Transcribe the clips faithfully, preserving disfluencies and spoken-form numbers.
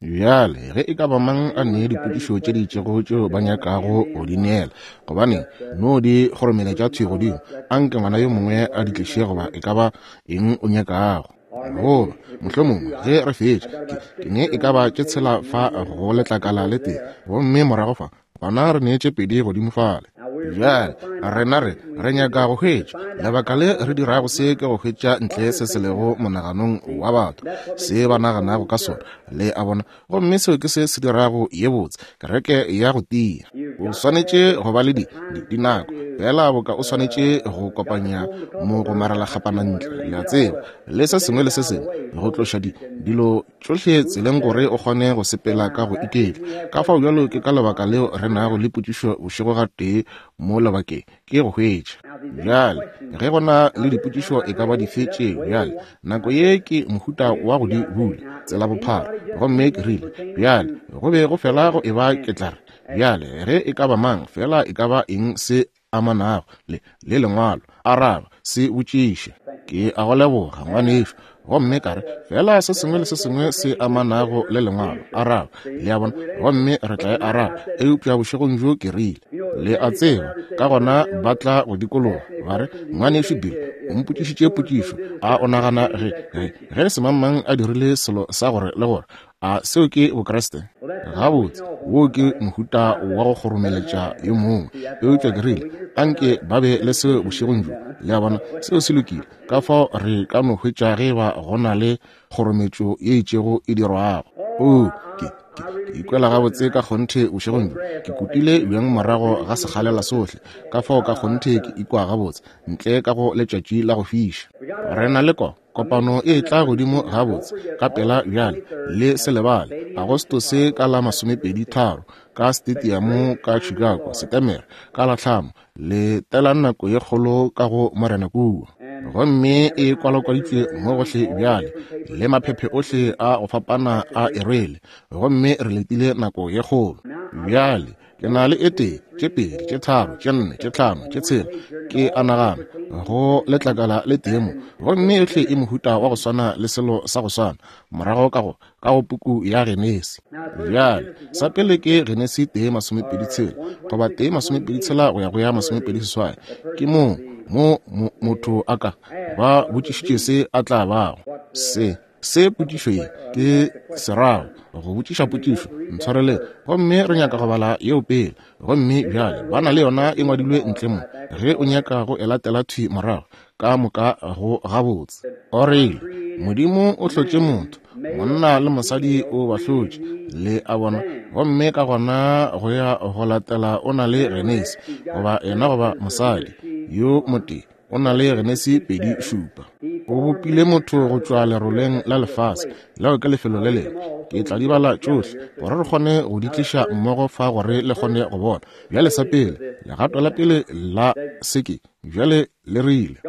Bjale, ge e ka ba mang a ne dipotšišo tše di itšego tšeo ba nyakago go di neela, gobaneng, no di kgoromeletša thwi godimo, anke ngwana yo mongwe a di tliše goba e ka ba eng o nyakago. Goba, mohlomongwe, ge re fetša, ke, ke ne e ka ba tše tshela fa go letlakala le tee, gomme morago fa, gona re ne tše pedi godimo fale. Bjale, rena re, re nyaka go hwetša, lebaka le re dirago se ke go hwetša ntle se se lego monaganong wa batho, se ba naganago ka sona, le a bona, gomme seo ke se se dirago ye botse, kereke ya go tia. O swanetše go ba le di, di, dinako, fela boka o swanetše go kopanya mo go maralakgapana ntle, le a tseba, le se sengwe le se sengwe, go tloša di, dilo tšohle tseleng gore o kgone go sepela ka go iketla. Ka fao bjalo ke ka lebaka leo re nago le potšišo bošego gatee mo lebakeng, ke go hwetša. Bjale, ge go na le dipotšišo e ka ba dife tše, bjale, nako ye ke mohuta wa go di bula, tsela bophara, gomme ke rile, bjale, go be go fela go eba ke tla re, bjale, ge e ka ba mang, fela e ka ba eng se amanago le, le lengwalo, araba, se botšiše. Ke a go leboga, ngwanešu. Gomme ka re, fela se sengwe le se sengwe se amanago le lengwalo, araba, le a bona, gomme re tla e araba. Eupša bošegong bjo ke rile, le a tseba, ka gona ba tla go dikologa, ba re, ngwanešu Bill, o mpotšišitše potšišo, a o nagana ge, ge, ge semangmang a dirile selo sa gore le gore, a seo ke Bokriste? Gabotse, wo ke mohuta wa go kgoromeletša yo mongwe. Eupša ke rile, anke ba be le seo bošegong bjo, le a bona, seo se lokile. Ka fao re ka no hwetša ge ba go na le kgorometšo ye itšego e dirwago. Oo, ke, ke, ke ikwela gabotse ka kgonthe bošegong bjo. Ke kutile bjang morago ga sekgalela sohle, ka fao ka kgonthe ke ikwa gabotse, ntle ka go letšatši la go fiša. Re na le ko kopano e tla godimo gabotse ka pela bjale, le se lebale, Agostose ka la masomepedi tharo, ka stadium ka Chicago, Setemere ka la hlano, le tela nako ye kgolo ka go Morena kua. Gomme e kwalakwaditšwe mo gohle bjale, le maphephe ohle a go fapana a e rwele, gomme re letile nako ye kgolo. Bjale, ke na le e tee, tše pedi, tše tharo, tše nne, tše hlano, tše tshela, ke a nagana, go letlakala le tee mo, gomme yohle e mohuta wa go swana le selo sa go swana, morago ka go, ka go puku ya Genesi. Bjale, sa pele ke Genesi tee masomepedi tshela, goba tee masomepedi tshela go ya go ya masomepedi seswai, ke mo, mo, mo motho a ka ba botšišitše se a tla bago. Se, se potšišo ye ke serago, go botšiša potšišo, ntshwareleng, gomme re nyaka go bala yeo pele. Gomme bjale ba na le yona e ngwadilwe ntle mo, ge o nyaka go e latela thwi morago, ka moka go gabotse. O rile, Modimo o hlotše motho, monna le mosadi o ba hlotše, le a bona, gomme ka gona go ya go latela o na le Genesi, goba yena goba mosadi yo motee, o na le Genesi pedi šupa. O bopile motho go tšwa leroleng la lefase, leo ke lefelo le lengwe. Ke tla di bala tšohle gore re kgone go di tliša mmogo fa gore le kgone go bona. Bjale sa pele, legato la pele la seke, bjale le rile,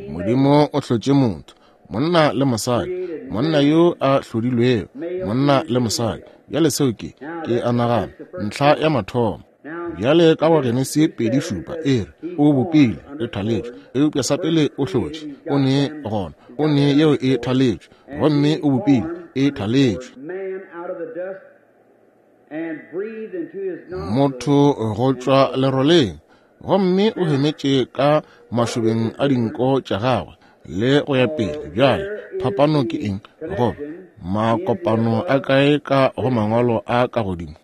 Modimo o hlotše motho, monna le mosadi, monna yo a hlodilwego, monna le mosadi. Bjale seo ke, ke a nagana, ntlha ya mathomo. Bjale ka go Genesi pedi šupa e re, o bopile, e thaletšwe, eupša sa pele o hlotše, o ne gona, o ne yeo e thaletšwe, gomme o bopile, e thaletšwe. Motho go tšwa leroleng, gomme o hemetše ka mašobeng a dinko tša gagwe, le go ya pele. Bjale, phapano ke eng? Goba makopano a kae ka go mangwalo a ka godimo?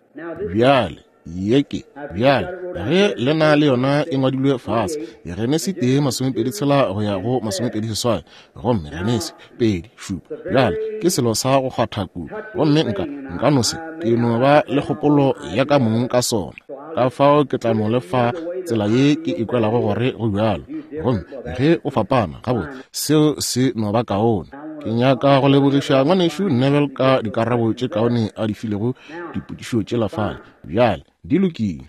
Bjale, ye ke, bjale, ge le na le yona e ngwadilwe fase, Genesi tee masomepedi tshela go ya go masomepedi seswai, gomme Genesi pedi šupa. Bjale, ke selo sa go kgwatha kudu, gomme nka, nka no se, ke no ba le kgopolo ya ka mong ka sona. Ka fao ke tla no le fa tsela ye ke ikwelago gore go bjalo, gomme ge o fapana, gabotse, seo se no ba kaone. Ke nyaka go lebogiša ngwanešu Neville ka dikarabo tše kaone a di filego dipotšišo tšela fale. Bjale, di lokile.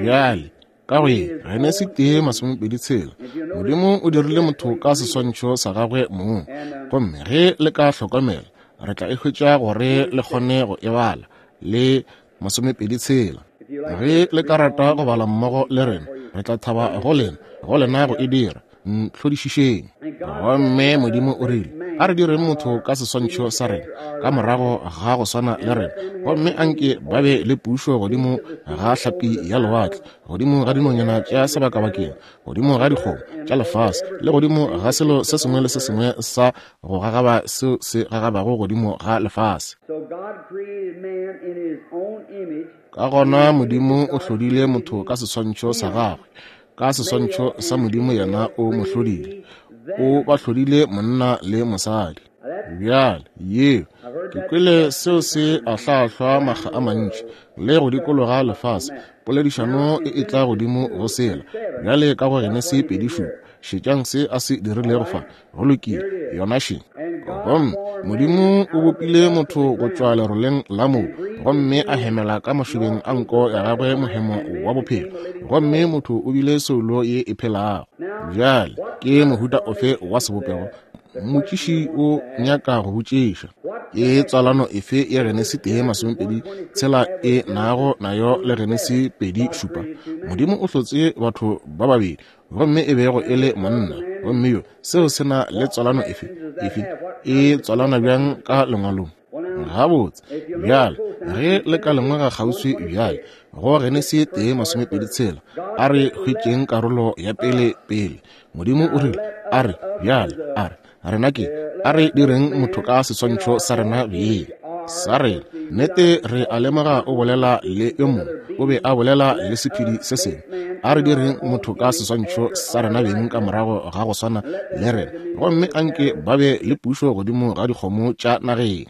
Bjale, ka go ye Genesi tee masomepedi tshela, Modimo o dirile motho ka seswantšho sa gagwe mong, gomme ge le ka hlokomela, re tla e hwetša gore le kgone go e bala, le masomepedi tshela. Ge le ka rata go bala mmogo le rena, Re tla thaba go lena, go lena go e dira. Ntlhodišišeng. Gomme Modimo o rile, a re direng motho ka seswantšho sa rena, ka morago ga go swana le rena, gomme anke ba be le pušo godimo ga hlapi ya lewatle, godimo ga dinonyana tša sebakabakeng, godimo ga dikgomo tša lefase, le godimo ga selo se sengwe le se sengwe sa go gagaba seo se gagabago godimo ga lefase. Ka gona Modimo o hlodile motho ka seswantšho sa gagwe, ka seswantšho sa Modimo yena o mo hlodile, o ba hlodile monna le mosadi. Bjale yeo ke kwele seo se ahlaahlwa makga a mantši le go dikologa lefase, poledišano e e tla godimo go sela. Bjale ka go Genesi pedi šupa, šetšang se a se dirilego fa. Go lokile, yona še. Gomme Modimo o bopile motho go tšwa leroleng la mobu, gomme a hemela ka mašobeng a nko ya gagwe mohemo wa bophelo, gomme motho o bile soulo ye e phelago. Bjale ke mohuta ofe wa sebopego? Motšiši o nyaka go botšiša, ke tswalano efe ya Genesi tee masomepedi tshela e nago nayo le Genesi pedi šupa? Modimo o hlotse batho ba babedi, gomme e bego e le monna gomme yo. Seo se na le tswalano efe? Efe e tswalana bjang ka lengwalong? Gabotse, bjale ge le ka lemoga kgauswi bjale go Genesi tee masomepedi tshela, a re hwetšeng karolo ya pele pele. Modimo o rile, a re bjale, a re rena ke, a re direng motho ka seswantšho sa rena beng sa rena. Nnete re a lemoga o bolela le yo mongwe, o be a bolela le sephedi se sengwe. A re direng motho ka seswantšho sa rena beng ka morago ga go swana le rena, gomme anke ba be le pušo godimo ga dikgomo tša nageng.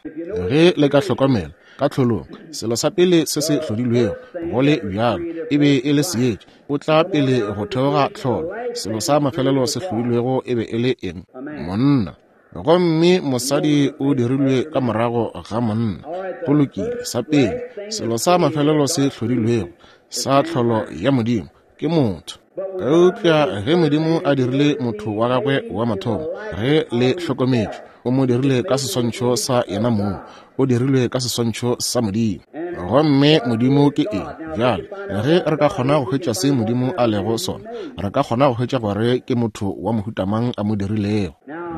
Ge le ka hlokomela ka tlholong, selo sa pele se se hlodilwego go le bjalo e be e le seetša. O tla pele go theoga tlholo. Selo sa mafelelo se hlodilwego e be e le eng? Monna. Gomme mosadi o dirilwe ka morago ga monna. Go lokile, sa pele selo sa mafelelo se hlodilwego sa tlholo ya Modimo ke motho. Eupša ge Modimo a dirile motho wa gagwe wa mathomo, ge le hlokometšwe, o mo dirile ka seswantšho sa yena mong, o dirilwe ka seswantšho sa Modimo. Gomme Modimo ke eng? Bjale ge re ka kgona go hwetša se Modimo a lego sona, re ka kgona go hwetša gore ke motho wa mohuta mang a mo dirilego.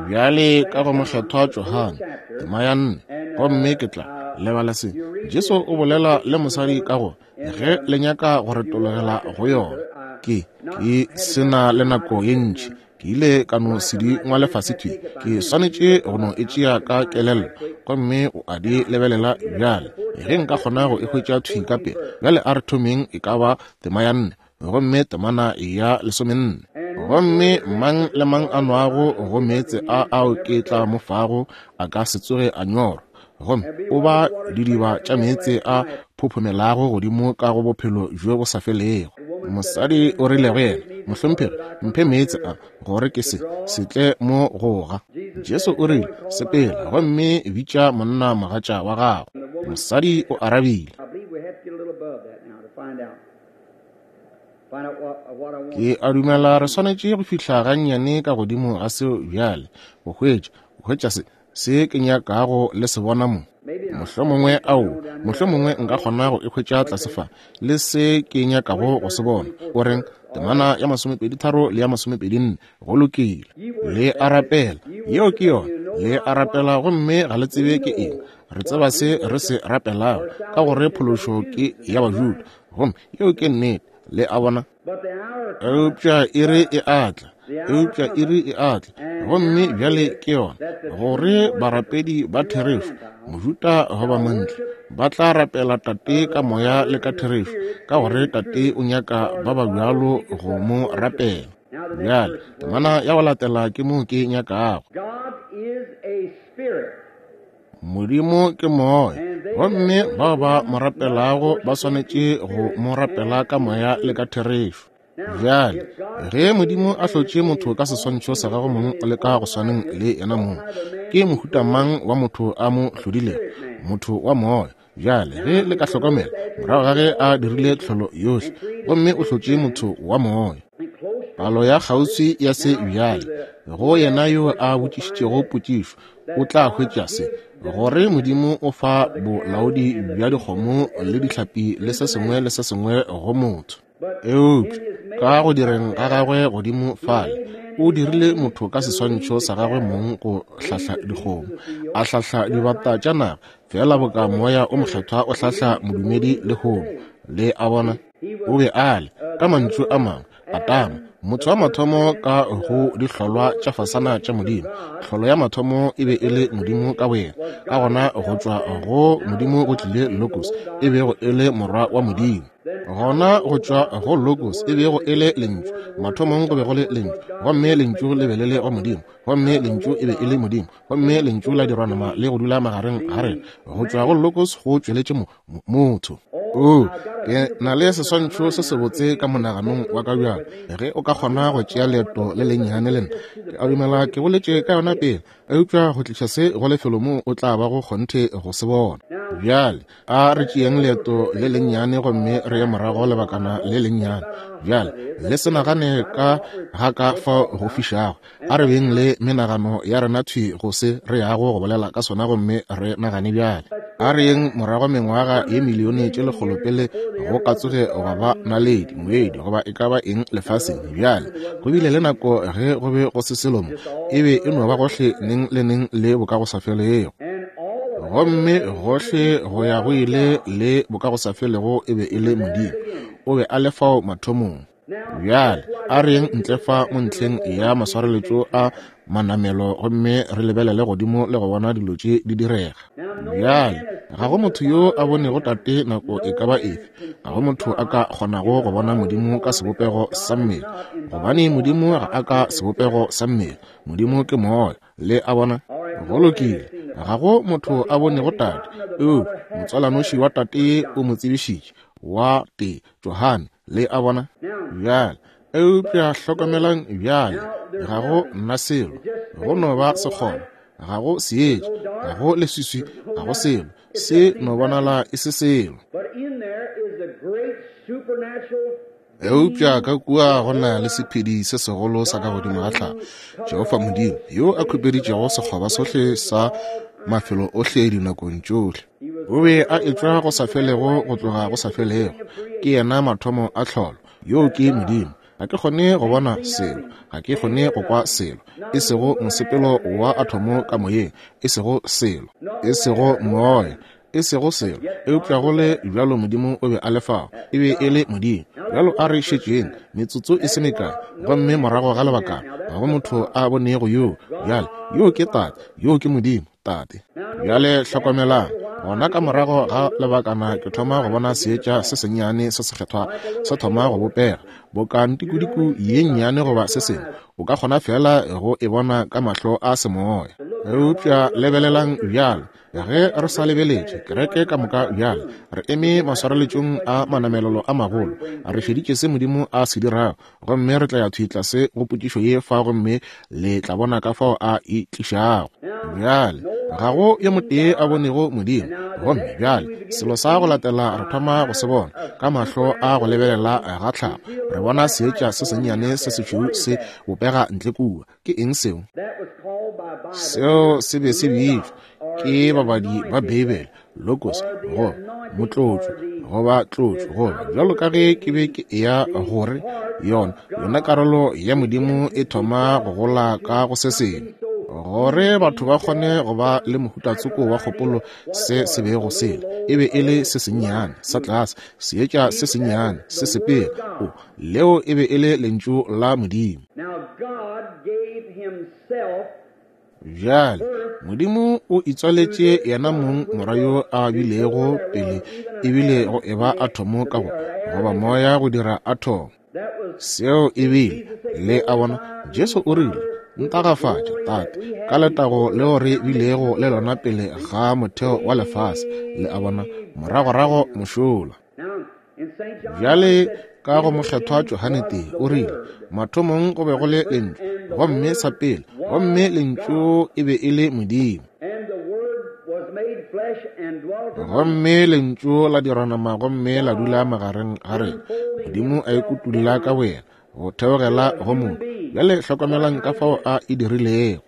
Bjale ka go Mokgethwa Johane tema ya nne, gomme ke tla lebala se. Jesu o bolela le mosadi ka go, ge le nyaka go retologela go yona, ke ke sena le nako ye ntši, ke ile ka no se di ngwale fase thwi, ke swanetše go no e tšea ka kelello, gomme o a di lebelela bjale. Ge nka kgona go e hwetša thwi ka pele. Bjale a re thomeng e ka ba tema ya nne, gomme temana ya lesomenne. Gomme mang le mang a nwago go meetse a ao ke tla mo fago a ka se tsoge a nyorwa, gomme o ba didiba tša meetse a phophomelago godimo ka go bophelo bjo bo sa felego. Mosadi o rile go yena, mohlomphegi, mphe meetse a, gore ke se se tle mo goga. Jesu o rile, sepela gomme bitša monna mogatša wa gago. Mosadi o arabile, ke a dumela re swanetše go fihla gannyane ka godimo ga seo bjale, go hwetša, go hwetša se se ke nyakago le se bona mo. Mohlomongwe ao, mohlomongwe nka kgona go e hwetša tlase fa, le se ke nyakago go se bona. O reng? Temana ya masomepedi tharo le ya masomepedi nne. Go lokile. Le a rapela. Yeo ke yona. Le a rapela gomme ga le tsebe ke eng. Re tseba se re se rapelago, ka gore phološo ke ya Bajuda. Gomme yeo ke nnete. Le a bona? Eupša iri e atla, eupša iri e atla, gomme bjale ke yona, gore barapedi ba therešo, Mojuda goba montle, ba tla rapela Tate ka moya le ka therešo, ka gore Tate o nyaka ba ba bjalo go mo rapela. Bjale temana ya go latela ke mo ke nyakago. Modimo ke moya, gomme bao ba mo rapelago ba swanetše go mo rapela ka moya le ka therešo. Bjale ge Modimo a hlotše motho ka seswantšho sa gagwe mong le ka go swaneng le yena mong, ke mohuta mang wa motho a mo hlodilego? Motho wa moya. Bjale ge le ka hlokomela, morago ga ge a dirile tlholo yohle, gomme o hlotše motho wa moya. Palo ya kgauswi ya se bjale, go yena yo a botšišitšego potšišo, o tla hwetša se, gore Modimo o fa bolaodi bja dikgomo le dihlapi le se sengwe le se sengwe go motho. Eupša ka go direng ga gagwe godimo fale, o dirile motho ka seswantšho sa gagwe mong go hlahla dikgomo, a hlahla dibata tša naga, fela boka Moya o Mokgethwa o hlahla modumedi lehono. Le a bona? O be a le, ka mantšu a mangwe, Adama, motho wa mathomo ka go dihlolwa tša fasana tša Modimo. Tlholo ya mathomo e be e le Modimo ka boyena. Ka gona go tšwa go Modimo go tlile Logos, e bego e le morwa wa Modimo. Gona go tšwa go Logos e bego e le Lentšu. Mathomong go be go le Lentšu, gomme Lentšu le be le le go Modimo, gomme Lentšu e be e le Modimo, gomme Lentšu la dirwa nama le go dula magareng ga rena. Go tšwa go Logos go tšweletše mo motho. O, ke na le seswantšho se sebotse ka monaganong wa ka bjalo. Ge o ka kgona go tšea leeto le lennyane le nna, ke a dumela ke boletše ka yona pele, eupša go tliša se go lefelo moo o tla ba go kgonthe go se bona. Bjale a re tšeeng leeto le lennyane gomme re ye morago lebakana le lennyane. Bjale le se nagane ka ga ka fao go fišago. A re beng le menagano ya rena thwi go se re yago go bolela ka sona, gomme re nagane bjale. A re yeng morago mengwaga ye milione tše lekgolo pele go ka tsoge gwa ba naledi, ngwedi goba e ka ba eng lefaseng. Bjale go bile le nako ge go be go se selo mo, e be e no ba gohle neng le neng le bokagosafelego, gomme gohle go ya go ile le bokagosafelego e be e le Modimo. O be a le fao mathomong. Bjale a re yeng ntle fa mo ntlheng ya maswareletšo a manamelo gomme re lebelele godimo le go bona dilo tše di direga. Bjale ga go motho yo a bonego Tate nako e ka ba efe. Ga go motho a ka kgonago go bona Modimo ka sebopego sa mmele, gobane Modimo ga a ka sebopego sa mmele. Modimo ke moya. Le a bona? Go lokile. Ga go motho a bonego Tate, eupša motswalanoši wa Tate o mo tsebišitše, wa tee Johane. Le a bona? Bjale eupša hlokomelang bjale, ga go nna selo, go no ba sekgoba, ga go seetša, ga go leswiswi, ga go selo, se no bonala e se selo. Eupša ka kua go na le sephedi se segolo sa ka godimo ga tlhago, Jehofa Modimo, yo a khupeditšego sekgoba sohle sa mafelo ohle dinakong tšohle. O be a etšwa go sa felego go tloga go sa felego. Ke yena mathomo a tlholo. Yo ke Modimo. Ga ke kgone go bona selo, ga ke kgone go kwa selo, e sego mosepelo wa athomo ka moyeng, e sego selo, e sego moya, e sego selo. Eupša go le bjalo Modimo o be a le fao, e be e le Modimo. Bjalo a re šetšeng metsotso e se mekae, gomme morago ga lebakana ga go motho a bonego yoo. Bjale yo ke Tate, yo ke Modimo Tate. Bjale hlokomelang, gona ka morago ga lebakana ke thoma go bona seetša se sennyane se sekgethwa se thoma go bopega boka ntikudiku ye nnyane goba se sengwe. O ka kgona fela go e bona ka mahlo a semoya. Eupša lebelelang bjale, ge re sa lebeletše kereke ka moka bjale, re eme maswareletšong a manamelelo a magolo, re šeditše se Modimo a se dirago, gomme re tla ya thwi tlase go potšišo ye fa, gomme le tla bona ka fao a e tlišago. Bjale ga go yo motee a bonego Modimo, gomme bjale selo sa go latela re thoma go se bona ka mahlo a go lebelela ga tlhago. Re bona seetša se sennyane se sešweu se bopega ntle kua. Ke eng seo? Seo se be se bitšwa ke babadi ba Beibele Logos, goba motlotšo, goba tlotšo, goba bjalo ka ge ke be ke eya gore yona yona karolo ya Modimo e thoma go gola ka go se sengwe, gore batho ba kgone go ba le mohutatsoko wa kgopolo se se bego sele. E be e le se sennyane sa tlase, seetša se sennyane se sepela. O, leo e be e le lentšu la Modimo. Bjale Modimo o itswaletše yena mong morwa yo a bilego pele ebile go eba athomo ka go goba moya go dira athomo. Seo ebile, le a bona, Jesu o rile, Ntagafatša, Tate, ka letago leo re bilego le lona pele ga motheo wa lefase. Le a bona, moragorago mošola. Bjale ka go mokgethwa Johane tee o rile, mathomong go be go le lentšu, gomme sa pele, gomme lentšu e be e le Modimo. Gomme lentšu la dirwa nama gomme la dula magareng ga rena. Modimo a ikutulla ka boyena go theogela go motho. Bjale hlokomelang ka fao a e dirilego.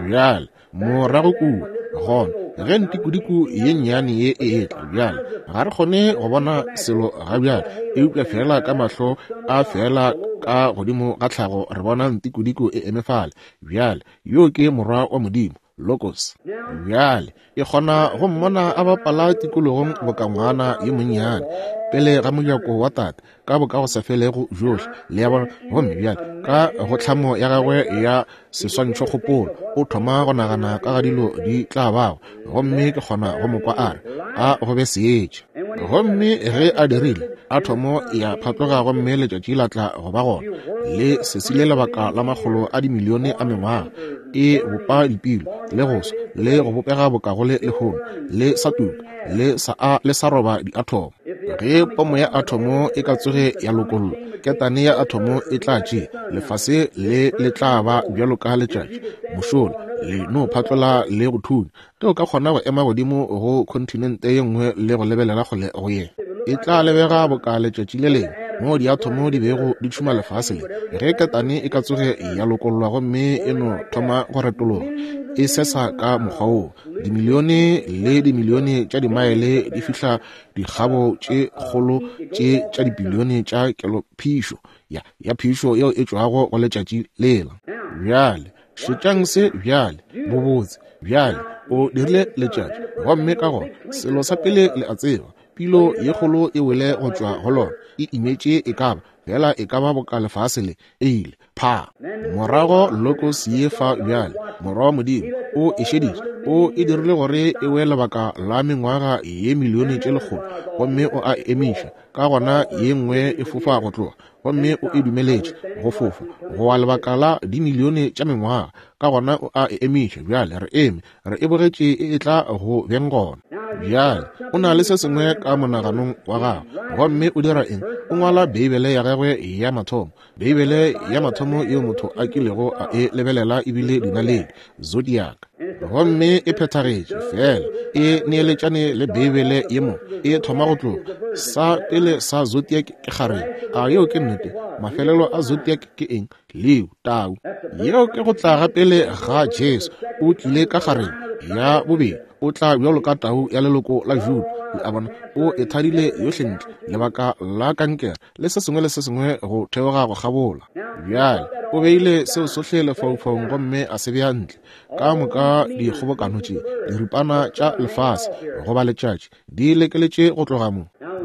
Bjale morago kua gona ge ntikudiku ye nnyane ye e etla bjale, ga re kgone go bona selo ga bjale, eupša fela ka mahlo a fela ka godimo ga tlhago re bona ntikudiku e eme fale. Bjale, yo ke morwa wa Modimo, Logos. Bjale, e kgona go mmona a bapala tikologong boka ngwana yo monnyane pele ga mojako wa tate ka boka go sa felego bjohle. Le a bona? Gomme bjale ka go tlhamo ya gagwe ya seswantšhokgopolo o thoma go nagana ka ga dilo di tla bago, gomme ke kgona go mo kwa a re, a go be seetša. Gomme ge a dirile, athomo ya phatloga gomme letšatši la tla go ba gona, le sesile lebaka la makgolo a dimilione a mengwaga, e bopa dipilo le go swa le go bopega boka go le lehono, le sa tuka le sa a le sa roba diathomo. Ge pomo ya athomo e ka tsoge ya lokollwa, ketane ya athomo e tla tšea lefase le le tla ba bjalo ka letšatši mošola, le no phatlola le go thunya. Ge o ka kgona go ema godimo go kontinente ye nngwe le go lebelela kgole go ye, e tla lebega boka letšatši le lengwe moo diathomo di bego di tšhuma lefase le. Ge ketane e ka tsoge ya lokollwa gomme e no thoma go retologa e sesa ka mokgwa woo, dimilione le dimilione tša dimaele di fihla dikgabo tše kgolo tše tša dibilione tša kelophišo ya ya phišo yeo e tšwago go letšatši lela. Bjale šetšang se bjale, bobotse. Bjale o dirile letšatši, gomme ka gona selo sa pele le a tseba, pilo ye kgolo e wele go tšwa go lona, e imetše e ka ba fela e ka ba boka lefase le, e ile pha. Morago Logos ye fa bjale, morwa wa Modimo, o e šeditše, o e dirile gore e we lebaka la mengwaga ye milione tše lekgolo, gomme o a emiša. Ka gona ye nngwe e fofa go tloga, gomme o e dumeletše go fofa go wa lebaka la dimilione tša mengwaga. Ka gona o a e emiša. Bjale re eme re e bogetše e etla go beng gona. Bjale o na le se sengwe ka monaganong wa gagwe, gomme o dira eng? O ngwala Beibele ya gagwe ya mathomo. Beibele ya mathomo yeo motho a kilego a e lebelela ebile dinaledi, zodiac, gomme e phethagetše fela e neeletšane le Beibele ye mo e thoma go tloga. Sa pele sa zodiac ke kgarebe. A yeo ke nnete? Mafelelo a zodiac ke eng? Leo, tau. Yeo ke go tla ga pele ga Jesu. O tlile ka kgarebe. Ya bobedi, o tla bjalo ka tau ya leloko la Juda. Le a bona? O e thadile yohle ntle, lebaka la kankere le se sengwe le se sengwe go theoga go kgabola. Bjale o beile seo sohle lefaufaung gomme a se bea ntle. Ka moka dikgobokano tše, diripana tša lefase goba letšatši, di lekeletše go tloga mo.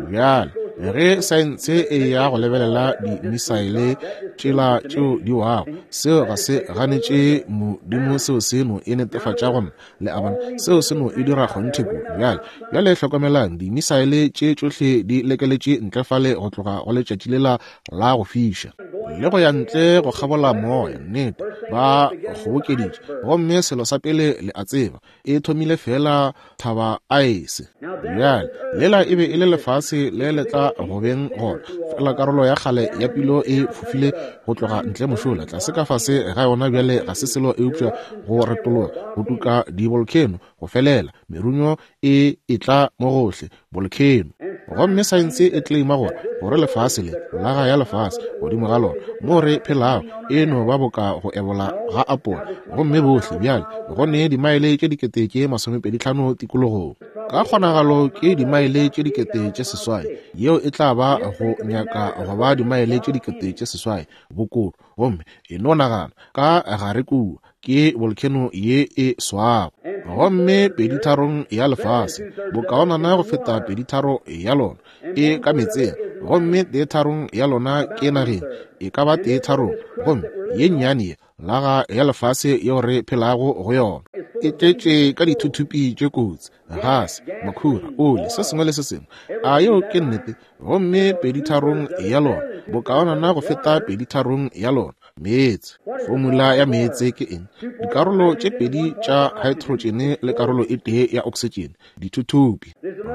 Bjale ge saense e ya go lebelela dimisaele tšela tšeo di wago, seo ga se ganetše Modimo, seo seno e netefatša gona. Le a bona? Seo seno e dira kgonthe kudu. Bjale bjale hlokomelang, dimisaele tše tšohle di lekeletše ntle fale go tloga go letšatši lela la go fiša le go ya ntle go kgabola moya. Nnete, ba kgobokeditše, gomme selo sa pele le a tseba, e thomile fela thaba aese. Bjale lela e be e le lefase le le tla go beng gona, fela karolo ya kgale ya pilo e fofile go tloga ntle mošola tlase ka fase ga yona. Bjale ga se selo eupša go retologa, go tuka di-volcano go felela, merunyo e etla mo gohle, volcano. Gomme saense e claima gore gore lefase le laga ya lefase godimo ga lona mo re phelago e no ba boka go ebola ga apola, gomme bohle bjale go ne dimaele tše dikete tše masomepedi tlhano tikologong. Ka kgonagalo ke dimaele tše dikete tše seswai, yeo e tla ba go nyaka go ba dimaele tše dikete tše seswai bokolo. Gomme e no nagana ka gare kua ke volcano ye e swago, gomme peditharong ya lefase bokaonana go feta peditharo ya lona e ka meetseng, gomme teetharong ya lona ke nageng e ka ba teetharong, gomme ye nnyane ye laga ya lefase yeo re phelago go yona e tletše ka dithuthupi tše kotsi, gase, makhura, oli, se sengwe le se sengwe. A yeo ke nnete? Gomme peditharong ya lona bokaonana go feta peditharong ya lona meetse. Formula ya meetse ke eng? Dikarolo tše pedi tša hydrogen le karolo e tee ya oxygen, dithuthupi.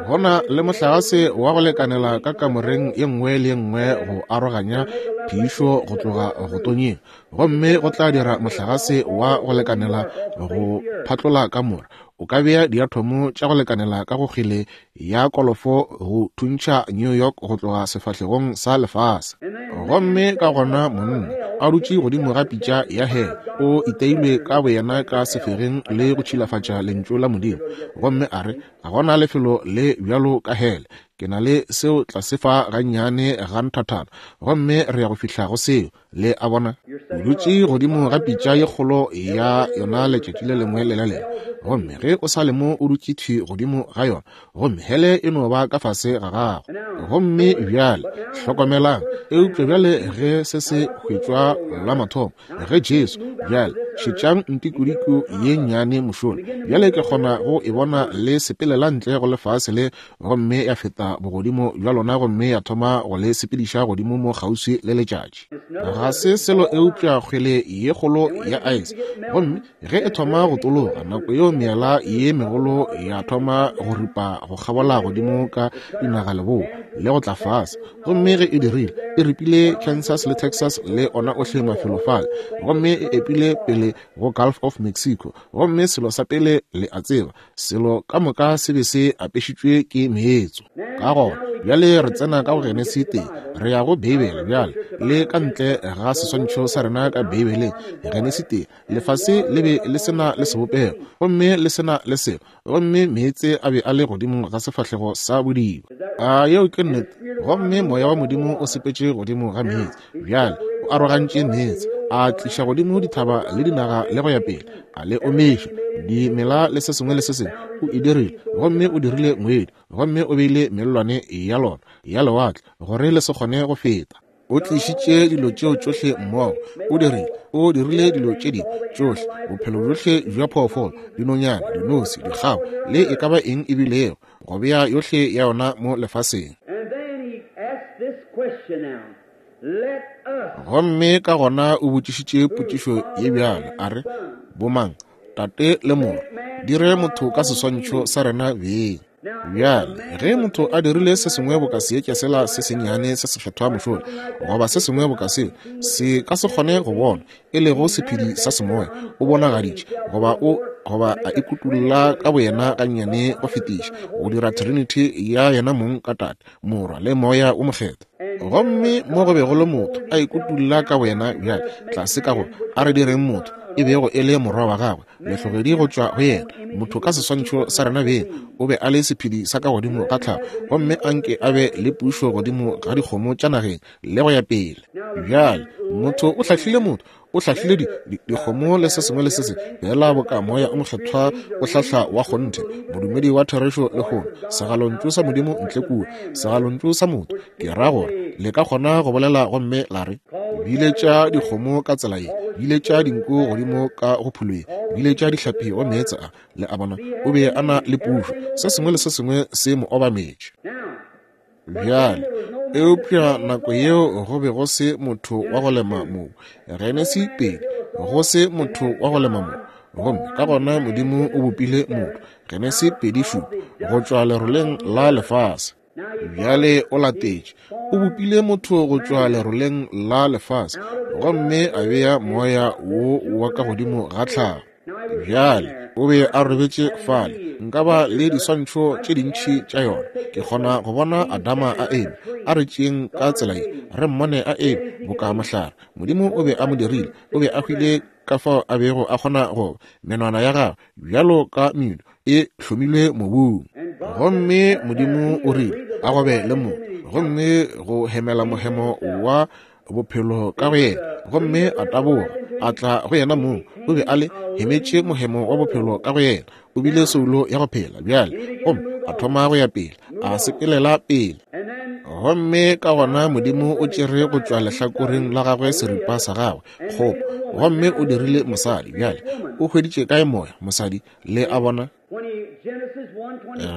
Gona le mohlagase wa go lekanela ka kamoreng ye nngwe le ye nngwe go aroganya phišo go tloga go tonyeng, gomme go tla dira mohlagase wa go lekanela go phatlola kamora. O ka bea diathomo tša go lekanela ka go kgwele ya kolofo go thuntšha New York go tloga sefahlegong sa lefase. Gomme ka gona monna a dutše godimo ga pitša ya hele, o iteilwe ka boyena ka sefegeng le go tšhilafatša lentšu la Modimo, gomme a re ga gona lefelo le bjalo ka hele. Ke na le seo tlase fa gannyane ga nthathana, gomme re ya go fihla go seo. Le a bona, o dutše godimo ga pitša ye kgolo ya yona letšatši le lengwe le le lengwe, gomme ge o sa le mo o dutše thwi godimo ga yona, gomme hele e no ba ka fase ga gago. Gomme bjale hlokomelang, eupša bjale ge se se hwetšwa la mathomo, ge Jesu, bjale šetšang ntikodiko ye nnyane mošola, bjale ke kgona go e bona le sepelela ntle go lefase le, gomme ya feta bogodimo bja lona gomme ya thoma go le sepediša godimo mo kgauswi le letšatši. Ga se selo eupša kgwele ye kgolo ya ice, gomme ge e thoma go tologa, nako yeo meela ye megolo ya thoma go ripa go kgabola godimo ka dinagaleboa le go tla fase. Gomme ge e dirile, e ripile Kansas le Texas le ona ohle mafelo fale, gomme e epile pele go Gulf of Mexico. Gomme selo sa pele le a tseba, selo ka moka se be se apešitšwe ke meetso. Ka gona bjale re tsena ka go Genesi tee, re ya go Beibele bjale, le ka ntle ga seswantšho sa rena ka Beibeleng. Genesi tee, lefase le be le sena le sebopego, gomme le sena le selo, gomme meetse a be a le godimo ga sefahlego sa bodiba. A yeo ke nnete? Gomme moya wa Modimo o sepetše godimo ga meetse. Bjale o arogantše meetse, a tliša godimo dithaba le dinaga le go ya pele, a le omiša dimela le se sengwe le se sengwe. O e dirile, gomme o dirile moedi, gomme o beile mellwane ya lona ya lewatle gore le se kgone go feta. O tlišitše dilo tšeo tšohle mmogo. O dirile, o dirile dilo tše dingwe tšohle, bophelo bjohle bja phoofolo, dinonyana, dinose, dikgabo, le e ka ba eng e bilego, go bea yohle ya yona mo lefaseng. Gomme ka gona o botšišitše potšišo ye bjalo, a re, bomang, tate le morwa, dire motho ka seswantšho sa rena beng. Bjale ge motho a dirile se sengwe boka seetša sela se sennyane se sekgethwa mošola, goba se sengwe boka seo, se ka se kgone go bona, e lego sephedi sa semoya, o bonagaditše goba o goba a ikutulla ka boyena gannyane go fetiša, go dira trinity ya yena mong ka Tate, Morwa le Moya o Mokgethwa. Gomme mo go bego le motho a ikutulla ka boyena bjale tlase ka go a re direng motho, e bego e le morwa wa gagwe, lehlogedi go tšwa go yena, motho ka seswantšho sa rena beng. O be a le sephedi sa ka godimo ga tlhago, gomme anke a be le pušo godimo ga dikgomo tša nageng le go ya pele. Bjale motho o hlahlile motho, o hlahlile dikgomo le se sengwe le se sengwe, fela boka moya o mokgethwa o hlahla wa kgonthe, modumedi wa therešo lehono, segalontšu sa Modimo ntle kua, segalontšu sa motho. Ke ra gore le ka kgona go bolela gomme la re, biletša dikgomo ka tsela ye, biletša dinku godimo ka go pholoye, biletša dihlapi go meetse a. Le a bona, o be a na le pušo, se sengwe le se sengwe se mo obametše. Bjale eupša nako yeo go be go se motho wa go lema mobu. Genesi pedi, go se motho wa go lema mobu. Gomme ka gona Modimo o bopile motho, Genesi pedi šupa, go tšwa leroleng la lefase. Bjale o latetše, o bopile motho go tšwa leroleng la lefase, gomme a bea moya wo wa ka godimo ga tlhago. Bjale o be a robetše fale. Nka ba le diswantšho tše dintši tša yona. Ke kgona go bona Adama a eme, a re tšeeng ka tsela ye, re mmone a eme boka mohlare. Modimo o be a mo dirile, o be a hwile ka fao a bego a kgona go menwana ya gagwe bjalo ka meno e hlomilwe mobung. Gomme Modimo o rile a go be le motho, gomme go hemela mohemo wa bophelo ka go yena, gomme a taboga a tla go yena mong. O be a le hemetše mohemo wa bophelo ka go yena, o bile soulo ya go phela bjale, gomme a thoma go ya pele, a sepelela pele. Gomme ka gona Modimo o tšere go tšwa lehlakoreng la gagwe seripa sa gagwe kgopo, gomme o dirile mosadi. Bjale o hweditše kae moya mosadi? Le a bona,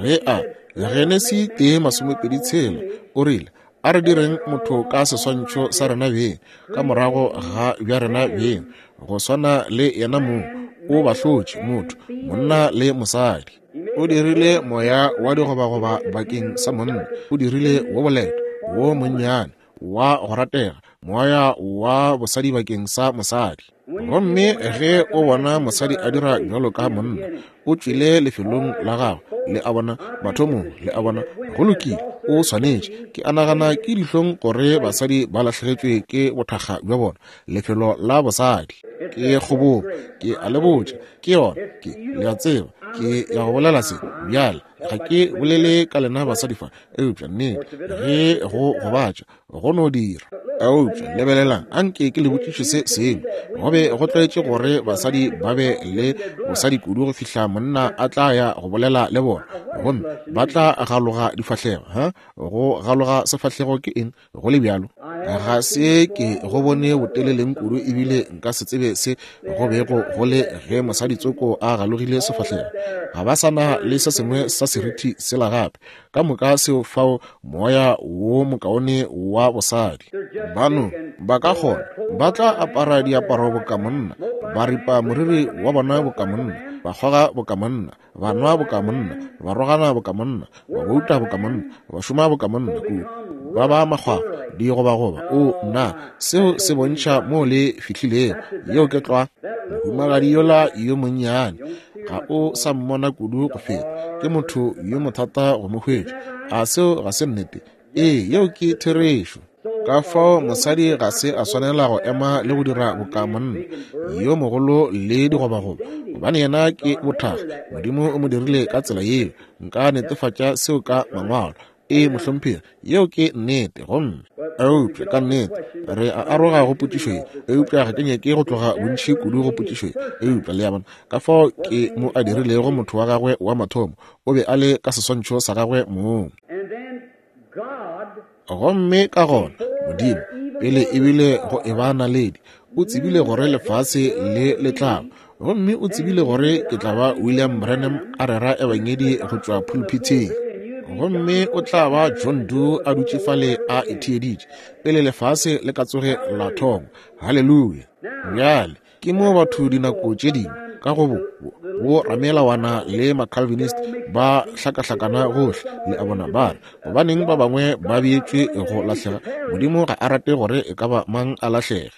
ge a Genesi tee masomepedi tshela o rile, a re direng motho ka seswantšho sa rena beng, ka morago ga bja rena beng, go swana le yena mong. O ba hlotše motho, monna le mosadi. O dirile moya wa digobagoba bakeng sa monna, o dirile wo boleta, wo monnyane, wa go ratega, moya wa bosadi bakeng sa mosadi. Gomme ge o bona mosadi a dira bjalo ka monna, o tšwile lefelong la gagwe, le a bona, mathomong, le a bona, go lokile, o swanetše. Ke a nagana ke dihlong gore basadi ba lahlegetšwe ke bothakga bja bona, lefelo la bosadi. Ke kgobogo, ke a le botša, ke yona, ke, le a tseba, ke ya go bolela se bjale. Ga ke bolele ka lena basadi fa, eupša nnete, ge go gobatša, go no dira. Eupša lebelelang, anke ke le botšiše se sengwe. Go be go tlwaetše gore basadi ba be le bosadi kudu go fihla monna a tla ya go bolela le bona, gomme ba tla galoga difahlego. Ha go galoga sefahlego ke eng go le bjalo? Ga se ke go bone boteleleng kudu, ebile nka se tsebe se go bego go le ge mosadi tsoko a galogile sefahlego. Ga ba sa na le se sengwe sa seriti sela gape. Ka moka seo fao moya wo mokaone wa bosadi. Bano ba ka kgona, ba tla apara diaparo boka monna, ba ripa moriri wa bona boka monna, ba kgoga boka monna, ba nwa boka monna, ba rogana boka monna, ba bouta boka monna, ba šoma boka monna kudu, ba ba makgwakgwa, digobagoba. O nna, seo se bontšha moo le fihlilego. Yeo ke tlwa. Mohumagadi yola yo monnyane ga o sa mmona kudu go feta, ke motho yo mothata go mo hwetša. A seo ga se nnete? Ee, yeo ke therešo. Ka fao mosadi ga se a swanela go ema le go dira boka monna yo mogolo le digobagoba, gobane yena ke bothakga. Modimo o mo dirile ka tsela yeo. Nka netefatša seo ka mangwalo. Ee, mohlomphegi, yeo ke nnete. Gomme eupša ka nnete re a aroga go potšišo ye, eupša ga ke nyake go tloga bontši kudu go potšišo ye. Eupša le a bona ka fao ke mo a dirilego motho wa gagwe wa mathomo, o be a le ka seswantšho sa gagwe mong. Gomme ka gona Modimo, pele ebile go eba naledi, o tsebile gore lefase le le tla ba, gomme o tsebile gore ke tla ba William Branham a rera ebangedi go tšwa pulpitheng, gomme o tla ba John Doe a dutše fale a itheeditše pele lefase le ka tsoge la thoma. Haleluya! Bjale ke mo batho dinako tše dingwe ka go bo bo ramelawana le ma-Calvinist ba hlakahlakana gohle, le a bona, ba re gobaneng ba bangwe ba beetšwe go lahlega. Modimo ga a rate gore e ka ba mang a lahlege.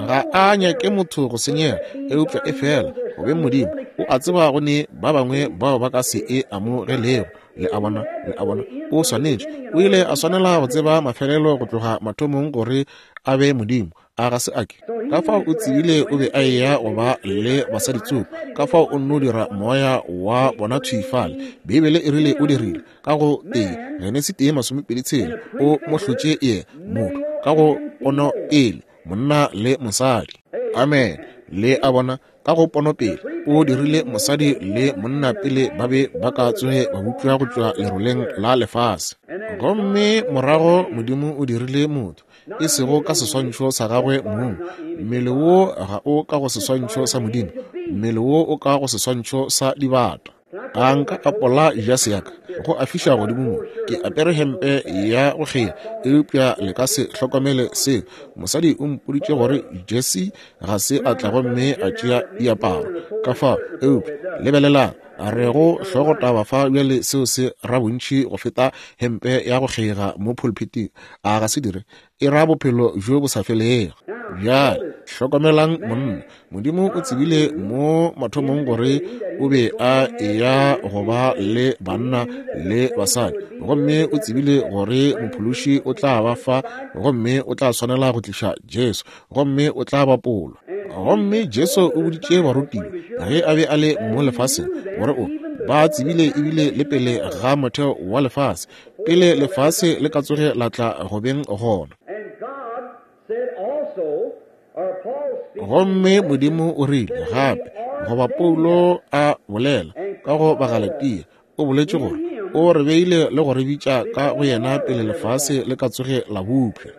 Ga a nyake motho go senyega, eupša e fela go beng Modimo o a tseba go ne ba bangwe bao ba ka se e amogelego. Le a bona, le a bona, o swanetše, o ile a swanela go tseba mafelelo go tloga mathomong gore a be Modimo. A ga se a ke? Ka fao o tsebile o be a eya go ba le basadi tsoko, ka fao o nno dira moya wa bona thwi fale. Beibele e rile o dirile ka go tee Genesi tee masomepedi tshela, o mo hlotše ye motho ka go pono pele, monna le mosadi. Amen. Le a bona, ka go pono pele o dirile mosadi le monna pele ba be ba ka tsoge ba bopša go tšwa leroleng la lefase. Gomme morago Modimo o dirile motho, e sego ka seswantšho sa gagwe mong. Mmele wo ga o ka go seswantšho sa Modimo, mmele wo o ka go seswantšho sa dibata. A nka apola jase ya ka go a fiša godimo mo, ke apere hempe ya go kgea, eupša le ka se hlokomele seo. Mosadi o mpoditše gore Jesse ga se a tla gomme a tšea diaparo ka fao, eupša lebelelang, re go hlogotaba fa bjale, seo se ra bontši go feta hempe ya go kgega mo pulpiting. A ga se dire? E ra bophelo bjo bo sa felego. Bjale hlokomelang monna. Modimo o tsebile mo mathomong gore o be a eya go ba le banna le basadi, gomme o tsebile gore mophološi o tla ba fa, gomme o tla swanela go tliša Jesu, gomme o tla bapolwa. Gomme Jesu o boditše barutiwa ge a be a le mo lefaseng gore o ba tsebile ebile le pele ga motheo wa lefase, pele lefase le ka tsoge la tla go beng gona. Gomme Modimo o rile gape, goba Paulo a bolela ka go Bagalatia, o boletše gore o re beile le go re bitša ka go yena pele lefase le ka tsoge la bopša.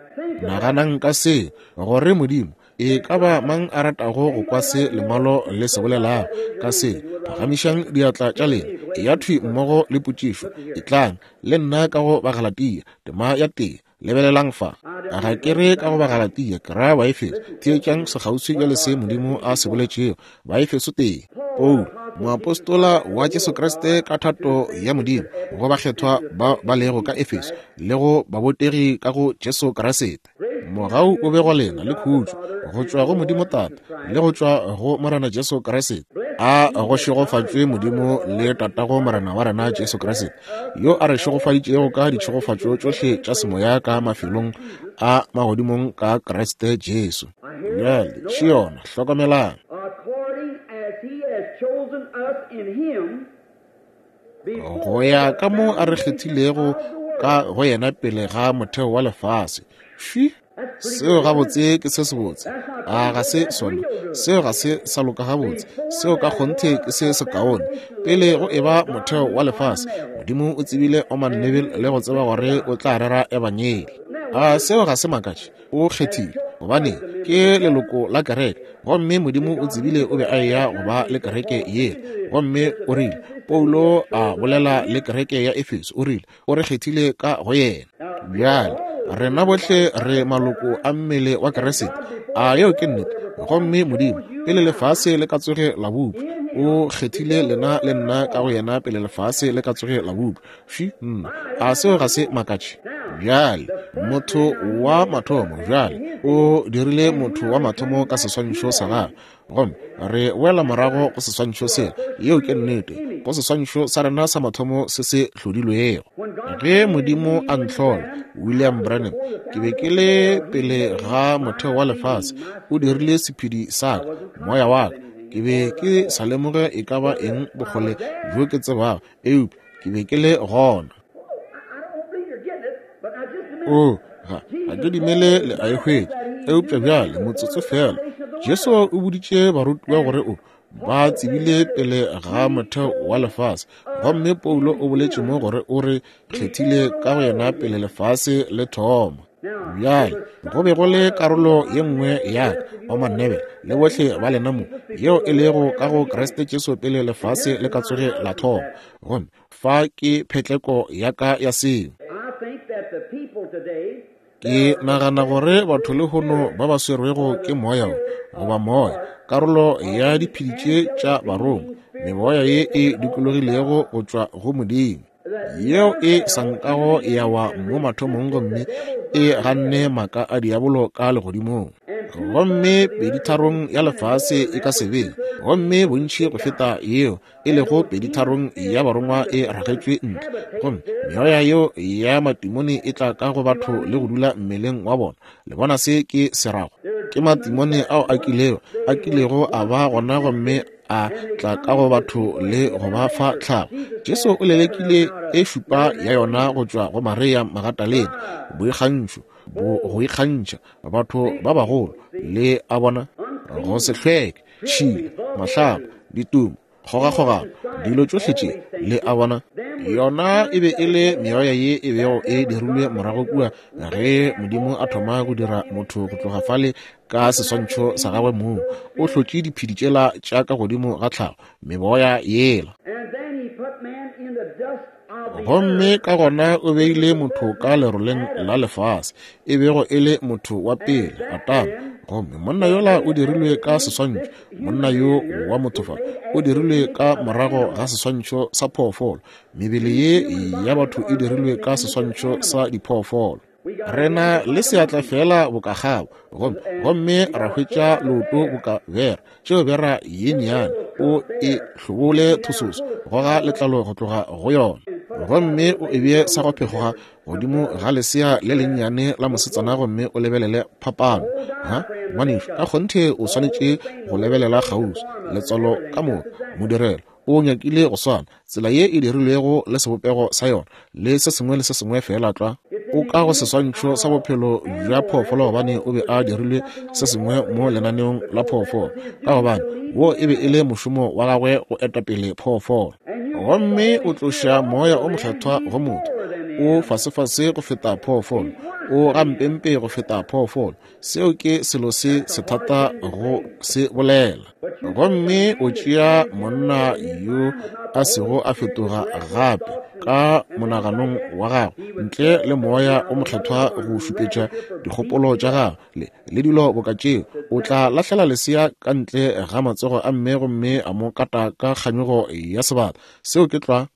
Naganang ka se, gore Modimo e ka ba mang a ratago go kwa se lengwalo le se bolelago ka se, phagamišang diatla tša lena, e ya thwi mmogo le potšišo, e tlang le nna ka go Bagalatia tema ya tee. Lebelelang fa, ga ke re ka go Bagalatia, ke ra Baefeso. Theetšang sekgauswi bjale se Modimo a se boletšego. Baefeso tee, Paulo, moapostola wa Jesu Kriste ka thato ya Modimo, go bakgethwa ba ba lego ka Efeso le go babotegi ka go Jesu Kriste. Mogau o be go lena le khutšo go tšwa go Modimo Tate le go tšwa go Morena Jesu Kriste. A go šegofatšwe Modimo le Tatago Morena wa rena Jesu Kriste, yo a re šegofaditšego ka ditšhegofatšo tšohle tša semoya ka mafelong a magodimong ka Kriste Jesu. Bjale še yona, hlokomelang. Go ya ka mo a re kgethilego ka go yena pele ga motheo wa lefase. Šwi, seo gabotse ke se sebotse. A ga se sona? Seo ga se sa loka gabotse. Seo ka kgonthe ke se sekaone. Pele go eba motheo wa lefase, Modimo o tsebile Orman Neville le go tseba gore o tla rera ebangeli. A seo ga se makatše? O kgethile, gobane ke leloko la kereke, gomme Modimo o tsebile o be a eya go ba le kereke yela. Gomme o rile, Paulo a bolela le kereke ya Efeso, o rile, o re kgethile ka go yena. Bjale rena bohle re maloko a mmele wa Kriste. A yeo ke nnete? Gomme Modimo, pele lefase le ka tsoge la bopša, o kgethile lena le nna ka go yena pele lefase le ka tsoge la bopša. Fi, nna, a seo ga se makatše? Bjale motho wa mathomo, bjale o dirile motho wa mathomo ka seswantšho sa gagwe, gomme re wela morago go seswantšho sela. Yeo ke nnete, go seswantšho sa rena sa mathomo se se hlodilwego. Ge Modimo a ntlhola, William Branham, ke be ke le pele ga motheo wa lefase, o dirile sephedi sa ka, moya wa ka. Ke be ke sa lemoge e ka ba eng bokgole bjo ke tsebago, eupša ke be ke le gona. O, ga, ga ke dumele le a e hwetša, eupša bjale motsotso fela. Jesu o boditše barutiwa gore o ba tsebile pele ga motheo wa lefase, gomme Paulo o boletše mo gore o re kgethile ka go yena pele lefase le thoma. Bjale go be go le karolo ye nngwe ya ka, Orman Neville le bohle ba lena mo, yeo e lego ka go Kriste Jesu pele lefase le ka tsoge la thoma. Gomme fa ke phetleko ya ka ya seo. Ke nagana gore batho lehono ba ba swerwego ke moya goba moya, karolo ya diphedi tše tša barongwa, meboya ye e dikologilego go tšwa go Modimo, yeo e sa nkago ya wa mo mathomong gomme e ganne maaka a diabolo ka legodimong. Gomme peditharong ya lefase e ka se be, gomme bontši go feta yeo e lego peditharong ya barongwa e ragetšwe ntle. Gomme meoya yeo ya matimone e tla ka go batho le go dula mmeleng wa bona. Le bona se ke se rago? Ke matimone ao a kilego a kilego a ba gona gomme a tla ka go batho le go ba fa tlhago. Jesu o lelekile e šupa ya yona go tšwa go Maria Magatalena, boikgantšho, bo go ikgantšha batho ba bagolo, le a bona, go se hlweke, tšhila, mahlapa, ditumo, kgogakgogano, dilo tšohle tše, le a bona. Yona e be e le meoya ye e bego e dirilwe morago kua ge Modimo a thoma go dira motho go tloga fale ka seswantšho sa gagwe mong. O hlotše diphedi tšela tša ka godimo ga tlhago, meboya yela. Gomme ka gona o beile motho ka leroleng la lefase, e bego e le motho wa pele, Adama. Gomme monna yola o dirilwe ka seswantšho, monna yo wa motho fa o dirilwe ka morago ga seswantšho sa phoofolo. Mebele ye ya batho e dirilwe ka seswantšho sa diphoofolo. Rena le seatla fela boka kgabo, gomme gomme ra hwetša leoto boka bera, tšeo bera ye nnyane o e hlobole thososo, goga letlalo go tloga go yona, gomme o e bee sa go phekgoga godimo ga lesea le lennyane la mosetsana, gomme o lebelele phapano. Ha, ngwanešu, ka kgonthe o swanetše go lebelela kgauswi. Letswalo ka moka, modirelo o nyakile go swana, tsela ye e dirilwego le sebopego sa yona le se sengwe le se sengwe fela tlwa. O ka go seswantšho sa bophelo bja phoofolo, gobane o be a dirilwe se sengwe mo lenaneong la phoofolo, ka gobane wo e be e le mošomo wa gagwe go eta pele phoofolo. Gomme o tloša moya o mokgethwa go motho, o fasefase go feta phoofolo, O gampempe go feta phoofolo. Seo ke selo se sethata go se bolela. Gomme o tšea monna yo a sego a fetoga gape ka monaganong wa gagwe ntle le moya o mokgethwa go šupetša dikgopolo tša gagwe le le dilo boka tšeo, o tla lahlela lesea ka ntle ga matsogo a mme gomme a mo kata ka kganyogo ya sebata. Seo ke tlwa.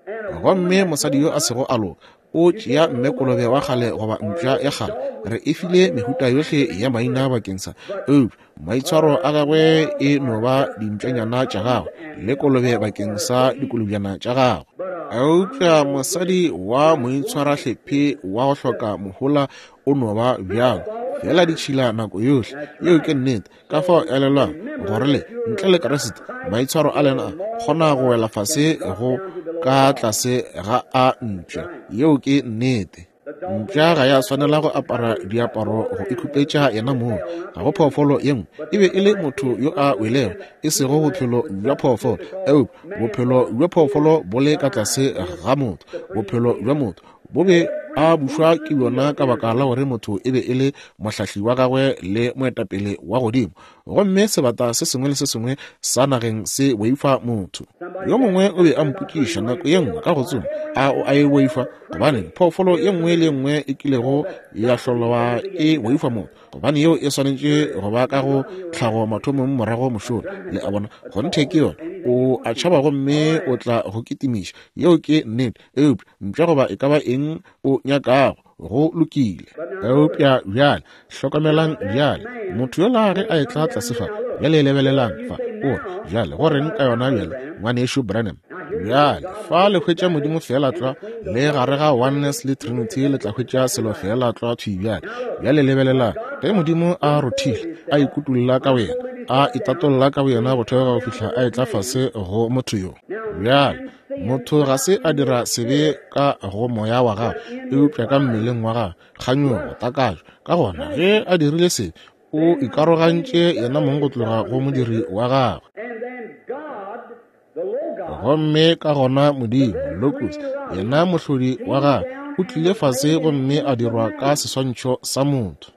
Gomme mosadi yo a sego a loka o tšea mme kolobe wa kgale goba mpša ya kgale. Re e file mehuta yohle ya maina bakeng sa, eupša maitshwaro a gagwe e no ba dimpšanyana tša gagwe le kolobe bakeng sa dikolobjana tša gagwe. Eupša mosadi wa moitshwarahlephe wa go hloka mohola o no ba bjalo fela ditšhila nako yohle. Yeo ke nnete. Ka fao elelwang gore le ntle le Kriste maitshwaro a lena a kgona go wela fase go ka tlase ga a mpša. Yeo ke nnete. Mpša ga ya swanela go apara diaparo go ikhupetša yena mong. Ga go phoofolo ye nngwe. E be e le motho yo a welego, e sego bophelo bja phoofolo, eupša bophelo bja phoofolo bo le ka tlase ga motho. Bophelo bja motho bo be a bušwa ke bjona ka baka la gore motho e be e le mohlahli wa gagwe le moetapele wa godimo. Gomme sebata se sengwe le se sengwe sa nageng se boifa motho. Yo mongwe o be a mpotšiša nako ye nngwe ka go tsoma, a o a e boifa? Gobane phoofolo ye nngwe le ye nngwe e kilego ya hlolwa e boifa motho, gobane yeo e swanetše go ba ka go tlhago mathomong morago mošola. Le a bona, kgonthe ke yona. O a tšhaba gomme o tla go kitimiša. Yeo ke nnete. Eupša mpša goba e ka ba eng o nyakago, go lokile. Eupša bjale hlokomelang bjale, motho yola ge a etla tlase fa, bjale lebelelang fa, o re, bjale go reng ka yona bjale, ngwanešu Branham? Bjale fa le hwetša Modimo feela tlwa, le gare ga oneness le trinity le tla hwetša selo feela tlwa thwi bjale. Bjale lebelelang, ge Modimo a rothile, a ikutulla ka wena, a itatolla ka boyena go theoga go fihla a etla fase go motho yo. Bjale motho ga se a dira sebe ka go moya wa gagwe, eupša ka mmeleng wa gagwe, kganyogo, takatšo. Ka gona ge a dirile sebe, o ikarogantše yena mong go tloga go modiri wa gagwe. Gomme ka gona Modimo, Logos, yena mohlodi wa gagwe, o tlile fase gomme a dirwa ka seswantšho sa motho.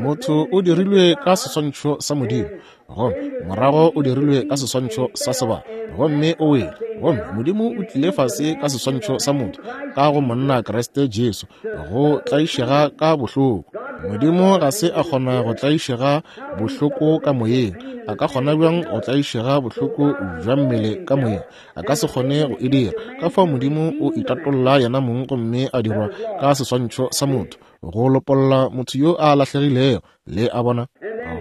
Motho o dirilwe ka seswantšho sa Modimo, gomme morago o dirilwe ka seswantšho sa sebata, gomme o wele. Gomme Modimo o tlile fase ka seswantšho sa motho, ka go monna Kriste Jesu, go tlaišega ka bohloko. Modimo ga se a kgona go tlaišega bohloko ka moyeng. A ka kgona bjang go tlaišega bohloko bja mmele ka moyeng? A ka se kgone go e dira. Ka fao Modimo o itatolla yena mong gomme a dirwa ka seswantšho sa motho, go lopolla motho yo a lahlegilego. Le a bona?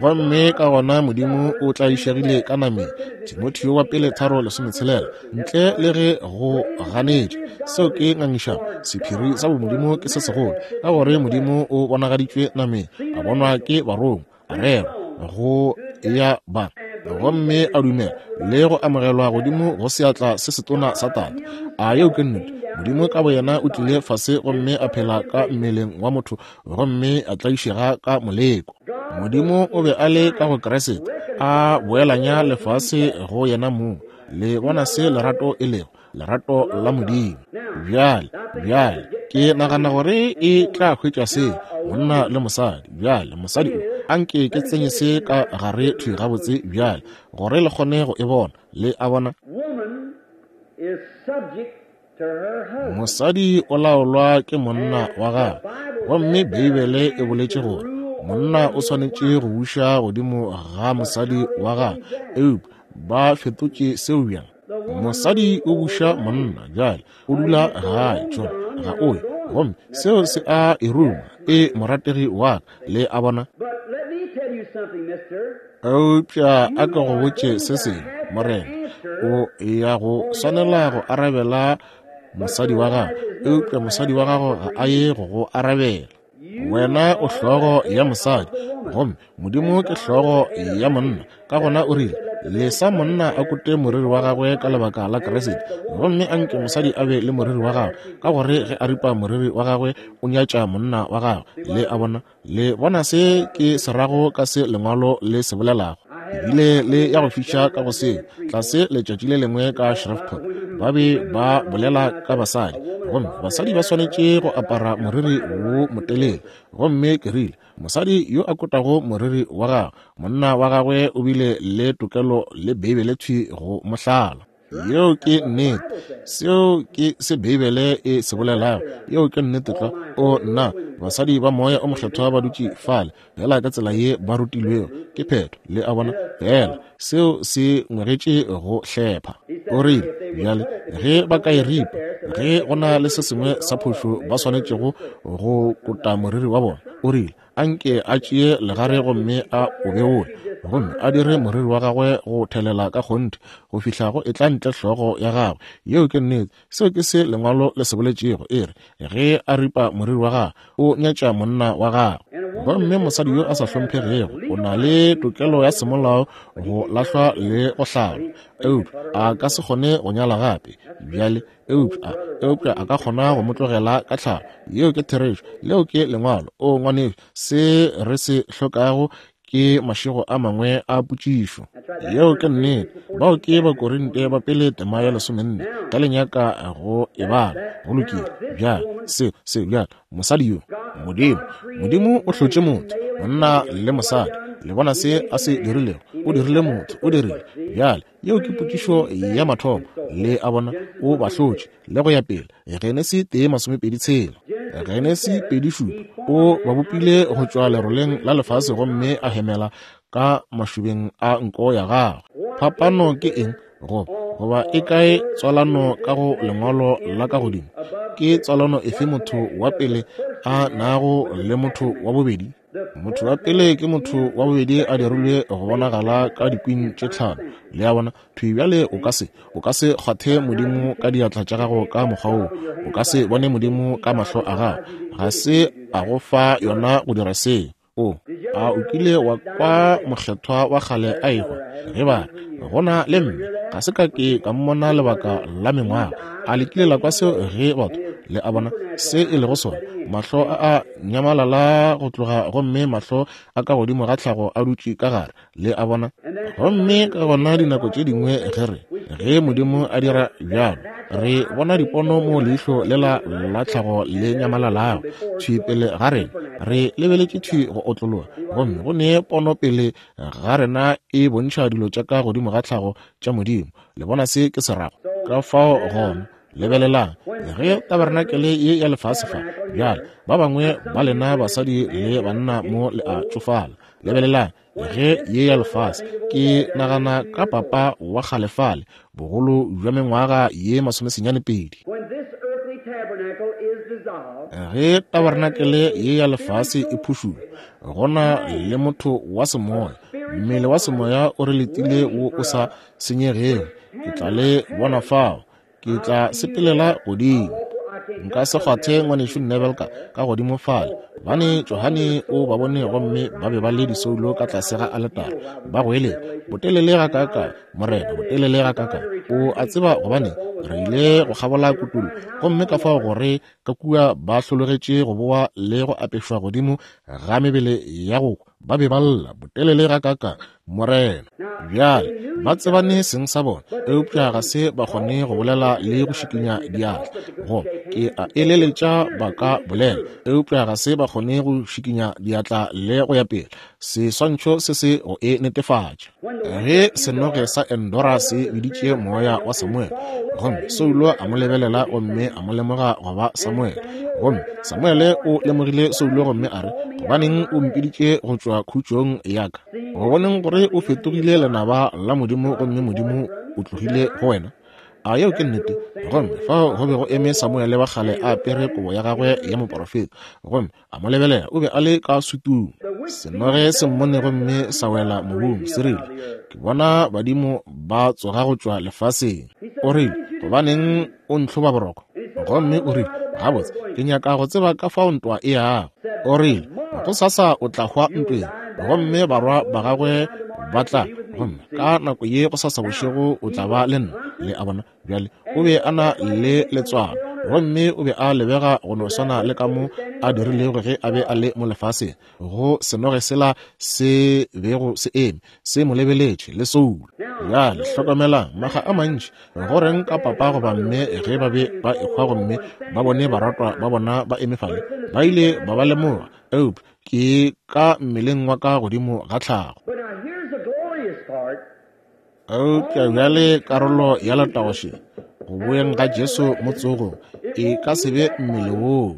Gomme ka gona Modimo o tlaišegile ka nameng, Timotheo wa pele tharo lesometshelela, ntle le ge go ganetša. Seo ke ngangišano. Sephiri sa bomodimo ke se segolo, ka gore Modimo o bonagaditšwe nameng, a bonwa ke barongwa, a rerwa go ya ba, gomme a dumela le go amogelwa godimo go seatla se setona sa Tate. A yeo ke nnete? Modimo ka boyena o tlile fase gomme a phela ka mmeleng wa motho, gomme a tlaišega ka moleko. Modimo o be a le ka go Kriste, a boelanya lefase go yena mong. Le bona se lerato e lego, lerato la Modimo. Bjale, bjale ke nagana gore e tla hwetša se, monna le mosadi. Bjale mosadi o, anke ke tsenye se ka gare thwi gabotse bjale, gore le kgone go e bona. Le a bona? Mosadi o laolwa ke monna wa gagwe, gomme Beibele e boletše gore monna o swanetše go buša godimo ga mosadi wa gagwe. Eupša ba fetotše seo bjang? Mosadi o buša monna bjale, o dula gae, tšona ga o ye, gomme seo se a e ruma, e morategi wa ka. Le a bona? Eupša a ke go botše se sengwe, morena, o ya go swanela go arabela mosadi wa gago, eupša mosadi wa gago ga a ye go go arabela. Wena o hlogo ya mosadi, gomme Modimo ke hlogo ya monna. Ka gona o rile, lesa monna a kote moriri wa gagwe ka lebaka la Kriste, gomme anke mosadi a be le moriri wa gagwe, ka gore ge a ripa moriri wa gagwe o nyatša monna wa gagwe. Le a bona? Le bona se ke se rago ka se lengwalo le se bolelago? Ebile le ya go fiša ka go seo tlase letšatši le lengwe ka Shreveport, ba be ba bolela ka basadi. Gomme basadi ba swanetše go apara moriri wo motelele. Gomme ke rile, mosadi yo a kotago moriri wa gagwe, monna wa gagwe o bile le tokelo le Beibele thwi go mohlala. Yeo ke nnete. Seo ke se Beibele e se bolelago. Yeo ke nnete tlwa. O nna, basadi ba moya o mokgethwa ba dutše fale, fela ka tsela ye ba rutilwego. Ke phetho, le a bona, fela seo se ngwegetše go hlepha. O rile, bjale, ge ba ka e ripa, ge go na le se sengwe sa phošo ba swanetšego go kota moriri wa bona, o rile, anke a tšee legare gomme a o beole, gomme a dire moriri wa gagwe go thelela ka kgonthe go fihla go etla ntle hlogo ya gagwe. Yeo ke nnete. Seo ke se lengwalo le se boletšego. E re, ge a ripa moriri wa gagwe, o nyatša monna wa gagwe. Gomme mosadi yo a sa hlomphegego o na le tokelo ya semolao go lahlwa le go hlalwa, eupša a ka se kgone go nyala gape bjale, eupša eupša a ka kgona go mo tlogela ka tlhalo. Yeo ke therešo. Leo ke lengwalo. O ngwanešu, se re se hlokago ke mašego a mangwe a potšišo. Yeo ke nnete. Bao ke Bakorinte ba pele tema ya lesomenne, ka le nyaka go e bala. Go lokile. Bjale, seo, seo, bjale, mosadi yo, Modimo, Modimo o hlotše motho, monna le mosadi. Le bona se a se dirilego? O dirile motho, o dirile. Bjale, yeo ke potšišo ya mathomo. Le a bona, o ba hlotše, le go ya pele. Genesi tee masomepedi tshela, Genesi pedi šupa, o ba bopile go tšwa leroleng la lefase gomme a hemela ka mašobeng a nko ya gagwe. Phapano ke eng? Go goba e kae tswalano ka go lengwalo la ka godimo? Ke tswalano efe motho wa pele a nago le motho wa bobedi? Motho wa pele ke motho wa bobedi a dirilwe go bonagala ka dikwing tše tlhano. Le a bona, thwi bjale o ka se, o ka se kgwathe Modimo ka diatla tša gago ka mokgwa woo. O ka se bone Modimo ka mahlo a gago. Ga se a go fa yona go dira seo. O, a o kile wa kwa mokgethwa wa kgale a ehwa? Ge ba re, go na le mme, ga se ka ke ka mmona lebaka la mengwaga. A le kile la kwa seo ge batho, le a bona se e lego sona? Mahlo a a nyamalala go tloga, gomme mahlo a ka godimo ga tlhago a dutše ka gare. Le a bona? Gomme ka gona dinako tše dingwe ge re, ge Modimo a dira bjalo, re bona dipono mo leihlo lela la tlhago le nyamalalago thwi pele ga rena. Re lebeletše thwi go otlologa, gomme go ne pono pele ga rena e bontšha dilo tša ka godimo ga tlhago tša Modimo. Le bona se ke se rago? Ka fao gona, lebelelang, ge tabernakel ye ya lefase fa, bjale ba bangwe ba lena basadi le banna mo le a tšofala. Lebelelang, ge ye ya lefase, ke nagana ka papa wa kgale fale, bogolo bja mengwaga ye masomesenyane pedi. Ge tabernakel ye ya lefase e phušulwa, gona le motho wa semoya, mmele wa semoya o re letile wo o sa senyegego. Ke tla le bona fao, ke tla sepelela godimo. Nka se kgwathe ngwanešu Neville ka, ka godimo fale, gobane Johane o ba bone gomme ba be ba le disoulo ka tlase ga aletara, ba goeletša, botelele ga kaka, Morena, botelele ga kaka. O a tseba gobane re ile go kgabola kutullo, gomme ka fao gore ka kua ba hlologetše go boa le go apešwa godimo ga mebele ya go kwa, ba be ba lla, botelele ga kaka, Morena. Bjale ba tsebane seng sa bona, eupša ga se ba kgone go bolela le go šikinya diatla. Go ke a eleletša ba ka bolela, eupša ga se ba kgone go šikinya diatla le go ya pele. Seswantšho se se go e netefatša. Ge senoge sa Endora se biditše moya wa Samuel, gomme Saulo a mo lebelela gomme a mo lemoga go ba Samuel. Gomme Samuele o lemogile Saulo gomme a re, gobaneng o mpiditše go tšwa khutšong ya ka? Go boneng gore o fetogile lenaba la Modimo gomme Modimo o tlogile go wena. A yeo ke nnete? Gomme fao go be go eme Samuele wa kgale a apere kobo ya gagwe ya moporofeta, gomme a mo lebelela, o be a le ka sutung. Senoge se mmone gomme sa wela mobung, se rile, ke bona badimo ba tsoga go tšwa lefaseng. O rile, gobaneng o ntlhoba boroko? Gomme o rile, gabotse, ke nyaka go tseba ka fao ntwa e yago. O rile, go sasa o tla hwa ntweng, gomme barwa ba gagwe ba tla, gomme ka nako ye go sasa bošego o tla ba le nna. Le a bona? Bjale o be a na le letswalo, gomme o be a lebega go no swana le ka mo a dirilego ge a be a le mo lefaseng. Go senoge sela se bego se eme se mo lebeletše le soulo. Bjale hlokomelang, makga a mantši, go reng ka papa goba mme ge ba be ba ehwa gomme ba bone baratwa ba bona ba eme fale, ba ile ba ba lemoga, eupša ke ka mmeleng wa ka godimo ga tlhago. Eupša bjale karolo ya letago še, go boeng ga Jesu mo tsogong, e ka se be mmele woo.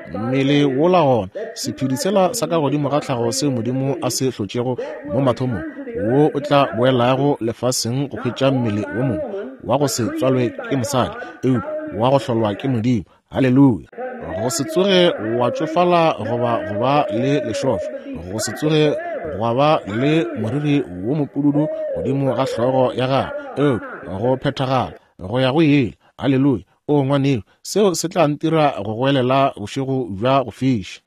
Mmele wola gona, sephedi sela sa ka godimo ga tlhago seo Modimo a se hlotšego mo mathomong, wo o tla boelago lefaseng go hwetša mmele wo mongwe wa go se tswalwe ke mosadi, eupša wa go hlolwa ke Modimo. Haleluya! Go se tsoge wa tšofala goba go ba le lešofa, go se tsoge gwa ba le moriri wo mopududu godimo ga hlogo ya gago, eupša go phethagala go ya go ile. Haleluya! O ngwaneo, seo se tla ntira go goelela bošego bja go fiša.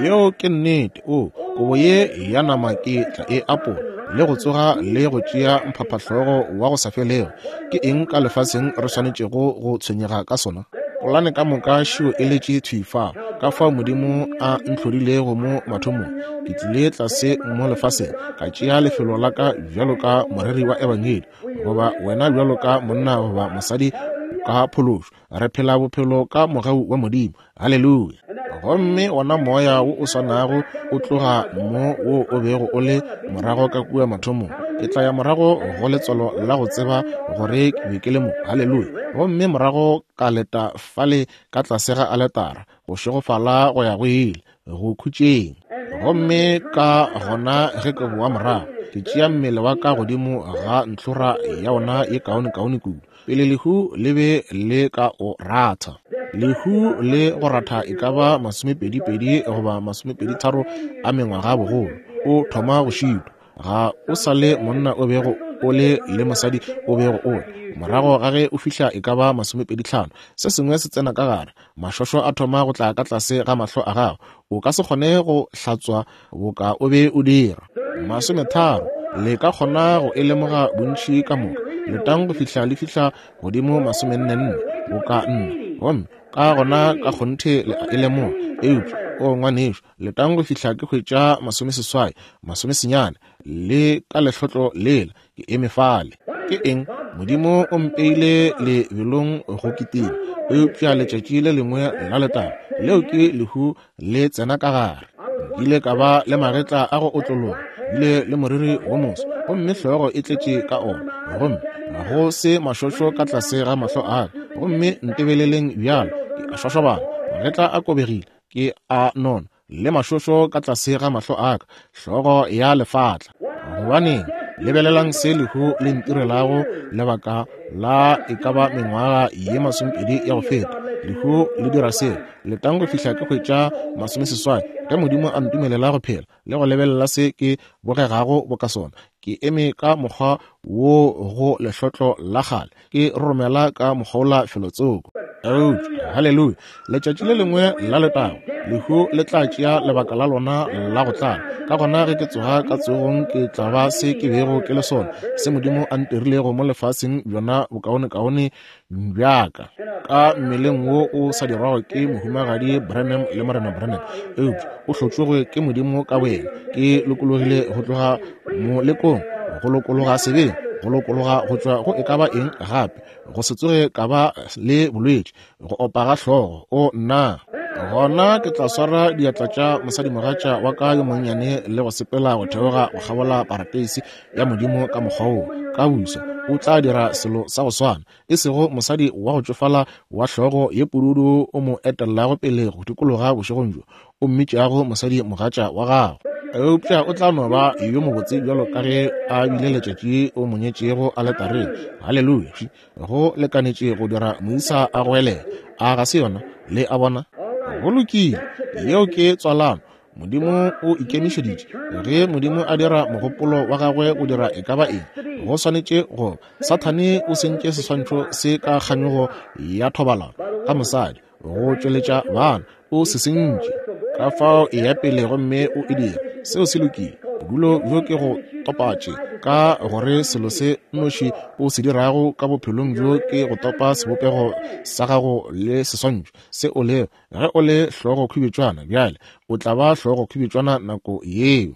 Yeo ke nnete. O kobo ye ya nama ke tla e apola le go tsoga le go tšea mphaphahlogo wa go sa felego. Ke eng ka lefaseng re swanetšego go tshwenyega ka sona? Polane ka moka šio e letše thwi fao, ka fao Modimo a ntlhodilego mo mathomong. Ke tlile tlase mo lefaseng, ka tšea lefelo la ka bjalo ka moreri wa ebangedi, goba wena bjalo ka monna goba mosadi ka phološo. Re phela bophelo ka mogau wa Modimo. Haleluya! Gomme wona moya wo o swanago o tloga mo wo o bego o le morago ka kua mathomong. Ke tla ya morago go letswalo la go tseba gore ke be ke le mo. Haleluya! Gomme morago ka leta fale ka tlase ga aletara, go šegofala go ya go ile, go khutšeng. Gomme ka gona ge ke boa morago, ke tšea mmele wa ka godimo ga ntlhora ya ona ye kaonekaone kudu, pele lehu le be le ka o ratha. Lehu le go ratha e ka ba masomepedi-pedi goba masomepedi-tharo a mengwaga bogolo. O thoma go šitwa. Ga o sa le monna o bego o le le mosadi o bego o le. Morago ga ge o fihla e ka ba masomepedi-hlano, se sengwe se tsena ka gare. Mašošo a thoma go tla ka tlase ga mahlo a gago. O ka se kgone go hlatswa boka o be o dira. Masometharo, le ka kgona go e lemoga bontši ka moka. Letang go fihla le fihla godimo masomenne-nne, boka nna. Gomme ka gona ka kgonthe le a e lemoga. Eupša, o ngwanešo, letang go fihla ke hwetša masomeseswai, masomesenyane, le ka lehlotlo lela, ke eme fale. Ke eng? Modimo o mpeile lebelong go kitima, eupša letšatši le lengwe la letago, leo ke lehu le tsena ka gare. Nkile ka ba le magetla a go otlologa, bile le moriri wo moso, gomme hlogo e tletše ka ona, gomme go se mašošo ka tlase ga mahlo a ka. Gomme ntebeleleng bjalo, ke a šošobana, magetla a kobegile, ke a nona, le mašošo ka tlase ga mahlo a ka, hlogo ya lefatla. Gobaneng? Lebelelang se lehu le ntirelago lebaka la e ka ba mengwaga ye masomepedi ya go feta. Lehu le dira seo. Letang go fihla ke hwetša masomeseswai, ge Modimo a ntumelela go phela le go lebelela se ke bogegago boka sona. Ke eme ka mokgwa wo go lehlotlo la kgale, ke roromela ka mokgwa felotsoko. Eupša, haleluya, letšatši le lengwe la letago, lehu le tla tšea lebaka la lona la go tlala. Ka gona ge ke tsoga ka tsogong, ke tla ba se ke bego ke le sona, se Modimo a ntirilego mo lefaseng bjona bokaonekaone bjaka, ka mmeleng wo o sa dirwago ke mohumagadi Branham le morena Branham, eupša o hlotšwego ke Modimo ka boyena. Ke lokologile go tloga molekong, go lokologa sebeng, go lokologa go tšwa go e ka ba eng gape, go se tsoge ka ba le bolwetši, go opa ga hlogo. O nna, gona ke tla swara diatla tša mosadimogatša wa ka yo monnyane le go sepela go theoga go kgabola parateisi ya Modimo ka mokgwa woo. Ka busa o tla dira selo sa go swana, e sego mosadi wa go tšofala wa hlogo ye pududu o mo etellago pele go dikologa bošegong bjo, o mmitšago mosadimogatša wa gago. Eupša o tla no ba yo mobotse bjalo ka ge a bile letšatši o mo nyetšego aletareng. Haleluya! Go lekanetše go dira moisa a goelela. A ga se yona? Le a bona? Go lokile. Yeo ke tswalano. Modimo o ikemišeditše. Ge Modimo a dira mogopolo wa gagwe go dira e ka ba eng, go swanetše go. Sathane o sentše seswantšho se ka kganyogo ya thobalano ka mosadi go tšweletša bana. O se sentše. Ka fao e ya pele gomme o e dira. Seo se lokile. Bodulo bjo ke go topatše, ka gore selo se nnoši o se dirago ka bophelong bjo ke go topa sebopego sa gago le seswantšho se o lego. Ge o le hlogo khubetšwana bjale, o tla ba hlogo khubetšwana nako yeo.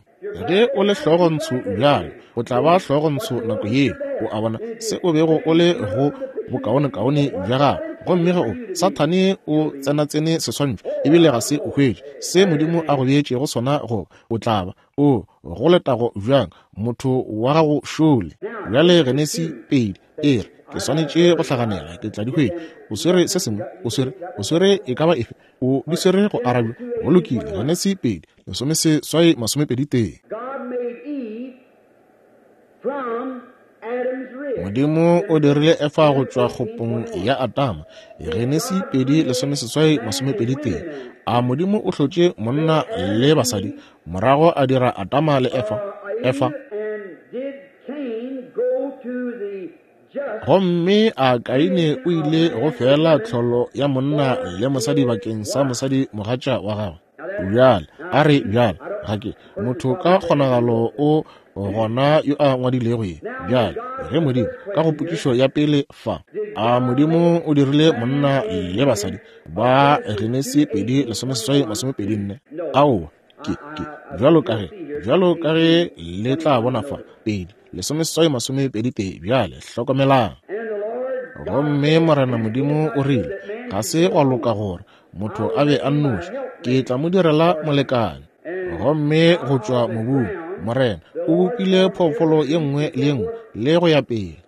Ge o le hlogontsho bjalo, o tla ba hlogontsho nako yeo, o a bona, se o bego o le go bokaonekaone bja gago. Gomme ge o, Sathane o tsenatsene seswantšho, ebile ga se o hwetše se Modimo a go beetšego sona goba, o tla ba o go letago bjang, motho wa gago šole. Bjale Genesi pedi e re, ke swanetše go hlaganela, ke tla di hwetša. O swere se sengwe, o swere, o swere e ka ba efe, o di swere go arabja. Go lokile, Genesi pedi, lesomeseswai masomepedi tee. Modimo o dirile Efa go tšwa kgopong ya Adama. Genesi pedi lesomeseswai masomepedi tee. A Modimo o hlotše monna le basadi, morago a dira Adama le Efa. Efa. Gomme a Kaine o ile go fela tlholo ya monna le mosadi bakeng sa mosadi mogatša wa gagwe. Bjale, a re bjale, ga ke motho ka kgonagalo o gona yo a ngwadilego ye. Bjale, ge Modimo ka go potšišo ya pele fa, a Modimo o dirile monna le basadi ba Genesi pedi lesomeseswai masomepedi nne? Aowa, ke ke bjalo ka ge bjalo ka ge le tla bona fa, pedi lesomeseswai masomepedi tee. Bjale hlokomelang. Gomme Morena Modimo o rile, ga se gwa loka gore motho a be a nnoši, ke tla mo direla molekane. Gomme go tšwa mobung Morena o bopile phoofolo ye nngwe le ye nngwe le go ya pele.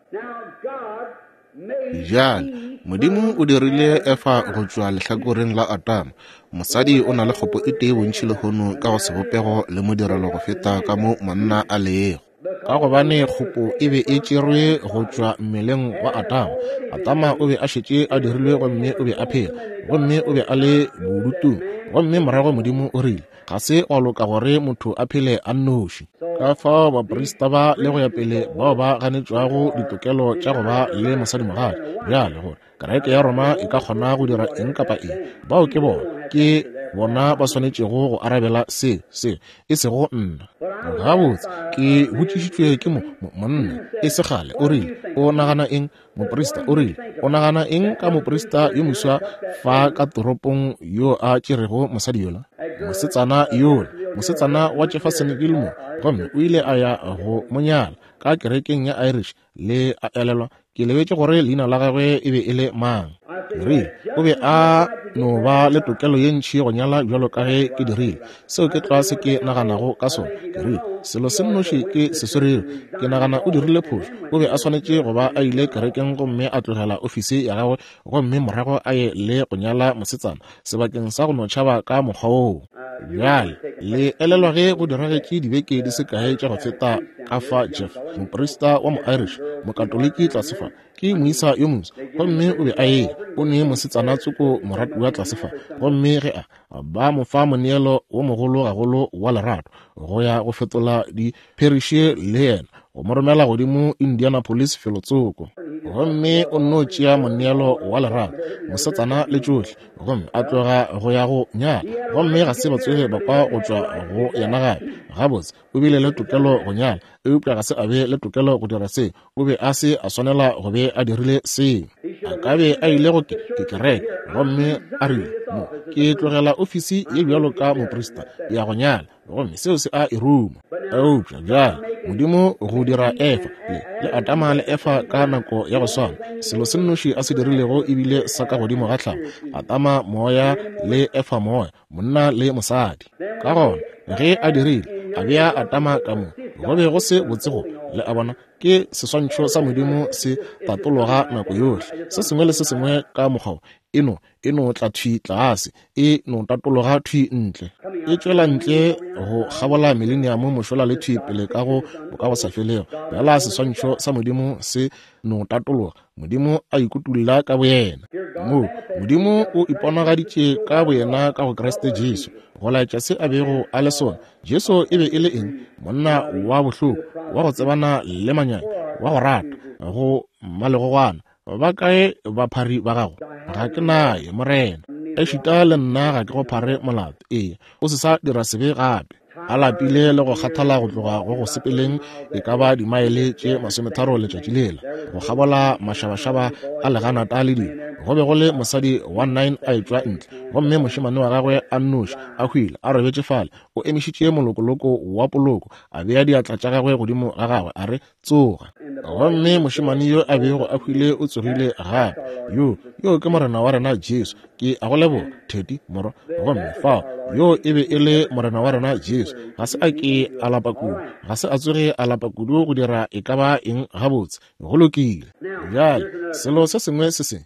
Bjale Modimo o dirile Efa go tšwa lehlakoreng la Adama. Mosadi o na le kgopo e tee bontši lehono ka go sebopego le modirelo go feta ka mo monna a lego. Ka gobane kgopo e be e tšerwe go tšwa mmeleng wa Adama. Adama o be a šetše a dirilwe gomme o be a phela, gomme o be a le bodutung. Gomme morago Modimo o rile, ga se gwa loka gore motho a phele a nnoši. Ka fao baprista ba le go ya pele bao ba ganetšwago ditokelo tša go ba le mosadimogatša, bjale gore kereke ya Roma e ka kgona go dira eng kapa eng, bao ke bona, ke bona ba swanetšego go arabela se, se, e sego nna. Gabotse, ke botšišitšwe ke mo, mo monna e se kgale, o rile, o nagana eng? Moprista o rile, o nagana eng ka moprista yo moswa fa ka toropong yo a tšerego mosadi yola, mosetsana yola, mosetsana wa Jefferson Gilmore, gomme o ile a ya go monyala ka kerekeng ya Irish. Le a elelwa, ke lebetše gore leina la gagwe e be e le mang. Ke rile, o be a no ba le tokelo ye ntši go nyala bjalo ka ge ke dirile. Seo ke tlwa se ke naganago ka sona. Ke rile, selo se nnoši ke se swerego, ke nagana o dirile phošo. O be a swanetše go ba a ile kerekeng gomme a tlogela ofisi ya gagwe, gomme morago a ye le go nyala mosetsana sebakeng sa go no tšhaba ka mokgwa woo. Bjale le elelwa ge go diragetše dibeke di se kae tša go feta ka fa Jeff, moprista wa mo-Irish, mokatoliki tlase fa, ke moisa yo moswa, gomme o be a eya, o ne mosetsana tsoko moratiwa tlase fa, gomme ge a ba mo fa moneelo wo mogolo gagolo wa lerato go ya go fetola dipheriše le yena, go mo romela godimo Indianapolis felotsoko. Gomme o nno tšea moneelo wa lerato, mosetsana le tšohle, gomme a tloga go ya go nyala, gomme ga se ba tsoge ba kwa go tšwa go yena gape. Gabotse, o bile le tokelo go nyala, eupša ga se a be le tokelo go dira se. O be a se a swanela go be a dirile seo. A ka be a ile go ke kereke, gomme a rile, mo ke tlogela ofisi ye bjalo ka moprista ya go nyala, gomme seo se a e ruma. Eupša bjale Modimo go dira Efa le, le Adama le Efa ka nako ya go swana, selo se nnoši a se dirilego ebile sa ka godimo ga tlhago, Adama moya le Efa moya, monna le mosadi. Ka gona ge a dirile, a bea Adama ka mo, go be go se botse go, le a bona, ke seswantšho sa Modimo se tatologa nako yohle, se sengwe le se sengwe ka mokgwa e no e no tla thwi tlase, e no tatologa thwi ntle, e tšwela ntle go kgabola mileniamo mošola le thwi pele ka go boka go sa felego. Bjala seswantšho sa Modimo se no tatologa, Modimo a ikutulla ka boyena. Mo Modimo o iponagaditše ka boyena ka go Kriste Jesu, go laetša se a bego a le sona. Jesu e be e le eng? Monna wa bohloko, wa go tsebana le manyami, wa go rata, go mmalegogwana. Ba kae baphari ba gago? Ga ke naye, Morena. Ešita le nna ga ke go phare molato. Ee, o se sa dira sebe gape. A lapile le go kgathala go tloga go go sepeleng e ka ba dimaele tše masometharo letšatši lela, go kgabola mašabašaba a leganata le dilo. Go be go le mosadi wa Nain a etšwa ntle, gomme mošemane wa gagwe a nnoši a hwile a robetše fale. O emišitše molokoloko wa poloko, a bea diatla tša gagwe godimo ga gagwe, a re, tsoga. Gomme mošemane yo a bego a hwile o tsogile gape. Yo, yo ke Morena wa rena Jesu. Ke a go leboga, Teddy, morwa. Gomme fao, yo e be e le Morena wa rena Jesu. Ga se a ke a lapa kudu, ga se a tsoge a lapa kudu go dira e ka ba eng gabotse. Go lokile. Bjale, selo se sengwe se sengwe.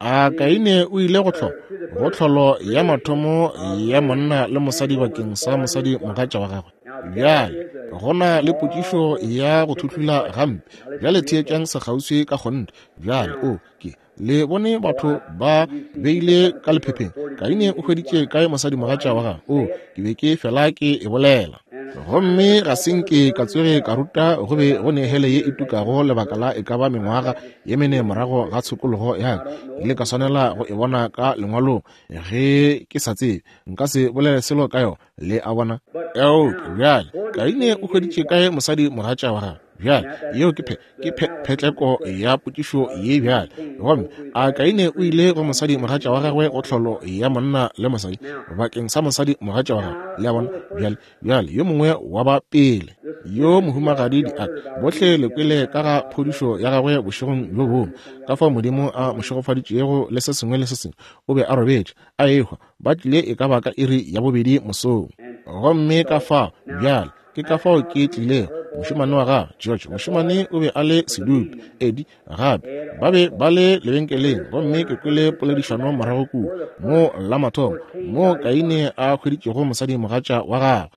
A Kaine o ile go hlola, go tlholo ya mathomo ya monna le mosadi bakeng sa mosadi mogatša wa gagwe. Bjale, go na le potšišo ya go thuhlula gampe. Bjale theetšang sekgauswi ka kgonthe. Bjale, o ke le bone batho ba beile ka lephepheng. Kaine o hweditše kae mosadi mogatša wa gagwe? O, ke be ke fela ke e bolela. Gomme ga se nke ka tsoge ka ruta go be go ne hele ye e tukago lebaka la e ka ba mengwaga ye mene morago ga tshokologo ya ka. Ke ile ka swanela go e bona ka lengwalong ge ke sa tsebe. Nka se bolele selo ka yona, le a bona. Eupša bjale, Kaine o hweditše kae mosadi mogatša wa gagwe? Bjale, yeo ke phe, ke phe, phetleko ya potšišo ye bjale. Gomme a Kaine o ile go mosadi mogatša wa gagwe go tlholo ya monna le mosadi bakeng sa mosadi mogatša wa gagwe? Le a bona? Bjale, bjale yo mongwe wa ba pele, yo mohumagadi Diaka, bohle le kwele ka ga phodišo ya gagwe bošegong bjo bongwe, ka fao Modimo a mo šegofaditšego le se sengwe le se sengwe. O be a robetše a ehwa, ba tlile e ka ba ka iri ya bobedi mosong. Gomme ka fao bjale, ke ka fao ke tlilego. Mošemane wa gagwe George, mošemane o be a le sedupe, Eddie gape, ba be ba le lebenkeleng. Gomme ke kwele poledišano morago kua mo la mathomo mo Kaine a hweditšego mosadi mogatša wa gagwe.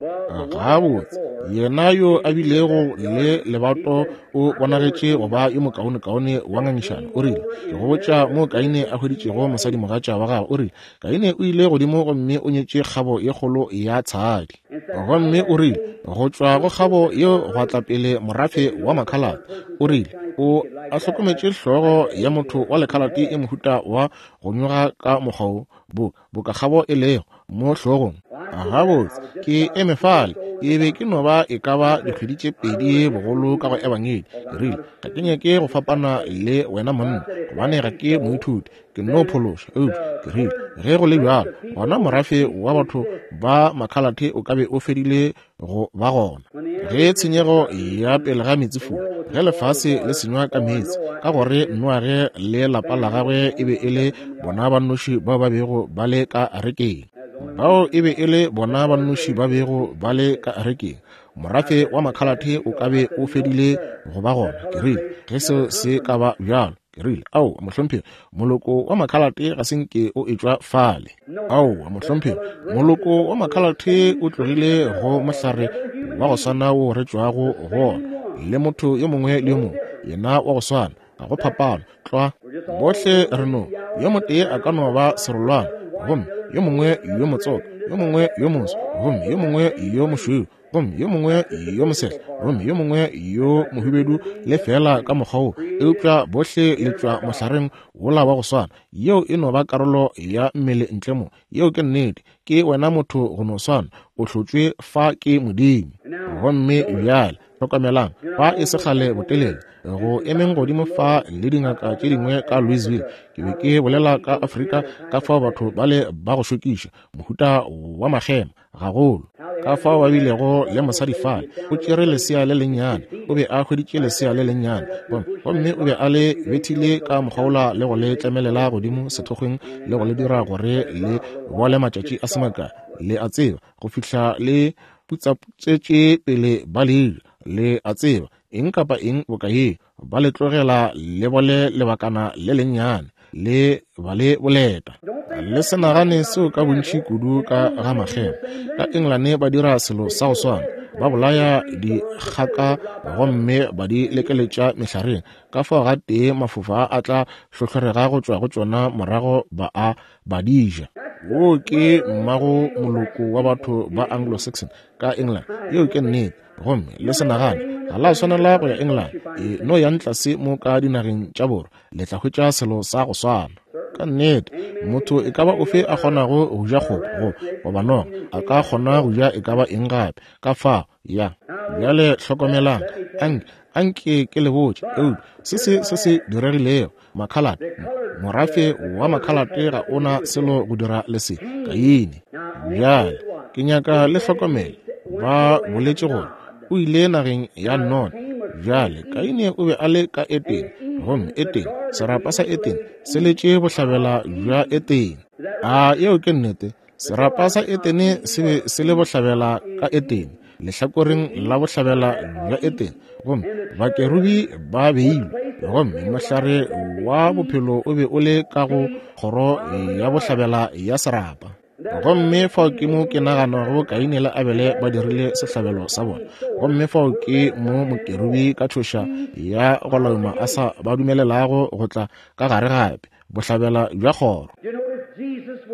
Gabotse, yena yo a bilego le lebato o bonagetše go ba yo mokaonekaone wa ngangišano. O rile, ke go botša mo Kaine a hweditšego mosadi mogatša wa gagwe. O rile, Kaine o ile godimo gomme o nyetše kgabo ye kgolo ya tshadi. Gomme o rile, go tšwa go kgabo yeo gwa tla pele morafe wa makhalate. O rile, o a hlokometše hlogo ya motho wa lekhalate e mohuta wa go nyoga ka mokgwa wo, bo boka kgabo e lego mo hlogong. Gabotse, ke eme fale, ke be ke no ba e ka ba dikgwedi tše pedi bogolo ka go ebangedi. Ke rile, ga ke nyake go fapana le wena monna, gobane ga ke moithuti, ke no phološa. Eupša ke rile, ge go le bjalo, gona morafe wa batho ba makhalate o ka be o fedile go ba gona ge tshenyego ya pele ga meetsefula, ge lefase le senywa ka meetse, ka gore Noage le lapa la gagwe e be e le bona ba nnoši bao ba bego ba le ka arekeng. Bao e be e le bona ba nnoši ba bego ba le ka arekeng. Morafe wa makhalate o ka be o fedile go ba gona. Ke rile, ge seo se ka ba bjalo, ke rile, ao mohlomphegi, moloko wa makhalate ga se nke o etšwa fale. Aowa mohlomphegi, moloko wa makhalate o tlogile go mohlare wa go swana wo re tšwago go ona, le motho yo mongwe le yo mongwe, yena wa go swana, ga go phapano. Tlwa, bohle re no, yo motee a ka no ba serolwana, gomme yo mongwe yo motsoka, yo mongwe yo moso, gomme yo mongwe yo mošweu, gomme yo mongwe yo mosehla, gomme yo mongwe yo mohubedu, le fela ka mokgwa wo. Eupša bohle le tšwa mohlareng wola wa go swana. Yeo e no ba karolo ya mmele ntle mo. Yeo ke nnete. Ke wena motho go no swana, o hlotšwe fa ke Modimo. Gomme bjale hlokamelang, fa e se kgale botelele, go emeng godimo fa le dingaka tše dingwe ka Louisville, ke be ke bolela ka Afrika, ka fao batho ba le ba go šokiša, mohuta wa makgema gagolo, ka fao ba bilego le mosadi fale, o tšere lesea le lennyane, o be a hweditše lesea le lennyane, gomme o be a le bethile ka mokgwaola le go le tlemelela godimo sethokgweng le go le dira gore le bole matšatši a se makae, le a tseba, go fihla le putsaputsetše pele ba le ja, le a tseba, eng kapa eng boka ye, ba le tlogela le bole lebakana le lennyane, le ba le boleta. Le se nagane seo ka bontši kudu ka ga makgema. Ka Engelane ba dira selo sa go swana, ba bolaya dikgaka gomme ba di lekeletša mehlareng, ka fao ga tee mafofa a tla hlohlorega go tšwa go tšona, morago ba a ba di ja. Wo ke mmago moloko wa batho ba Anglo-Saxon ka England. Yeo ke nnete. Gomme le se nagane ga la swanela go ya England, e no yang tlase mo ka dinageng tša borwa, le tla hwetša selo sa go swana. Ka nnete, motho e ka ba ofe a kgonago go ja kgopo go goba noga, a ka kgona go ja e ka ba eng gape. Ka fao, ya. Bjale hlokomelang, anke, anke ke le botše, eupša se se se se diregilego, makhalate, morafe wa makhalate ga o na selo go dira le se, Kaine. Bjale, ke nyaka le hlokomele, ba boletše gore o ile nageng ya Nod. Bjale, Kaine o be a le ka Etene, gomme Etene, serapa sa Etene, se letše bohlabela bja Etene. A yeo ke nnete? Serapa sa Etene se be se le bohlabela ka Etene, lehlakoreng la bohlabela bja Etene, gomme bakerubi ba beilwe, gomme mohlare wa bophelo o be o le ka go kgoro ya bohlabela ya serapa. Gomme fao ke mo ke naganago Kaine le Abele ba dirile sehlabelo sa bona. Gomme fao ke mo mokerubi ka tšhoša ya go lauma a sa ba dumelelago go tla ka gare gape, bohlabela bja kgoro.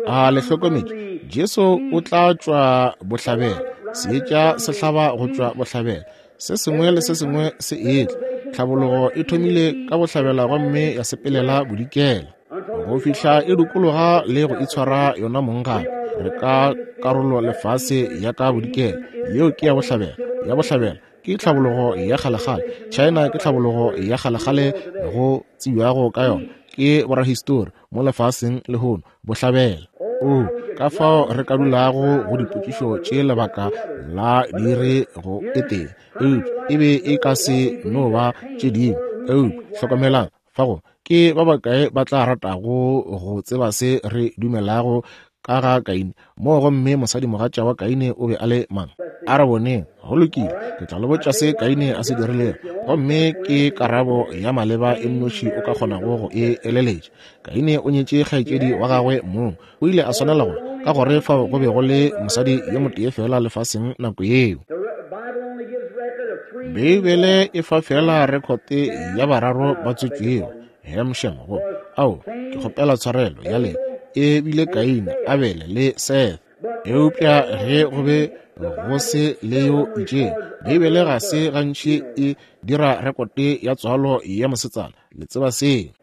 A le hlokometše, Jesu o tla tšwa bohlabela, seetša se hlaba go tšwa bohlabela, se sengwe le se sengwe se etla. Tlhabologo e thomile ka bohlabela gomme ya sepelela bodikela, go fihla e dukologa le go itshwara yona mong gape. Re ka karolo lefase ya ka bodikela, yeo ke ya bohlabela. Ya bohlabela ke tlhabologo ya kgalekgale. China ke tlhabologo ya kgalekgale go tsebjago ka yona ke borahistori mo lefaseng lehono, bohlabela. O ka fao re ka dulago go dipotšišo tše lebaka la dire go e tee, eupša e be e ka se no ba tše dingwe. Eupša hlokomelang fa go ke ba bakae ba tla ratago go tseba se re dumelago ka ga Kaine mo, gomme mosadimogatša wa Kaine o be a le mang? A re boneng. Go lokile, ke tla le botša se Kaine a se dirilego, gomme ke karabo ya maleba e nnoši o ka kgonago go e eleletša. Kaine o nyetše kgaetšedi wa gagwe mong. O ile a swanela go, ka gore fao go be go le mosadi yo motee fela lefaseng nako yeo. Beibele e fa fela rekhote ya bararo ba tswetšwego, Hem, Shem, go ao, ke kgopela tshwarelo ya le, e bile Kaine, Abele le Seth. Eupša ge go be go se le yo itšeng, Beibele ga se gantši e dira rekote ya tswalo ya mosetsana. Le tseba seo.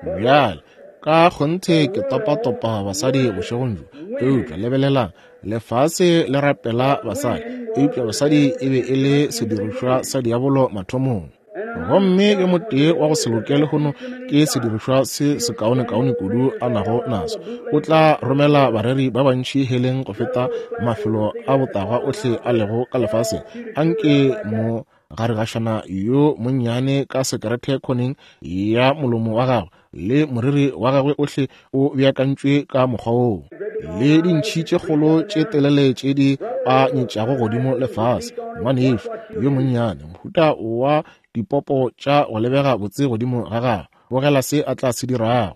Bjale, ka kgonthe ke topatopa basadi bošegong bjo, eupša lebelelang, lefase le rapela basadi, eupša basadi e be e le sedirišwa sa diabolo mathomong. Gomme yo motee wa go se loke lehono ke sedirišwa se sekaonekaone kudu a nago naso. O tla romela bareri ba bantši heleng go feta mafelo a botagwa ohle a lego ka lefaseng. Anke mo garegašana yo monnyane ka sekerete khoneng ya molomo wa gagwe le moriri wa gagwe ohle o beakantšwe ka mokgwa woo, le dintšhi tše kgolo tše telele tše di a nyetšago godimo lefase. Ngwanešu yo monnyane, mohuta wa dipopo tša go lebega botse godimo ga gagwe, bogela se a tla se dirago.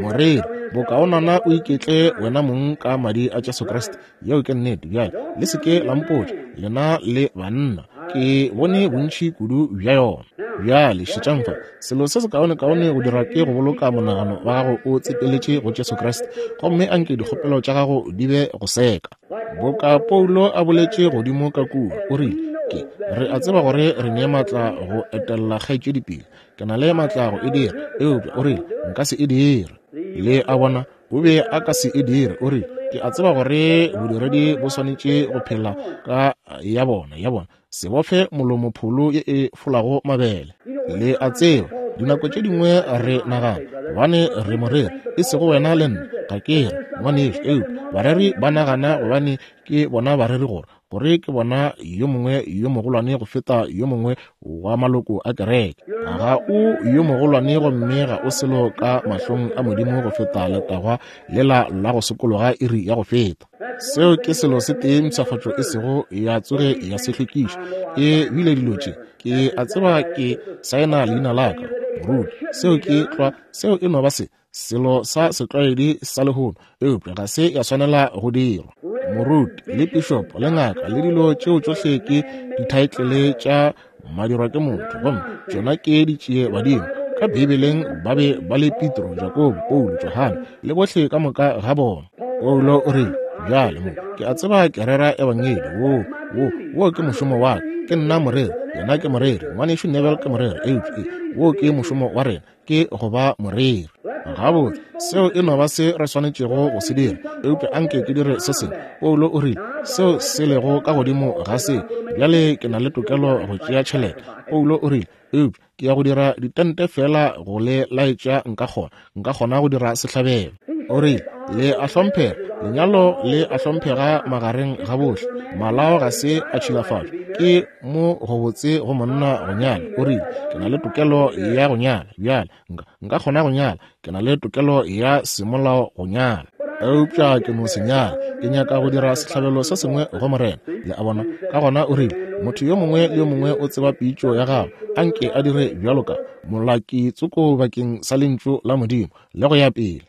Moreri, bokaonana o iketle wena mong ka madi a Jesu Kriste. Yeo ke nnete. Bjale le se ke la mpotša, lena le banna, ke bone bontši kudu bja yona. Bjale šetšang fa, selo se sekaonekaone go dira ke go boloka monagano wa gago o tsepeletše go Jesu Kriste, gomme anke dikgopelo tša gago di be go seka. Boka Paulo a boletše godimo ka kua, o rile, ke re a tseba gore re ne maatla go etella kgaetšedi pele, ke na le maatla go e dira, eupša o rile nka se e dire. Le a bona, o be a ka se e dire. O rile, ke a tseba gore bodiredi bo swanetše go phela ka ya bona, ya bona, se bofe molomo pholo ye e folago mabele. Le a tseba, dinako tše dingwe re nagana gobane re moreri, e sego wena le nna, ga ke re ngwanešu, eupša bareri ba nagana gobane ke bona bareri gore gore ke bona yo mongwe yo mogolwane go feta yo mongwe wa maloko a kereke. Ga o yo mogolwane gomme ga o selo ka mahlong a Modimo go feta letagwa lela la go sokologa iri ya go feta. Seo ke selo se tee mpshafatšo e sego ya tsoge ya se hlwekiša. E bile dilo tše, ke a tseba ke saena leina la ka, moruti. Seo ke tlwa, seo e no ba se selo sa setlwaedi sa lehono, eupša ga se ya swanela go dirwa. Moruti le pišopo le ngaka le dilo tšeo tšohle ke dithaetlele tša madirwa ke motho, gomme tšona ke ditšie badimo. Ka Beibeleng ba be ba le Petro, Jakobo, Paulo, Johane le bohle ka moka ga bona. Paulo o rile, Bjale mo, ke a tseba ke rera ebangedi. Wo, wo, wo ke mošomo wa ka. Ke nna moreri, yena ke moreri, ngwanešu Neville ke moreri, eupša wo ke mošomo wa rena, ke go ba moreri. Gabotse, seo e no ba se re swanetšego go se dira, eupša anke ke dire se sengwe. Paulo o rile, seo se lego ka godimo ga se, bjale ke na le tokelo go tšea tšhelete. Paulo o rile, eupša ke ya go dira ditente fela go le laetša nka kgona, nka kgona go dira sehlabelo. O rile, le a hlomphega, lenyalo le a hlomphega magareng ga bohle, malao ga se a tšhilafatšwa, ke mo go botse go monna go nyala. O rile, ke na le tokelo ya go nyala, bjale nka, nka kgona go nyala, ke na le tokelo ya semolao go nyala, eupša ke no se nyala, ke nyaka go dira sehlabelo se sengwe go Morena. Le a bona? Ka gona o rile, motho yo mongwe le yo mongwe o tseba pitšo ya gagwe, anke a dire bjalo ka molaki tsoko bakeng sa lentšu la Modimo, le go ya pele.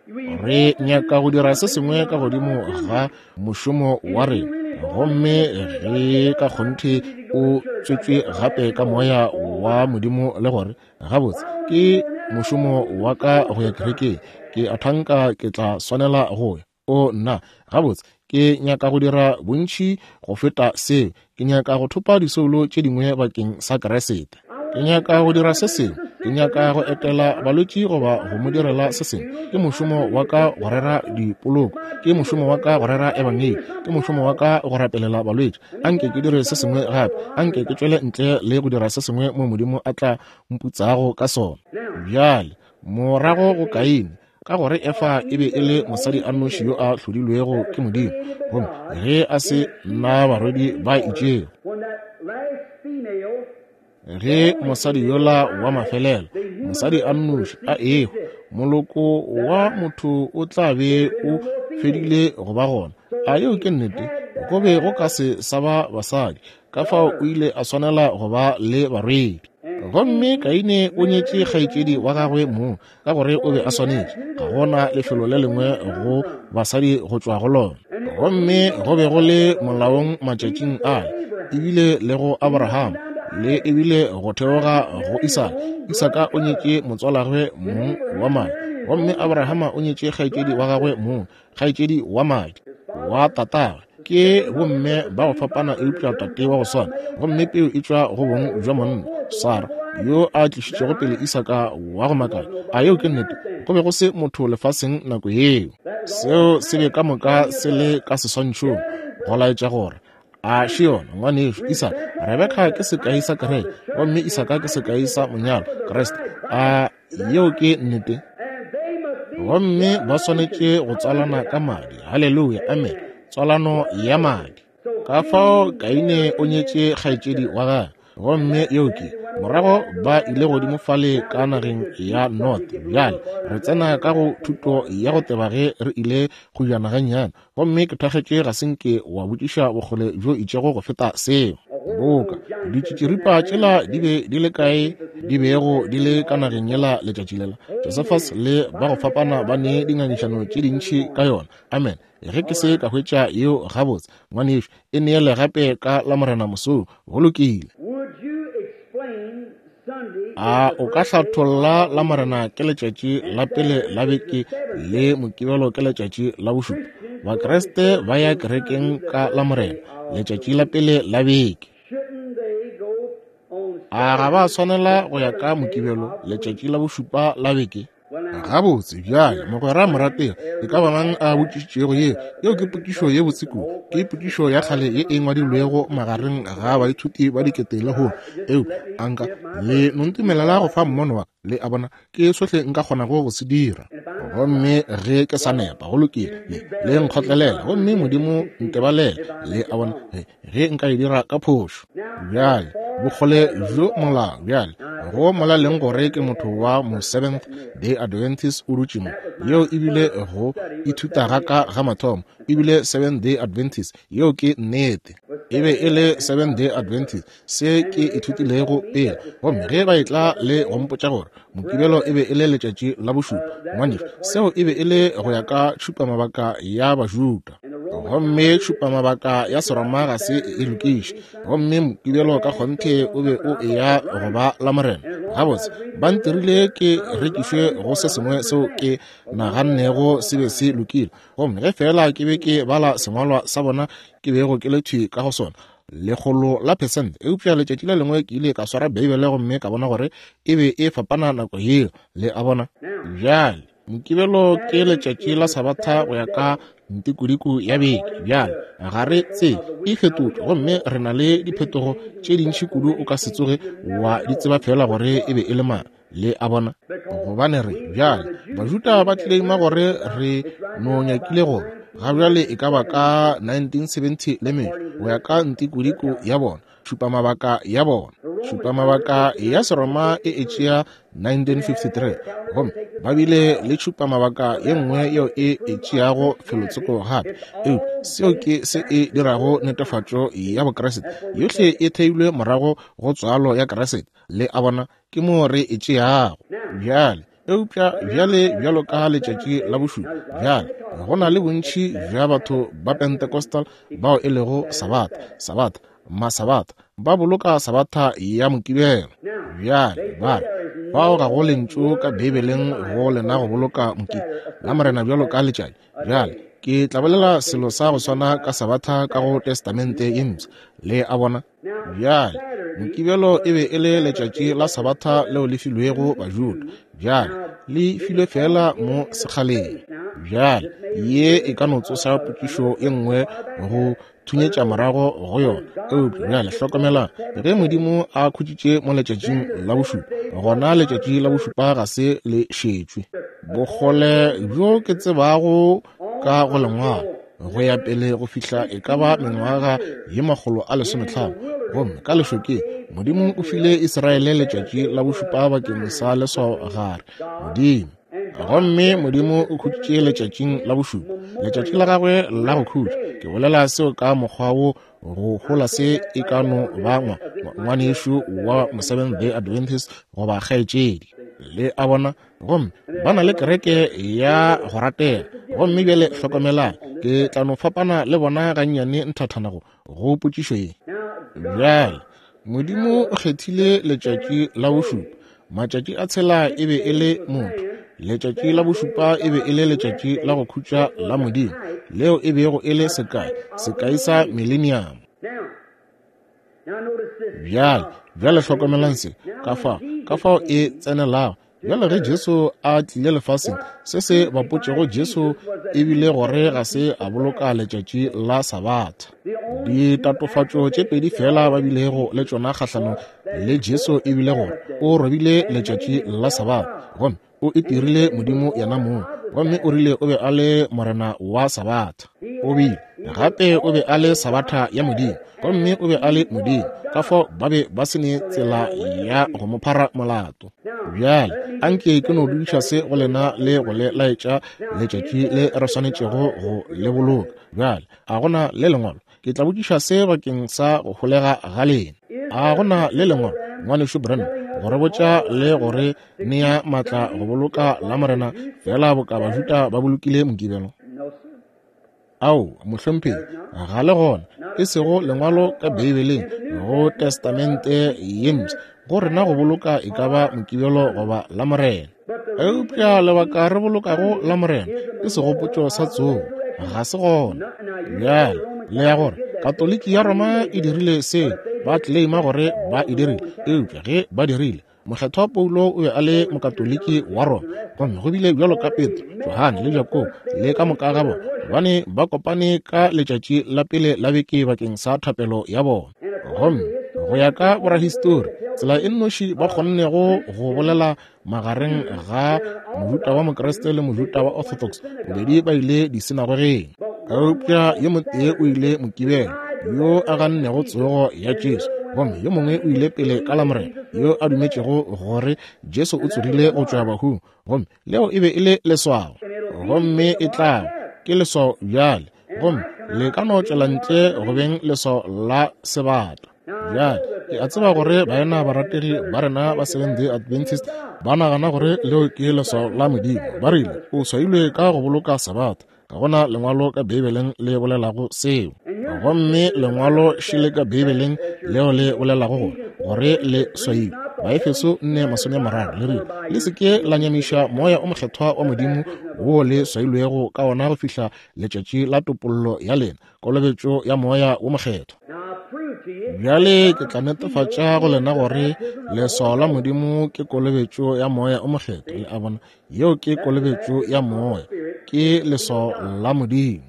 Re nyaka go dira se sengwe ka godimo ga mošomo wa rena, gomme ge ka kgonthe o tswetšwe gape ka moya wa Modimo, le gore gabotse ke mošomo wa ka go ya kerekeng, ke a thanka ke tla swanela go ya. O nna, gabotse ke nyaka go dira bontši go feta seo, ke nyaka go thopa disoulo tše dingwe bakeng sa Kriste. Ke nyaka go dira se sengwe, ke nyaka go etela balwetši goba go mo direla se sengwe. Ke mošomo wa ka go rera dipoloko, ke mošomo wa ka go rera ebangedi, ke mošomo wa ka go rapelela balwetši. Anke ke dire se sengwe gape, anke ke tšwele ntle le go dira se sengwe mo Modimo a tla mputsago ka sona. Bjale, morago go Kaine, ka gore Efa e be e le mosadi a nnoši yo a hlodilwego ke Modimo, gomme ge a se na barwedi ba itšego, ge mosadi yola wa mafelelo, mosadi a nnoši a ehwa, moloko wa motho o tla be o fedile go ba gona. A yeo ke nnete? Go be go ka se sa ba basadi, ka fao o ile a swanela go ba le barwedi. Gomme Kaine o nyetše kgaetšedi wa gagwe mong, ka gore o be a swanetše, ga gona lefelo le lengwe go basadi go tšwa go lona. Gomme go be go le molaong matšatšing ale, ebile le go Abraham, le ebile go theoga go Isaka. Isaka o nyetše motswalagwe mong wa madi, gomme Abrahama o nyetše kgaetšedi wa gagwe mong, kgaetšedi wa madi wa tatagwe. Ke bomme ba go fapana eupša tate wa go swana, gomme peo e tšwa go bong bja monna, Sara, yo a tlišitšego pele Isaka wa go makala. A yeo ke nnete? Go be go se motho lefaseng nako yeo. Seo se be ka moka se le ka seswantšhong go laetša gore a še yona ngwanešu Isaka. Rebeka ke sekai sa kereke, gomme Isaka ke sekai sa monyalo, Kriste. A yeo ke nnete? Gomme ba swanetše go tswalana ka madi. Haleluya, amen. Tswalano ya madi. Ka fao Kaine o nyetše kgaetšedi wa gagwe, gomme yeo ke morago ba ile godimo fale ka nageng ya North. Bjale re tsena ka go thuto ya go teba ge re ile go jana gannyane, gomme ke thakgetše ga se nke wa botšiša bokgole bjo itšego go feta seo. Boka ditšitširipa tšela di be di le kae di bego di le ka nageng yela letšatši lela, Josephus le ba go fapana ba ne dingangišano tše dintši ka yona. Amen. Ge ke se ka hwetša yeo gabotse, ngwanešu, e neele gape ka la Morena mosong. Go lokile. A o ka hlatholla la Morena ke letšatši la pele la beke le Mokibelo ke letšatši la bošupa? Bakreste ba ya kerekeng ka la Morena, letšatši la pele la beke. A ga ba swanela go ya ka Mokibelo, letšatši la bošupa la beke? Gabotse, bjale mogwera morategi, e ka ba mang a botšišitšego yeo? Yeo ke potšišo ye botse kudu. Ke potšišo ya kgale ye e ngwadilwego magareng ga baithuti ba dikete lehono. Eupša anka le no ntumelela go fa mmono wa ka, le a bona, ke sohle nka kgonago go se dira. Gomme ge ke sa nepa, go lokile, le, le nkgotlelela, gomme Modimo ntebalele, le a bona, ge, ge nka e dira ka phošo. Bjale, bokgole bjo molao, bjale, go molaleng gore ke motho wa mo Seventh Day Adventist o dutše mo. Yeo ebile go ithuta ga ka ga mathomo, ebile Seventh Day Adventist, yeo ke nnete. E be e le Seventh Day Adventist, se ke ithutilego pele. Gomme ge ba etla le go mpotša gore Mokibelo e be e le letšatši la bošupa, ngwanešu, seo e be e le go ya ka tšhupamabaka ya Bajuda. Gomme tšhupamabaka ya Seroma ga se e lokiše. Gomme Mokibelo ka kgonthe o be o eya go ba la Morena, Gabotse, ba ntirile ke rekišwe go se sengwe seo ke nagannego se be se lokile. Gomme ge fela ke be ke bala sengwalwa sa bona ke bego ke le thwi ka go sona, lekgolo la percent. Eupša letšatši le lengwe ke ile ka swara Beibele gomme ka bona gore e be e fapana nako yeo. Le a bona? Bjale, Mokibelo ke letšatši la Sabatha go ya ka ntikodiko ya beke. Bjale, ga re tsebe, e fetotšwe gomme re na le diphetogo tše dintši kudu o ka se tsoge wa di tseba fela gore e be e le mang. Le a bona? Gobane re, bjale, Bajuda ba claima gore re no nyakile go ga bjale e ka ba ka nineteen seventy le metšo go ya ka ntikodiko ya bona, tšhupamabaka ya bona. Tšhupamabaka ya Seroma e e tšea nineteen fifty-three, gomme ba bile le tšhupamabaka ye nngwe yeo e e tšeago felotsoko gape. Eupša seo ke se e dirago netefatšo ya Bokriste yohle e theilwe morago go tswalo ya Kriste. Le a bona? Ke mo re e tšeago bjale. Eupša bjale bjalo ka letšatši la bošupa, bjale go na le bontši bja batho ba Pentecostal bao e lego Sabatha, Sabatha, Masabatha, ba boloka Sabatha ya Mokibelo. Bjale ba re fao ga go lentšu ka Beibeleng go lena go boloka Mokibelo la Morena bjalo ka letšatši. Bjale ke tla bolela selo sa go swana ka Sabatha ka go Testamente ye Mpsha. Le a bona? Bjale Mokibelo e be e le letšatši la Sabatha leo le filwego Bajuda. Bjale le filwe fela mo sekgaleng. Bjale ye e ka no tsoša potšišo e nngwe go thunyetša morago go yona. Eupša bjale hlokomelang, ge Modimo a khutšitše mo letšatšing la bošupa, gona letšatši la bošupa ga se le šetšwe. Bokgole bjo ke tsebago ka go lengwalo go ya pele go fihla e ka ba mengwaga ye makgolo a lesometlhano, gomme ka lešokeng Modimo o file Israele letšatši la bošupa bakeng sa leswao gare Modimo. Gomme Modimo o khutšitše letšatšing la bošupa, letšatši la gagwe la go khutša. Ke bolela seo ka mokgwa wo go hola se e ka no ba ngwanešu wa Seventh Day Adventist goba kgaetšedi. Le a bona? Gomme ba na le kereke ya go ratega. Gomme bjale hlokomelang, ke tla no fapana le bona gannyane nthathana go go potšišo ye. Bjale Modimo o kgethile letšatši la bošupa. Matšatši a tshela e be e le motho. Letšatši la bošupa e be e le letšatši la go khutša la Modimo, leo e bego e le sekai, sekai sa millennium. Bjale, bjale hlokomelang se, ka fao, ka fao e tsenelago. Bjale ge Jesu a tlile lefaseng, se se bapotšego Jesu e bile gore ga se a boloka letšatši la Sabatha. Ditatofatšo tše pedi fela ba bilego le tšona kgahlanong le Jesu e bile gore o robile letšatši la Sabatha, gomme o itirile Modimo yena mong, gomme o rile o be a le Morena wa Sabatha. O bile gape o be a le Sabatha ya Modimo, gomme o be a le Modimo. Ka fao ba be ba se ne tsela ya go mo phara molato. Bjale anke ke no dudiša se go lena le go le laetša letšatši le re swanetšego go le boloka. Bjale a gona le lengwalo? Ke tla botšiša se bakeng sa go holega ga lena. A gona le lengwalo, ngwanešu Branham, go re botša le gore nea maatla go boloka la Morena fela boka Bajuda ba bolokile Mokibelo? Ao, mohlomphegi, ga le gona, e sego lengwalo ka Beibeleng go Testamente ye Mpsha go rena go boloka e ka ba Mokibelo goba la Morena. Eupša lebaka re bolokago la Morena ke segopotšo sa tsogo, ga se gona. Bjale le ya gore Katoliki ya Roma e dirile seo, ba claima gore ba e dirile, eupša ge ba dirile, Mokgethwa Paulo o be a le Mokatoliki wa Roma, gomme go bile bjalo ka Petro, Johane le Jakobo le ka moka ga bona, gobane ba kopane ka letšatši la pele la beke bakeng sa thapelo ya bona. Gomme go ya ka borahistori, tsela e nnoši ba kgonnego go bolela magareng ga Mojuta wa Mokriste le Mojuta wa Orthodox, bobedi ba ile disinagogeng. Eupša yo motee o ile Mokibelo, yo a gannego tsogo ya Jesu, gomme yo mongwe o ile pele ka la Morena, yo a dumetšego gore Jesu o tsogile go tšwa bahung, gomme leo e be e le leswao. Gomme e tla ke leswao bjale, gomme le ka no tšwela ntle go beng leswao la sebata. Bjale ke a tseba gore baena barategi ba rena ba Seventh Day Adventist ba nagana gore leo ke leswao la Modimo. Ba rile o swailwe ka go boloka Sabatha. Ga gona lengwalo ka Beibeleng le bolelago seo, gomme lengwalo šele ka Beibeleng leo le bolelago gore gore le swailwe. Baefeso nne masome a mararo le rile, le se ke la nyamiša moya o mokgethwa wa Modimo wo le swailwego ka ona go fihla letšatši la topollo ya lena, kolobetšo ya moya wo mokgethwa. Bjale ke tla netefatša go lena gore leswao la Modimo ke kolobetšo ya moya o mokgethwa. Le a bona, yeo ke kolobetšo ya moya, ke leswao la Modimo.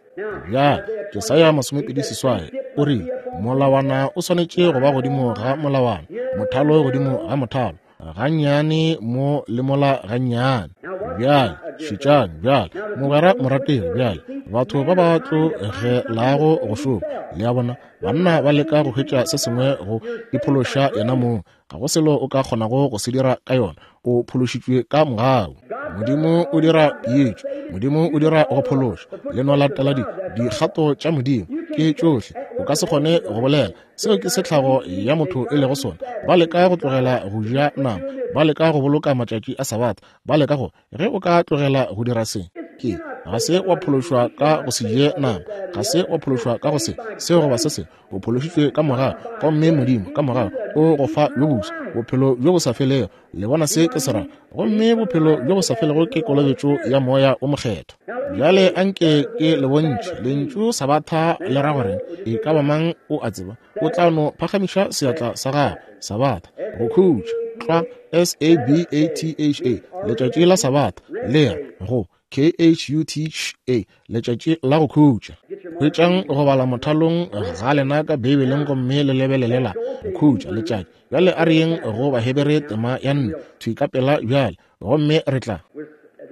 Bjale Jesaya masomepedi seswai o rile, molawana o swanetše go ba godimo ga molawana, mothalo godimo ga mothalo, gannyane mo le mola gannyane. Bjale šetšang bjale, mogwera morategi, bjale batho ba ba tlogelago go šoma, le a bona, banna ba leka go hwetša se sengwe go iphološa yena mong. Ga go selo o ka kgonago go se dira ka yona. O phološitšwe ka mogau. Modimo o dira peetšo, Modimo o dira go phološa. Le no latela di dikgato tša Modimo, ke tšohle. O ka se kgone go bolela seo ke setlhago ya motho e lego sona. Ba leka go tlogela go ja nama, ba leka go boloka matšatši a Sabatha, ba leka go, ge o ka tlogela go dira se, ke ga se wa phološwa ka go se je nama, ga se wa phološwa ka go se seo goba se se. O phološitšwe ka mogau, gomme Modimo ka mogau o go fa bjo boswa, bophelo bjo bo sa felego. Le bona se ke se ra? Gomme bophelo bjo bo sa felego ke kolobetšo ya moya o mokgethwa. Bjale anke ke le bontšhe lentšu Sabatha le ra gore e ka ba mang o a tseba, o tla no phagamiša seatla sa gagwe. Sabatha, go khutša, tlwa, S A B A T H A, letšatši la Sabatha, le re go K H U T H A, letšatši la go khutša. Hwetšang go bala mothalong ga lena ka Beibeleng gomme le lebelelela go khutša letšatši. Bjale a re yeng go Bahebere tema ya nne thwi ka pela bjale, gomme re tla.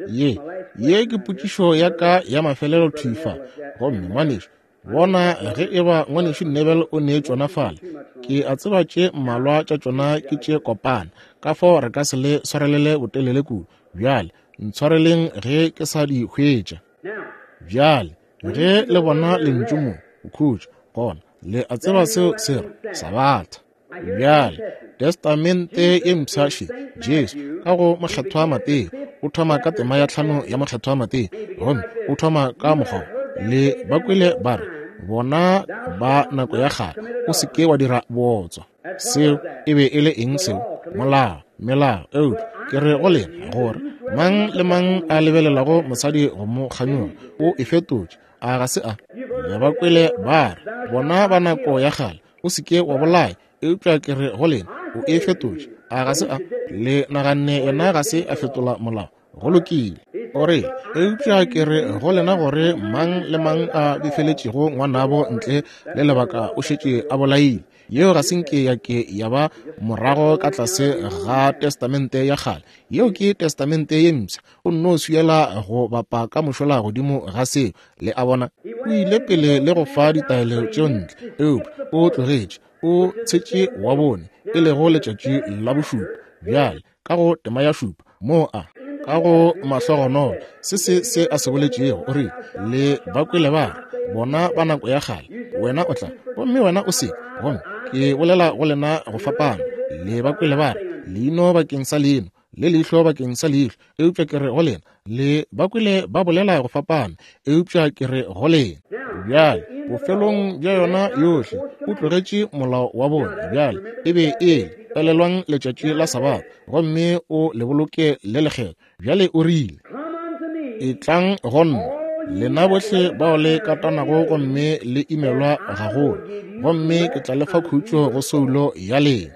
Ye, ye ke potšišo ya ka ya mafelelo thwi fa. Gomme ngwanešu, bona ge eba ngwanešu Nebel o nee tšona fale. Ke a tseba tše mmalwa tša tšona ke tše kopana, ka fao re ka se le swarelele botelele kudu. Bjale ntshwareleng ge ke sa di hwetša. Bjale ge le bona lentšu mo, khutša, gona le a tseba seo se re Sabatha. Bjale Testamente ye mpsha še, Jesu ka go mokgethwa Mateo o thoma ka tema ya tlhano ya mokgethwa Mateo, gomme o thoma ka mokgwa le ba kwele ba re, bona ba nako ya kgale, o se ke wa dira bootswa. Seo e be e le eng seo? Molao, melao. Eupša ke re go lena gore mang le mang a lebelelago mosadi go mo kganyoga o e fetotše. A ga se a? Le ba kwele ba re, bona ba nako ya kgale, o se ke wa bolaya. Eupša ke re go lena, o e fetotše. A ga se a? Le naganne yena ga se a fetola molao. Go lokile. O re, eupša ke re go lena gore mang le mang a befeletšego ngwanabo ntle le lebaka o šetše a bolaile. Yeo ga se nke ya ke ya ba morago ka tlase ga testamente ya kgale. Yeo ke testamente ye mpsha. O nno swiela go bapa ka mošola godimo ga seo. Le a bona, o ile pele le go fa ditaelo tšeo ntle, eupša o tlogetše, o tshetše wa bone, e lego letšatši la bošupa. Bjale ka go tema ya šupa moo a ka go mahlogonolo se se se a se boletšego, o rile, le ba kwele ba re, bona ba nako ya kgale, wena o tla, gomme wena o se, gomme ke bolela go lena go fapana. Le ba kwele ba re, leino bakeng sa leino, le leihlo bakeng sa leihlo, eupša ke re go lena. Le ba kwele ba bolela go fapana, eupša ke re go lena. Bjale bofelong bja yona yohle o tlogetše molao wa bone. Bjale e be e le, elelwang letšatši la Sabatha, gomme o le boloke le lekgethwa. Bjale o rile, etlang go nna, lena bohle bao le katanago gomme le imelwa gagolo, gomme ke tla le fa khutšo go soulo ya lena.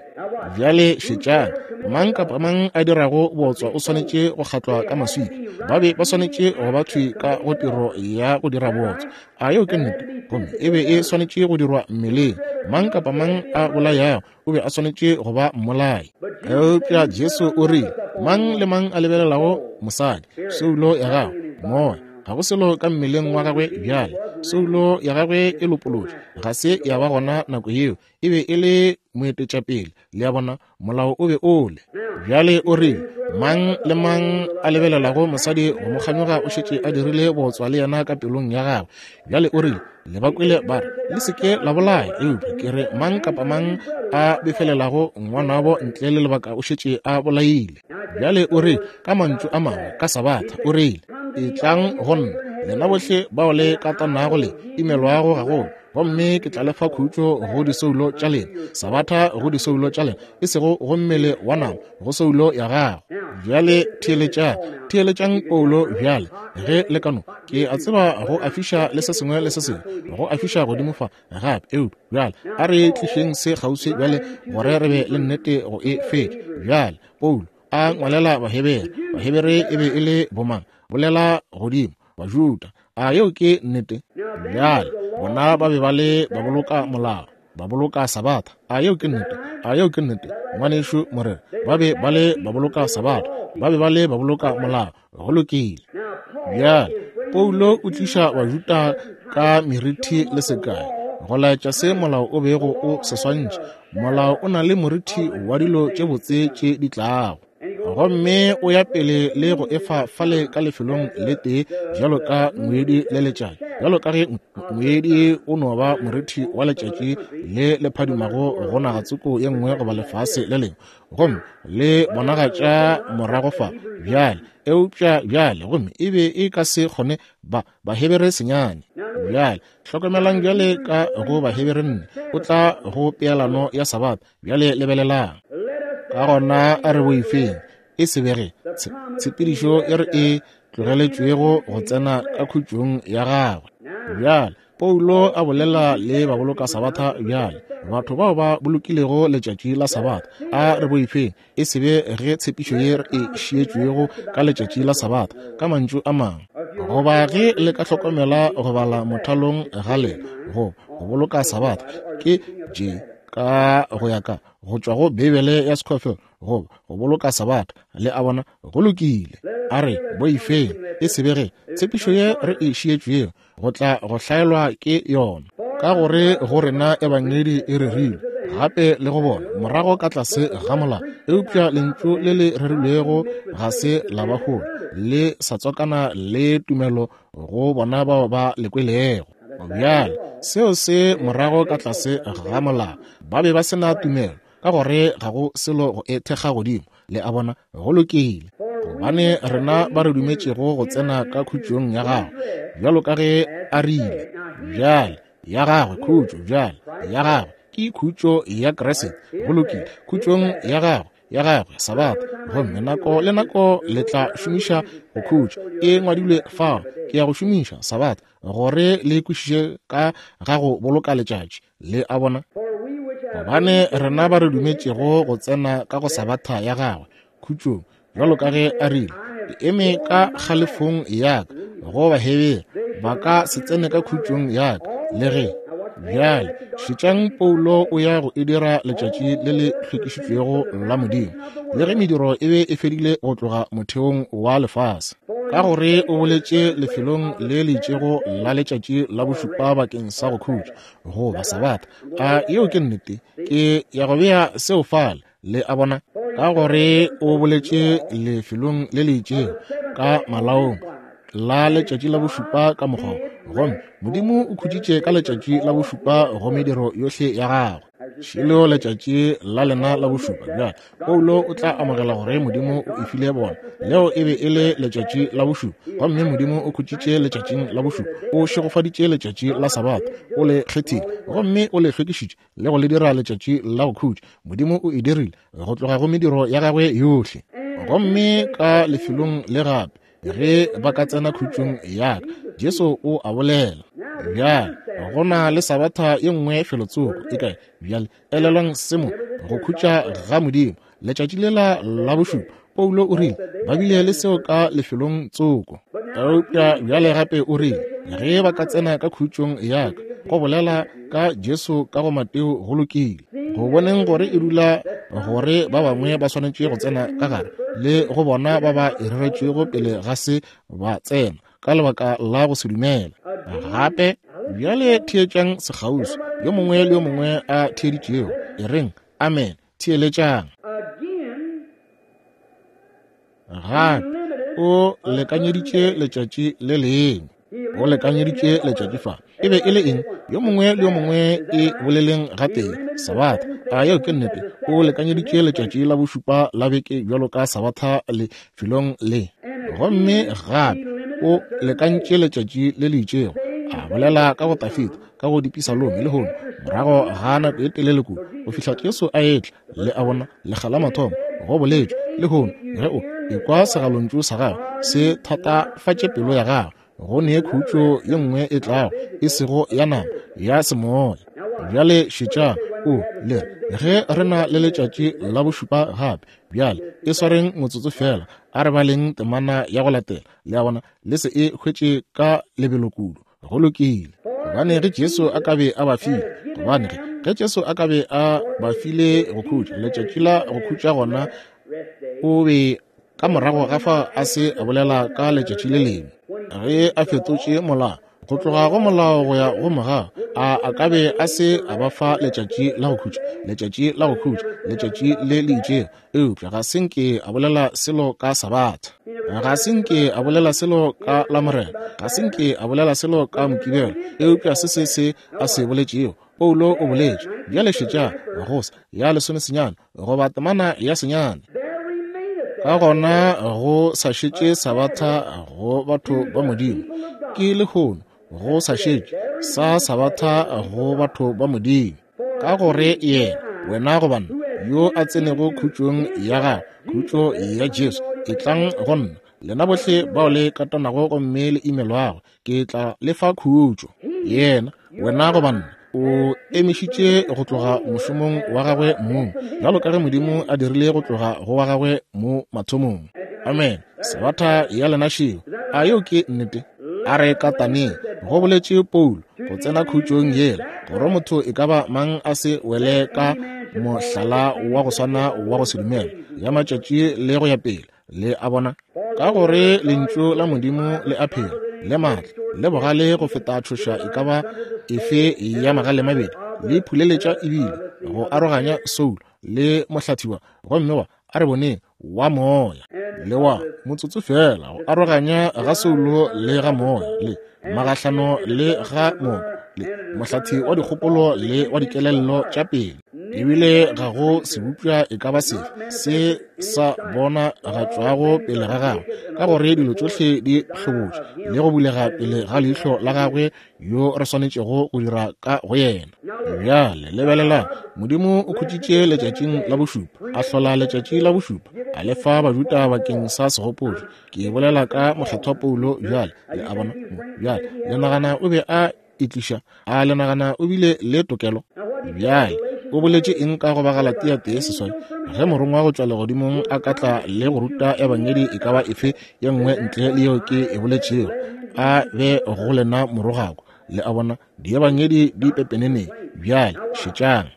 Bjale šetšang, mang kapa mang a dirago bootswa o swanetše go kgatlwa ka maswika. Ba be ba swanetše go ba thwi ka go tiro ya go dira bootswa. A yeo ke nnete? Gomme e be e swanetše go dirwa mmeleng. Mang kapa mang a bolayago o be a swanetše go ba mmolai. Eupša Jesu o rile, mang le mang a lebelelago mosadi, soulo ya gagwe, moya, ga go selo ka mmeleng wa gagwe bjale. Soulo ya gagwe e lopolotšwe, ga se ya ba gona nako yeo. E be e le moetetšapele. Le a bona, molao o be o le. Bjale o rile, mang le mang a lebelelago mosadi go mo kganyoga o šetše a dirile bootswa le yena ka pelong ya gagwe. Bjale o rile, le ba kwele ba re, le se ke la bolaya, eupša ke re mang kapa mang a befelelago ngwanabo ntle le lebaka o šetše a bolaile. Bjale o rile, ka mantšu a mangwe, ka Sabatha, o rile, etlang go nna, lena bohle bao le katanago le imelwago gagolo, gomme ke tla le fa khutšo go disoulo tša lena. Sabatha go disoulo tša lena, e sego go mmele wa nama, go soulo ya gago. Bjale theeletšang, theeletšang Paulo bjale, ge le ka no. Ke a tseba go a fiša le se sengwe le se sengwe, go a fiša godimo fa gape, eupša bjale a re tlišeng se kgauswi bjale gore re be le nnete go e fetša. Bjale Paulo a ngwalela Bahebere. Bahebere e be e le bomang? Bolela godimo, Bajuda. A yeo ke nnete? Bjale bona ba be ba le ba boloka molao, ba boloka sabatha. A yeo ke nnete? A yeo ke nnete, ngwanešu morena? Ba be ba le ba boloka sabatha, ba be ba le ba boloka molao. Go lokile. Bjale Paulo o tliša Bajuda ka merithi le sekai go laetša se molao o bego o se swantšha. Molao o na le morithi wa dilo tše botse tše di tlago, gomme o ya pele le go efa fale ka lefelong le tee bjalo ka ngwedi le letšatši. Bjalo ka ge ngwedi o no ba morithi wa letšatši le le phadimago go naga tsoko ye nngwe goba lefase le lengwe, gomme le bonagatša morago fa bjale. Eupša bjale gomme e be e ka se kgone ba Bahebere senyane. Bjale hlokomelang bjale ka go Bahebere nne, o tla go peelano ya Sabatha. Bjale lebelelang. Ka gona a re boifeng, e se bege tshepedišo e re e tlogeletšwego go tsena ka khutšong ya gagwe. Bjale Paulo a bolela le baboloka Sabatha. Bjale batho bao ba bolokilego letšatši la Sabatha, a re boifeng, e se be ge tshepišo ye re e šietšwego ka letšatši la Sabatha, ka mantšu a mangwe, goba ge le ka hlokomela go bala mothalong ga lena go go boloka Sabatha ke J ka go ya ka go tšwa go Beibele ya Scofield, goba go boloka Sabatha. Le a bona? Go lokile. A re boifeng, e se be ge tshepišo ye re e šietšwego go tla go hlaelwa ke yona, ka gore go rena ebangedi e rerilwe gape le go bona morago ka tlase ga molao, eupša lentšu le le rerilwego ga se la ba hola, le sa tswakana le tumelo go bona bao ba le kwelego. Bjale seo se morago ka tlase ga molao, ba be ba se na tumelo, ka gore ga go selo go e thekga godimo. Le a bona? Go lokile. Gobane rena ba re dumetšego go tsena ka khutšong ya gagwe, bjalo ka ge a rile, bjale ya gagwe khutšo, bjale ya gagwe ke khutšo ya Kriste. Go lokile. Khutšong ya gagwe, ya gagwe Sabatha, gomme nako le nako le tla šomiša go khutša. E ngwadilwe fao, ke ya go šomiša Sabatha gore le kwešiše ka ga go boloka letšatši. Le a bona? Gobane rena ba re dumetšego go tsena ka go Sabatha ya gagwe khutšong, bjalo ka ge a rile, ke eme ka kgalefong ya ka go Bahebere, ba ka se tsene ka khutšong ya ka le ge. Bjale šetšang Paulo o ya go e dira letšatši le le hlwekišitšwego la Modimo, le ge mediro e be e fedile go tloga motheong wa lefase, ka gore o boletše lefelong le le itšego la letšatši la bošupa bakeng sa go khutša, goba Sabatha. A yeo ke nnete? Ke ya go bea seo fale. Le a bona? Ka gore o boletše lefelong le le itšego ka malaong la letšatši la bošupa ka mokgwa, gomme Modimo o khutšitše ka letšatši la bošupa go mediro yohle ya gagwe. Šilo letšatši la lena la bošupa. Bjale Paulo o tla amogela gore Modimo o e file bona, leo e be e le letšatši la bošupa, gomme Modimo o khutšitše letšatšing la bošupa, o šegofaditše letšatši la Sabatha, o le kgethile gomme o le hlwekišitše le go le dira letšatši la go khutša. Modimo o e dirile go tloga go mediro ya gagwe yohle. Gomme ka lefelong le gape, ge ba ka tsena khutšong ya ka, Jesu o a bolela. Bjale go na le Sabatha ye nngwe felotsoko e kae? Bjale elelwang se mo, go khutša ga Modimo letšatši lela la bošupa. Paulo o rile ba bile le seo ka lefelong tsoko, eupša bjale gape o rile ge ba ka tsena ka khutšong ya ka, go bolela ka Jesu ka go Mateo. Go lokile. Go boneng gore e dula gore ba bangwe ba swanetše go tsena ka gare, le go bona ba ba e reretšwego pele ga se ba tsena ka lebaka la go se dumela. Gape bjale theetšang sekgauswi, yo mongwe le yo mongwe a theeditšego, e reng amen. Theeletšang. Gape o lekanyeditše letšatši le lengwe, o lekanyeditše letšatši fa. E be e le eng? Yo mongwe le yo mongwe e boleleng gatee, Sabatha. A yeo ke nnete? O lekanyeditše letšatši la bošupa la beke bjalo ka Sabatha lefelong le. Gomme gape O lekantše letšatši le le itšego, a bolela ka go Dafida, ka go dipisalome lehono, morago ga nako e telele kudu, go fihla Jesu a etla. Le a bona, lekga la mathomo go boletšwe lehono, ge o ekwa segalontšu sa gagwe se thatafatše pelo ya gagwe, go ne khutšo ye nngwe e tlago, e sego ya nama, ya semoya. Bjale šetšang, o le re, ge re na le letšatši la bošupa gape. Bjale e swareng motsotso fela, a re baleng temana ya go latela. Le a bona, le se e hwetše ka lebelo kudu. Go lokile. Gobane ge Jesu a ka be a ba file, gobane ge ge Jesu a ka be a ba file go khutša, letšatši la go khutša, gona o be ka morago ga fa a se a bolela ka letšatši le lengwe. Ge a fetotše molao, go tloga go molao go ya go mogau, a a ka be a se a ba fa letšatši la go khutša, letšatši la go khutša, letšatši le le itšego. Eupša ga se nke a bolela selo ka Sabatha, ga se nke a bolela selo ka Lamorena, ga se nke a bolela selo ka Mokibelo. Eupša se se se a se boletšego, Paulo o boletše. Bjale šetša, gosa ya lesomesenyane goba temana ya senyane. Ka gona go sa šetše Sabatha go batho ba Modimo, ke lehono go sa šetše sa Sabatha go batho ba Modimo. Ka gore yena, wena goba nna, yo a tsenego khutšong ya gagwe, khutšo ya Jesu, etlang go nna, lena bohle bao le katanago gomme le imelwago, ke tla le fa khutšo. Yena, wena goba nna, o emišitše go tloga mošomong wa gagwe mong, bjalo ka ge Modimo a dirile go tloga go wa gagwe mo mathomong. Amen. Sabatha ya lena šeo. A yeo ke nnete? A re kataneng, go boletše Paulo, go tsena khutšong yela, gore motho e ka ba mang a se wele ka mohlala wa go swana wa go se dumela ya matšatši le go ya pele. Le a bona? Ka gore lentšu la Modimo le a phela, le maatla, le bogale go feta tšhoša e ka ba efe ya magale mabedi, le phuleletša ebile go aroganya soulo le mohlathiwa, gomme wa, a re boneng, wa moya le wa motsotso fela, go aroganya ga soulo le ga moya, le magahlano le ga moko, le mohlathi wa dikgopolo le wa dikelello tša pele. Ebile ga go sebopša e ka ba sefe se sa bona ga tšwago pele ga gagwe, ka gore dilo tšohle di hlobotše le go bulega pele ga leihlo la gagwe yo re swanetšego go dira ka go yena. Bjale lebelelang, Modimo o khutšitše letšatšing la bošupa, a hlola letšatši la bošupa, a le fa Bajuda bakeng sa segopotšo. Ke bolela ka mokgethwa Paulo bjale, le a bona mo. Bjale le nagana o be a itliša? A le nagana o bile le tokelo? Bjale o boletše eng ka go Bagalatia tee seswai? Ge morongwa go tšwa legodimong a ka tla le go ruta ebangedi e ka ba efe ye nngwe ntle le yeo ke e boletšego, a be go lena morogako. Le a bona, diebangedi di pepeneneng. Bjale šetšang.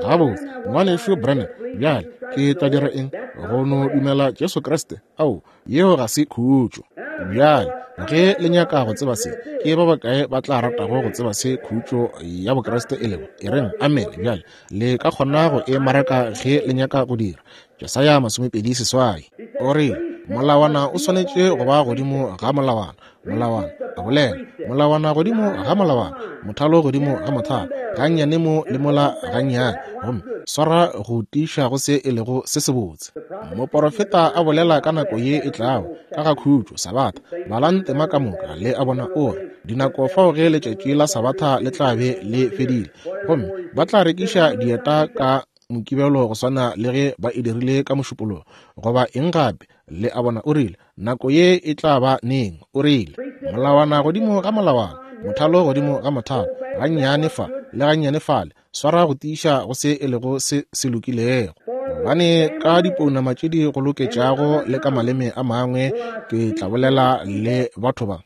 Gabotse, ngwanešu Branham, bjale ke tla dira eng? Go no dumela Jesu Kriste? Ao, yeo ga se khutšo. Bjale ge le nyaka go tseba se, ke ba bakae ba tla ratago go tseba se khutšo ya Bokriste e lego? E reng amen. Bjale le ka kgona go e maraka ge le nyaka go dira. Jesaya masomepedi seswai o re, molawana o swanetše go ba godimo ga molawana, molawana a bolela, molawana godimo ga molawana, mothalo godimo ga mothalo, gannyane mo le mola gannyane, gomme swara go tiiša go se e lego se sebotse. Moporofeta a bolela ka nako ye e tlago ka ga khutšo, Sabatha. Balang tema ka moka, le a bona. O re, dinako fao ge letšatši la Sabatha le tla be le fedile, gomme ba tla rekiša dieta ka Mokibelo go swana le ge ba e dirile ka Mošupologo, goba eng gape. Le a bona, o rile, nako ye e tla ba neng? O rile, molawana godimo ga molawana, mothalo godimo ga mothalo, gannyane fa le gannyane fale, swara go tiiša go se e lego se se lokilego. Gobane ka dipounama tše di go loketšago le ka maleme a mangwe ke tla bolela le batho ba.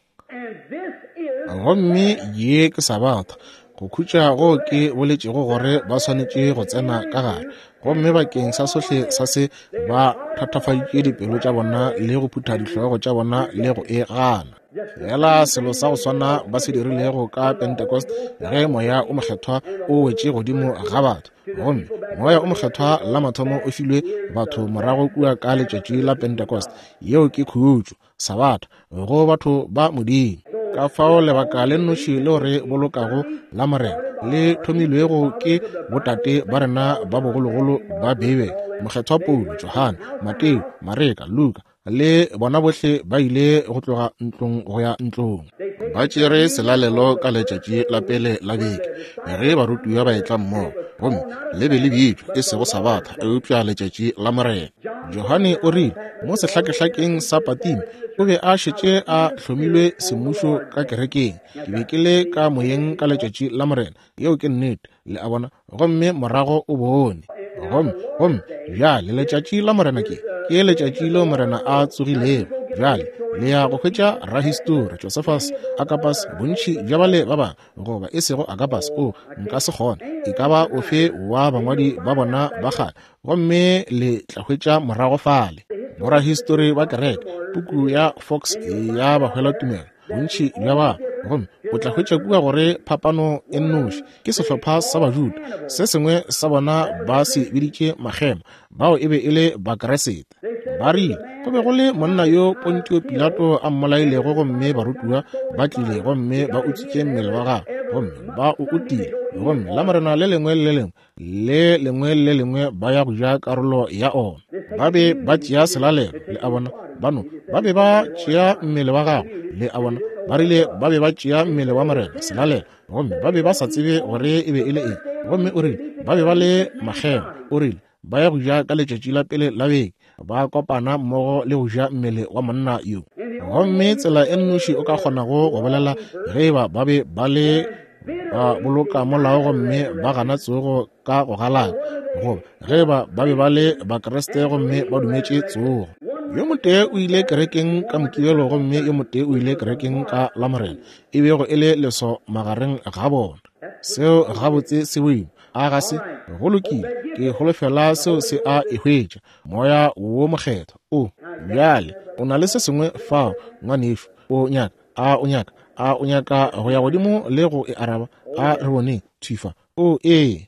Gomme ye ke Sabatha, go khutša go ke boletšego gore ba swanetše go tsena ka gare. Gomme bakeng sa sohle sa se ba thatafaditše dipelo tša bona le go phutha dihlogo tša bona le go e gana. Fela selo sa go swana ba se dirilego ka Pentecost, ge moya o mokgethwa o wetše godimo ga batho. Gomme moya o mokgethwa la mathomo o filwe batho morago kua ka letšatši la Pentecost. Yeo ke khutšo, Sabatha, go batho ba Modimo. Ka fao lebaka le nnoši leo re bolokago la Morena le thomilwego ke botate ba rena ba bogologolo ba Beibele, mokgethwa Paulo, Johane, Mateo, Mareka, Luka, le bona bohle ba ile go tloga ntlong go ya ntlong. Ba tšere selalelo ka letšatši la pele la beke, ge barutiwa ba etla mmogo, gomme le be le bitšwa e sego Sabatha, eupša letšatši la Morena. Johane o rile mo sehlakehlakeng sa Patime o be a šetše a hlomilwe semmušo ka kerekeng. Ke be ke le ka moyeng ka letšatši la Morena. Yeo ke nnete, le a bona. Gomme morago o bone. Gomme, gomme bjale letšatši la Morena ke ke letšatši leo Morena a tsogilego. Bjale le ya go hwetša rahistori Josephus, Agapas, bontši bja bale ba bangwe, goba e sego Agapas, o nka se kgone, e ka ba ofe wa bangwadi ba bona ba kgale, gomme le tla hwetša morago fale borahistori ba kereke, puku ya Fox ya bahwela tumelo, bontši bja ba. Gomme o tla hwetša kua gore phapano e nnoši ke sehlopha sa Bajuda, se sengwe sa bona ba se biditše makgema, bao e be e le Bakeresete. Ba rile go be go le monna yo Pontio Pilato a mmolailego, gomme barutiwa ba tlile gomme ba utswitše mmele wa gagwe, gomme ba o utile, gomme la Morena le lengwe le lengwe le lengwe le lengwe ba ya go ja karolo ya ona. Ba be ba tšea selalelo, le a bona, bano ba be ba tšea mmele wa gagwe, le a bona, ba rile ba be ba tšea mmele wa Morena, selalelo, gomme ba be ba sa tsebe gore e be e le eng. Gomme o rile ba be ba le makgema, o rile ba ya go ja ka letšatši la pele la beke, ba kopana mmogo le go ja mmele wa monna yo. Gomme tsela e nnoši o ka kgonago go bolela ge eba ba be ba le ba boloka molao gomme ba gana tsogo ka go galaka, goba ge eba ba be ba le Bakriste gomme ba dumetše tsogo. Yo motee o ile kerekeng ka Mokibelo gomme yo motee o ile kerekeng ka Lamorena, e bego e le leso magareng ga bona. Seo gabotse se boima, a ga se? Go lokile, ke holofela seo se a e hwetša, Moya wo Mokgethwa. O bjale o na le se sengwe fao, ngwanešu, o nyaka, a o nyaka, a o nyaka go ya godimo le go e araba? A re boneng thifa. O ee.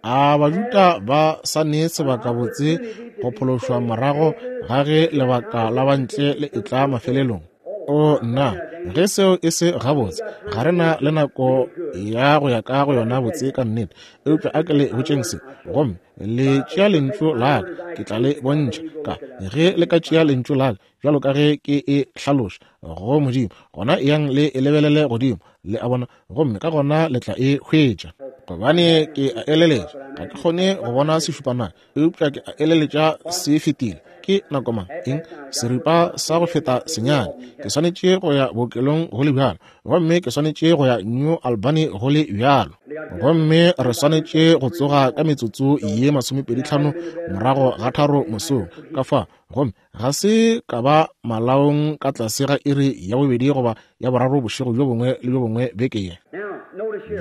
A Bajuda ba sa ne sebakabotse go phološwa morago ga ge lebaka la bantle le etla mafelelong? O nna, ge seo e se gabotse, ga re na le nako ya go ya ka go yona botse ka nnete. Eupša a ke le botšeng se, gomme le tšea lentšu la ka, ke tla le bontšha ka ge le ka tšea lentšu la ka bjalo ka ge ke e hlaloša go Modimo, gona eyang le e lebelele godimo, le a bona, gomme ka gona le tla e hwetša. Gobane ke a eleletša, ga ke kgone go bona sešupanaka, eupša ke a eleletša se fetile. Ke nako mang? Eng? Seripa sa go feta senyane. Ke swanetše go ya bookelong go le bjalo, gomme ke swanetše go ya New Albany go le bjalo, gomme re swanetše go tsoga ka metsotso ye masomepedi tlhano morago ga tharo mosong ka fa, gomme ga se ka ba malaong ka tlase ga iri ya bobedi goba ya boraro bošego bjo bongwe le bjo bongwe beke ye.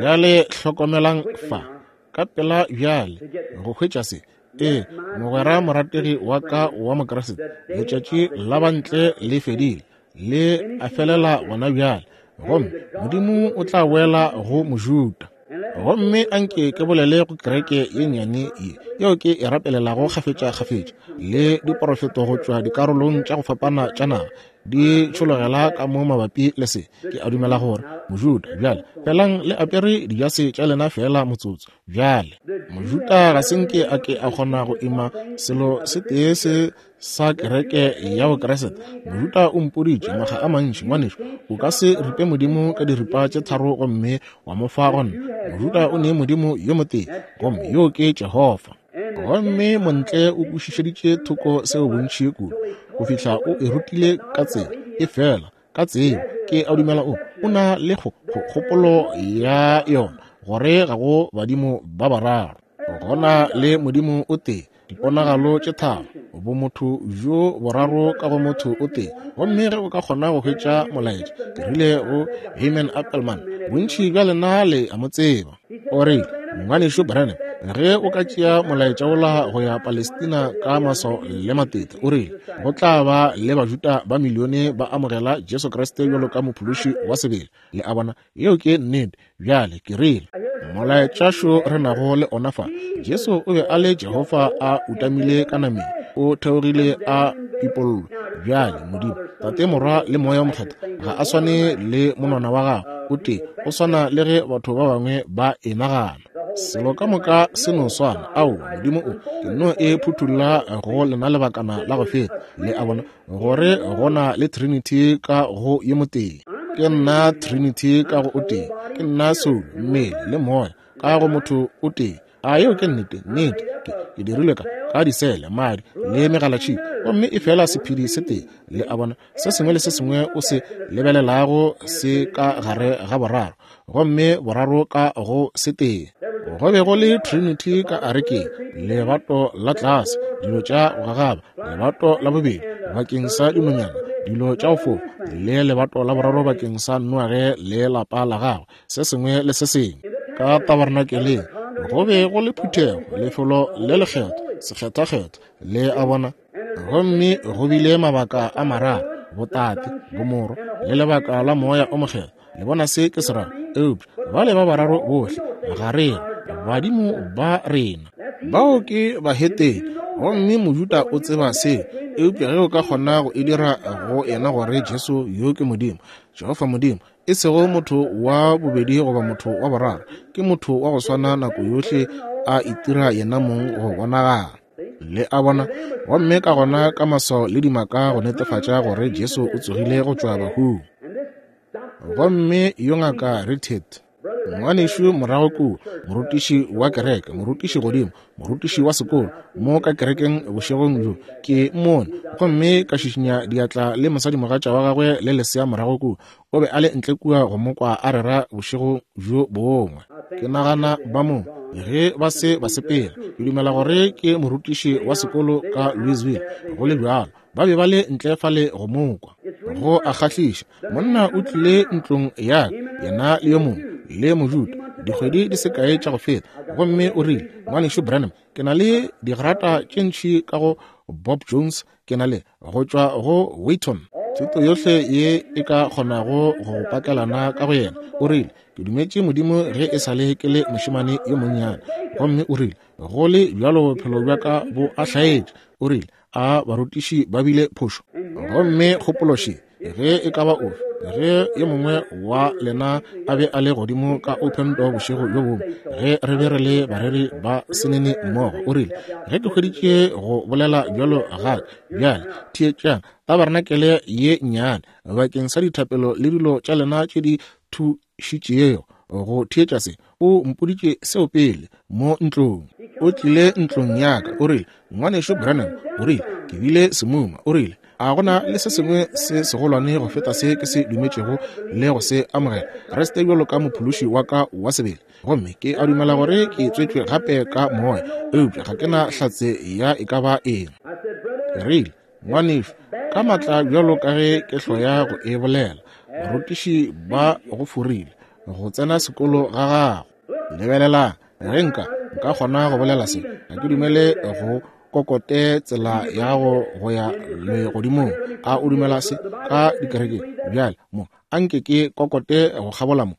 Bjale hlokomelang fa ka pela bjale go hwetša se. Ee, mogwera morategi wa ka wa Mokriste, letšatši la bantle le fedile, le a felela gona bjale, gomme Modimo o tla boela go Mojuda. Gomme anke ke bolele go kereke ye nnyane ye yeo ke e rapelelago kgafetša-kgafetša, le diporofeto go tšwa dikarolong tša go fapana tša naga di tšhologela ka mo mabapi le se. Ke a dumela gore Mojuda bjale, felang le apere dijase tša lena fela motsotso. Bjale Mojuda ga se nke a ke a kgona go ima selo se tee se sa kereke ya Bokriste. Mojuda o mpoditše makga a mantši, ngwanešu, o ka se ripe Modimo ka diripa tše tharo gomme wa mo fa gona. Mojuda o ne Modimo yo motee, gomme yo ke Jehofa. Gomme montle o kwešišeditše thoko seo bontši kudu go fihla o e rutile ka tsela e fela ka tsebo. Ke a dumela o o na le kgopolo ya yona gore ga go badimo ba bararo, gona le Modimo o tee, diponagalo tše tharo, bomotho bjo boraro ka go motho o tee. Gomme ge o ka kgona go hwetša molaetša, ke rile go Hyman Appelman, bontši bja lena le a mo tseba, o rile, ngwanešu Branham, ge o ka tšea molaetša wola go ya Palestina ka maswao le matete, o rile go tla ba le Bajuda ba milione ba amogela Jesu Kriste bjalo ka mophološi wa sebele. Le a bona, yeo ke nnete. Bjale ke rile molaetšašo re nago le ona fa, Jesu o be a le Jehofa a utamile ka nameng, o theogile a pipollwa. Bjale Modimo Tate, Morwa le Moya o Mokgethwa ga a swane le monwana wa gagwe o tee, o swana le ge batho ba bangwe ba e nagana. Selo ka moka se no swana. Aowa, Modimo o, ke no e phuthulla go lena lebakana la go feta, le a bona, gore go na le Trinity ka go ye motee. Ke nna Trinity ka go o tee. Ke nna soulo, mmele, le moya ka go motho o tee. A yeo ke nnete? Nnete. Ke, ke dirilwe ka, ka disele, madi, le megalatšhika, gomme e fela sephedi se tee. Le a bona, se sengwe le se sengwe o se lebelelago se ka gare ga boraro, gomme boraro ka go se tee. Go be go le Trinity ka arekeng, lebato la tlase, dilo tša go gagaba, lebato la bobedi bakeng sa dinonyana, dilo tša go fofa, le lebato la boraro bakeng sa Noage le lapa la gagwe, se sengwe le se sengwe. Ka tabernakeleng go be go le phuthego, lefelo le lekgethwa, sekgethwakgethwa, le a bona. Gomme go bile mabaka a mararo, botate, bomorwa, le lebaka la moya o mokgethwa. Le bona se ke se rago? Eupša bale ba bararo bohle ga re badimo ba rena. Bao ke bahetene, gomme Mojuda o tseba seo. Eupša ge o ka kgona go e dira go yena gore Jesu yo ke Modimo, Jehofa Modimo, e sego motho wa bobedi goba motho wa boraro, ke motho wa go swana nako yohle a itira yena mong go bonagala. Le a bona? Gomme ka gona ka maswao le dimaka go netefatša gore Jesu o tsogile go tšwa bahung. Gomme yo ngaka Richard, ngwanešu morago kua, morutiši wa kereke, morutiši godimo, morutiši wa sekolo, mo ka kerekeng bošegong bjo, ke mmone, gomme ka šišinya diatla le mosadimogatša wa gagwe le lesea morago kua. O be a le ntle kua go mo kwa a rera bošego bjo bongwe. Ke nagana ba mo, ge ba se ba sepela, ke dumela gore ke morutiši wa sekolo ka Louisville, go le bjalo. Ba be ba le ntle fale go mo kwa. Go a kgahliša, monna o tlile ntlong ya ka, yena le yo mongwe, le Mojuda, dikgwedi di se kae tša go feta, gomme o rile, Ngwanešu Branham, ke na le digrata tše ntši ka go Bob Jones, ke na le go tšwa go Wheaton, thuto yohle ye e ka kgonago go pakelana ka go yena. O rile, ke dumetše Modimo ge e sa le ke le mošemane yo monnyane. Gomme o rile, go le bjalo bophelo bja ka bo a hlaetše. O rile, a barutiši ba bile phošo. Gomme kgopološe, ge e ka ba ofe, ge yo mongwe wa lena a be a le godimo ka Open Door bošego bjo bongwe, ge re be re le bareri ba senene mmogo, o rile, ge ke hweditše go bolela bjalo ga bjale, theetšang tabernakelye ye nnyane bakeng sa dithapelo le dilo tša lena tše di thušitšego go theetša se. O mpoditše seo pele mo ntlong. O tlile ntlong ya ka, o rile, Ngwanešu Branham, o rile, ke bile semuma. O rile, a gona le se sengwe se segolwane go feta se ke se dumetšego le go se amogela, Kriste bjalo ka mophološi wa ka wa sebele. Gomme ke a dumela gore ke tswetšwe gape ka moya, eupša ga ke na hlatse ya e ka ba eng. Ke rile, ngwanešu, ka matla bjalo ka ge ke hloya go e bolela, barutiši ba go forile go tsena sekolo ga gago. Lebelelang, ge nka nka kgona go bolela se, ga ke dumele go kokote tsela ya go go ya legodimong. A o dumela se ka dikerekeng? Bjale mo, anke ke kokote go kgabola mo.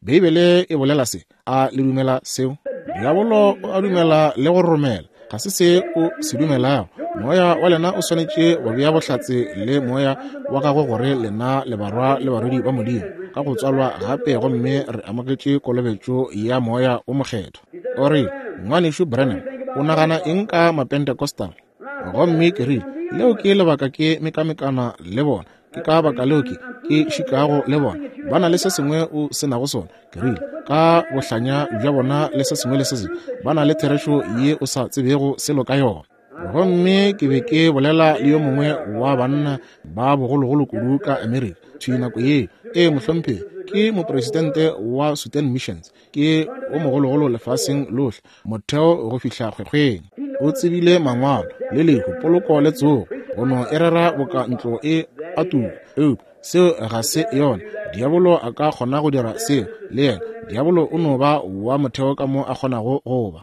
Beibele e bolela se. A le dumela seo? Diabolo o a dumela le go romela. Ga se se o se dumelago. Moya wa lena o swanetše go bea bohlatse le moya wa gagwe gore lena le barwa le barwedi ba Modimo ka go tswalwa gape, gomme re amogetše kolobetšo ya moya o mokgethwa. O re, Ngwanešu Branham, o nagana eng ka Mapentecostal? Gomme ke rile, leo ke lebaka ke mekamekana le bona. Ke ka baka leo ke ke šikago le bona. Ba na le se sengwe o se nago sona. Ke rile, ka bohlanya bja bona le se sengwe le se sengwe, ba na le therešo ye o sa tsebego selo ka yona. Gomme ke be ke bolela le yo mongwe wa banna ba bogologolo kudu ka Amerika thwi nako yeo. Ee, mohlomphegi, ke mopresidente wa Sudan Missions, ke o mogologolo lefaseng lohle, motheo go fihla kgwekgweng. O tsebile mangwalo le lehu, poloko le tsogo, go no e rera boka ntlo e a tuka. Eupša seo ga se yona. Diabolo a ka kgona go dira seo le yena. Diabolo o no ba wa motheo ka mo a kgonago go ba.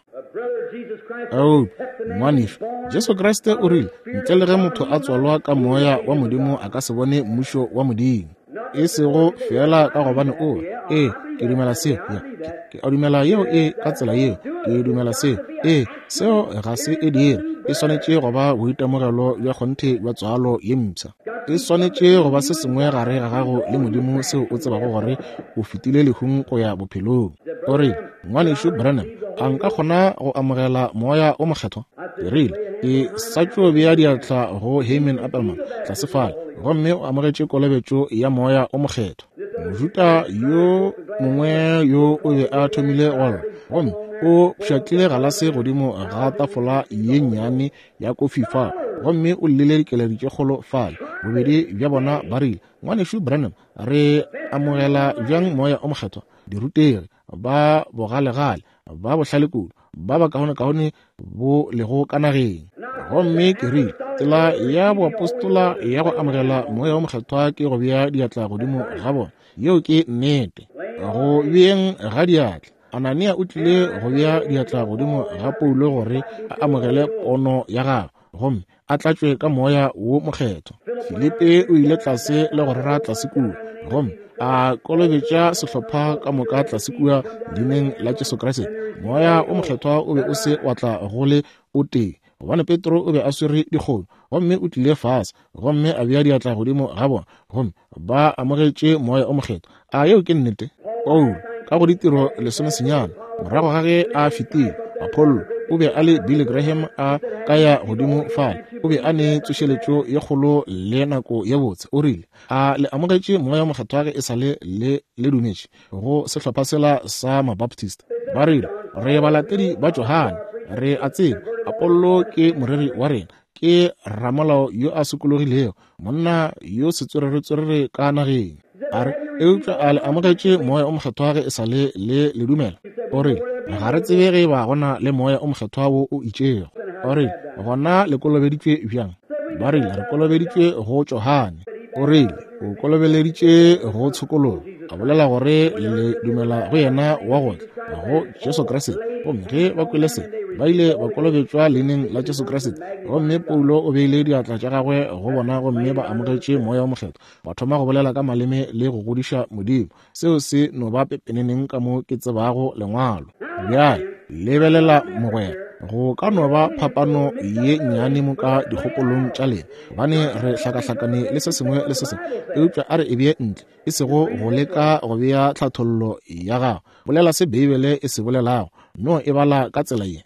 Eupša ngwanešu, Jesu Kriste o rile, ntle le ge motho a tswalwa ka moya wa Modimo a ka se bone mmušo wa Modimo. E sego feela ka gobane o re, ee, ke dumela seo, ya, ke, ke a dumela yeo e ka tsela yeo, ke dumela seo. Ee, seo ga se e dire. E swanetše go ba boitemogelo bja kgonthe bja tswalo ye mpsha. E swanetše go ba se sengwe gare ga gago le Modimo seo o tsebago gore o fetile lehung go ya bophelong. O rile, Ngwanešu Branham, a nka kgona go amogela Moya o Mokgethwa? Ke rile, ke sa tšo bea diatla go Herman Appelman tlase fale, gomme o amogetše kolobetšo ya Moya o Mokgethwa. Mojuta yo mongwe yo o be a thomile go lla, gomme o pšhatlile galase godimo ga tafola ye nnyane ya kofi fa, gomme o llile dikeledi tše kgolo fale. Bobedi bja bona ba rile, Ngwanešu Branham, re amogela bjang Moya o Mokgethwa? Dirutegi ba bogalegale, ba bohlale kudu, ba bakaonekaone bo lego ka nageng. Gomme ke rile, tsela ya boapostola ya go amogela Moya o Mokgethwa ke go bea diatla godimo ga bona. Yeo ke nnete. Go beeng ga diatla, Anania o tlile go bea diatla godimo ga Paulo gore a amogele pono ya gagwe, gomme a tlatšwe ka Moya wo Mokgethwa. Filipe o ile tlase le go rera tlase kua, gomme a kolobetša sehlopha ka moka tlase kua leineng la Jesu Kriste. Moya o Mokgethwa o be o se wa tla go le o tee, gobane Petro o be a swere dikgomo, gomme o tlile fase gomme a bea diatla godimo ga bona, gomme ba amogetše Moya o Mokgethwa. A yeo ke nnete? Paulo ka go ditiro lesomesenyane, morago ga ge a fetile Apollo, o be a le Billy Graham a ka ya godimo fale, o be a ne tsošeletšo ye kgolo le nako ye botse. O rile, a le amogetše Moya o Mokgethwa ge e sa le le le dumetše go sehlopha sela sa Mabaptist? Ba rile, re balatedi ba Johane, re a tseba Apollo ke moreri wa rena, ke ramolao yo a sokologilego, monna yo setswereretswerere ka nageng. A re, eupša a le amogetše Moya o Mokgethwa ge e sa le le le dumela? O rile, ga re tsebe ge ba gona le Moya o Mokgethwa wo o itšego. O rile, gona le kolobeditšwe bjang? Ba rile, re kolobeditšwe go Johane. O rile, o kolobeleditše go tshokologo, a bolela gore le dumela go yena wa go tla, go Jesu Kriste. Gomme ge ba kwele se, ba ile ba kolobetšwa leineng la Jesu Kriste. Gomme Paulo o beile diatla tša gagwe go bona, gomme ba amogetše Moya o Mokgethwa, ba thoma go bolela ka maleme le go godiša Modimo. Seo se no ba pepeneneng ka mo ke tsebago lengwalo. Bjale lebelela mogwera, go ka no ba phapano ye nnyane mo ka dikgopolong tša lena, gobane re hlakahlakane le se sengwe le se sengwe, eupša a re e bee ntle, e sego go leka go bea tlhathollo ya gago. Bolela se Beibele e se bolelago, no e bala ka tsela ye.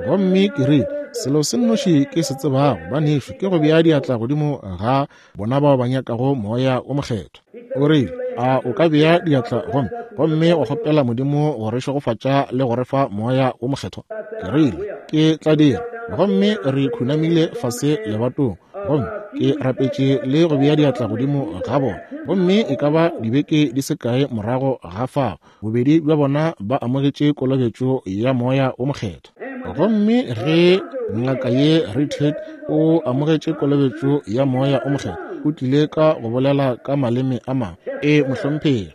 Gomme ke rile, selo se nnoši ke se tsebago, banešu, ke go bea diatla godimo ga bona bao ba nyakago Moya o Mokgethwa. O rile, a o ka bea diatla gomme gomme wa kgopela Modimo go re šegofatša le go re fa Moya o Mokgethwa? Ke rile, ke tla dira. Gomme re khunamile fase lebatong, gomme ke rapetše le go bea diatla godimo ga bona. Gomme e ka ba dibeke di se kae morago ga fao, bobedi bja bona ba amogetše kolobetšo ya Moya o Mokgethwa. Gomme ge ngaka ye Richard o amogetše kolobetšo ya Moya o Mokgethwa, o tlile ka go bolela ka maleme a mangwe. E mohlomphegi.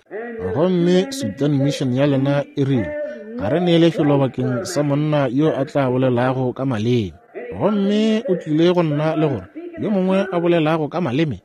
Gomme Sudan Mission ya lena e rile, ga re nee lefelo bakeng sa monna yo a tla bolelago ka maleme. Gomme o tlile go nna le gore yo mongwe a bolelago ka maleme?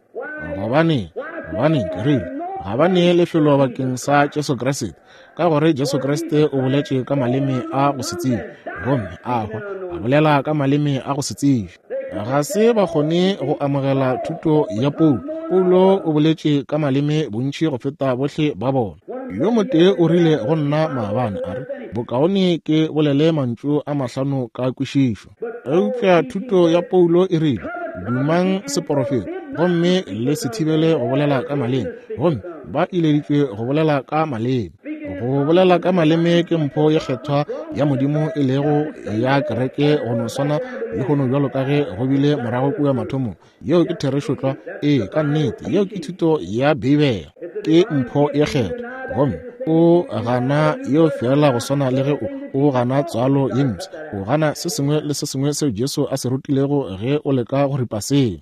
Gobane, gobane ke rile, ga ba nee lefelo bakeng sa Jesu Kriste, ka gore Jesu Kriste o boletše ka maleme a go se tsebe, gomme a hwa a bolela ka maleme a go se tsebe. Ga se ba kgone go amogela thuto ya Paulo. Paulo o boletše ka maleme bontši go feta bohle ba bona. Yo motee o rile go nna maabane, a re, bokaone ke bolele mantšu a mahlano ka kwešišo. Eupša thuto ya Paulo e rile, dumang seporofeto, gomme le se thibele go bolela ka maleme. Gomme ba ileditšwe go bolela ka maleme. Go bolela ka maleme ke mpho ye kgethwa ya Modimo e lego ya kereke, go no swana le hono bjalo ka ge go bile morago kua mathomong. Yeo ke therešo tlwa. Ee, ka nnete, yeo ke thuto ya Beibele, ke mpho ye kgethwa. Gomme o gana yeo fela go swana le ge o o gana tswalo ye mpsha, o gana se sengwe le se sengwe seo Jesu a se rutilego ge o leka go ripa seo.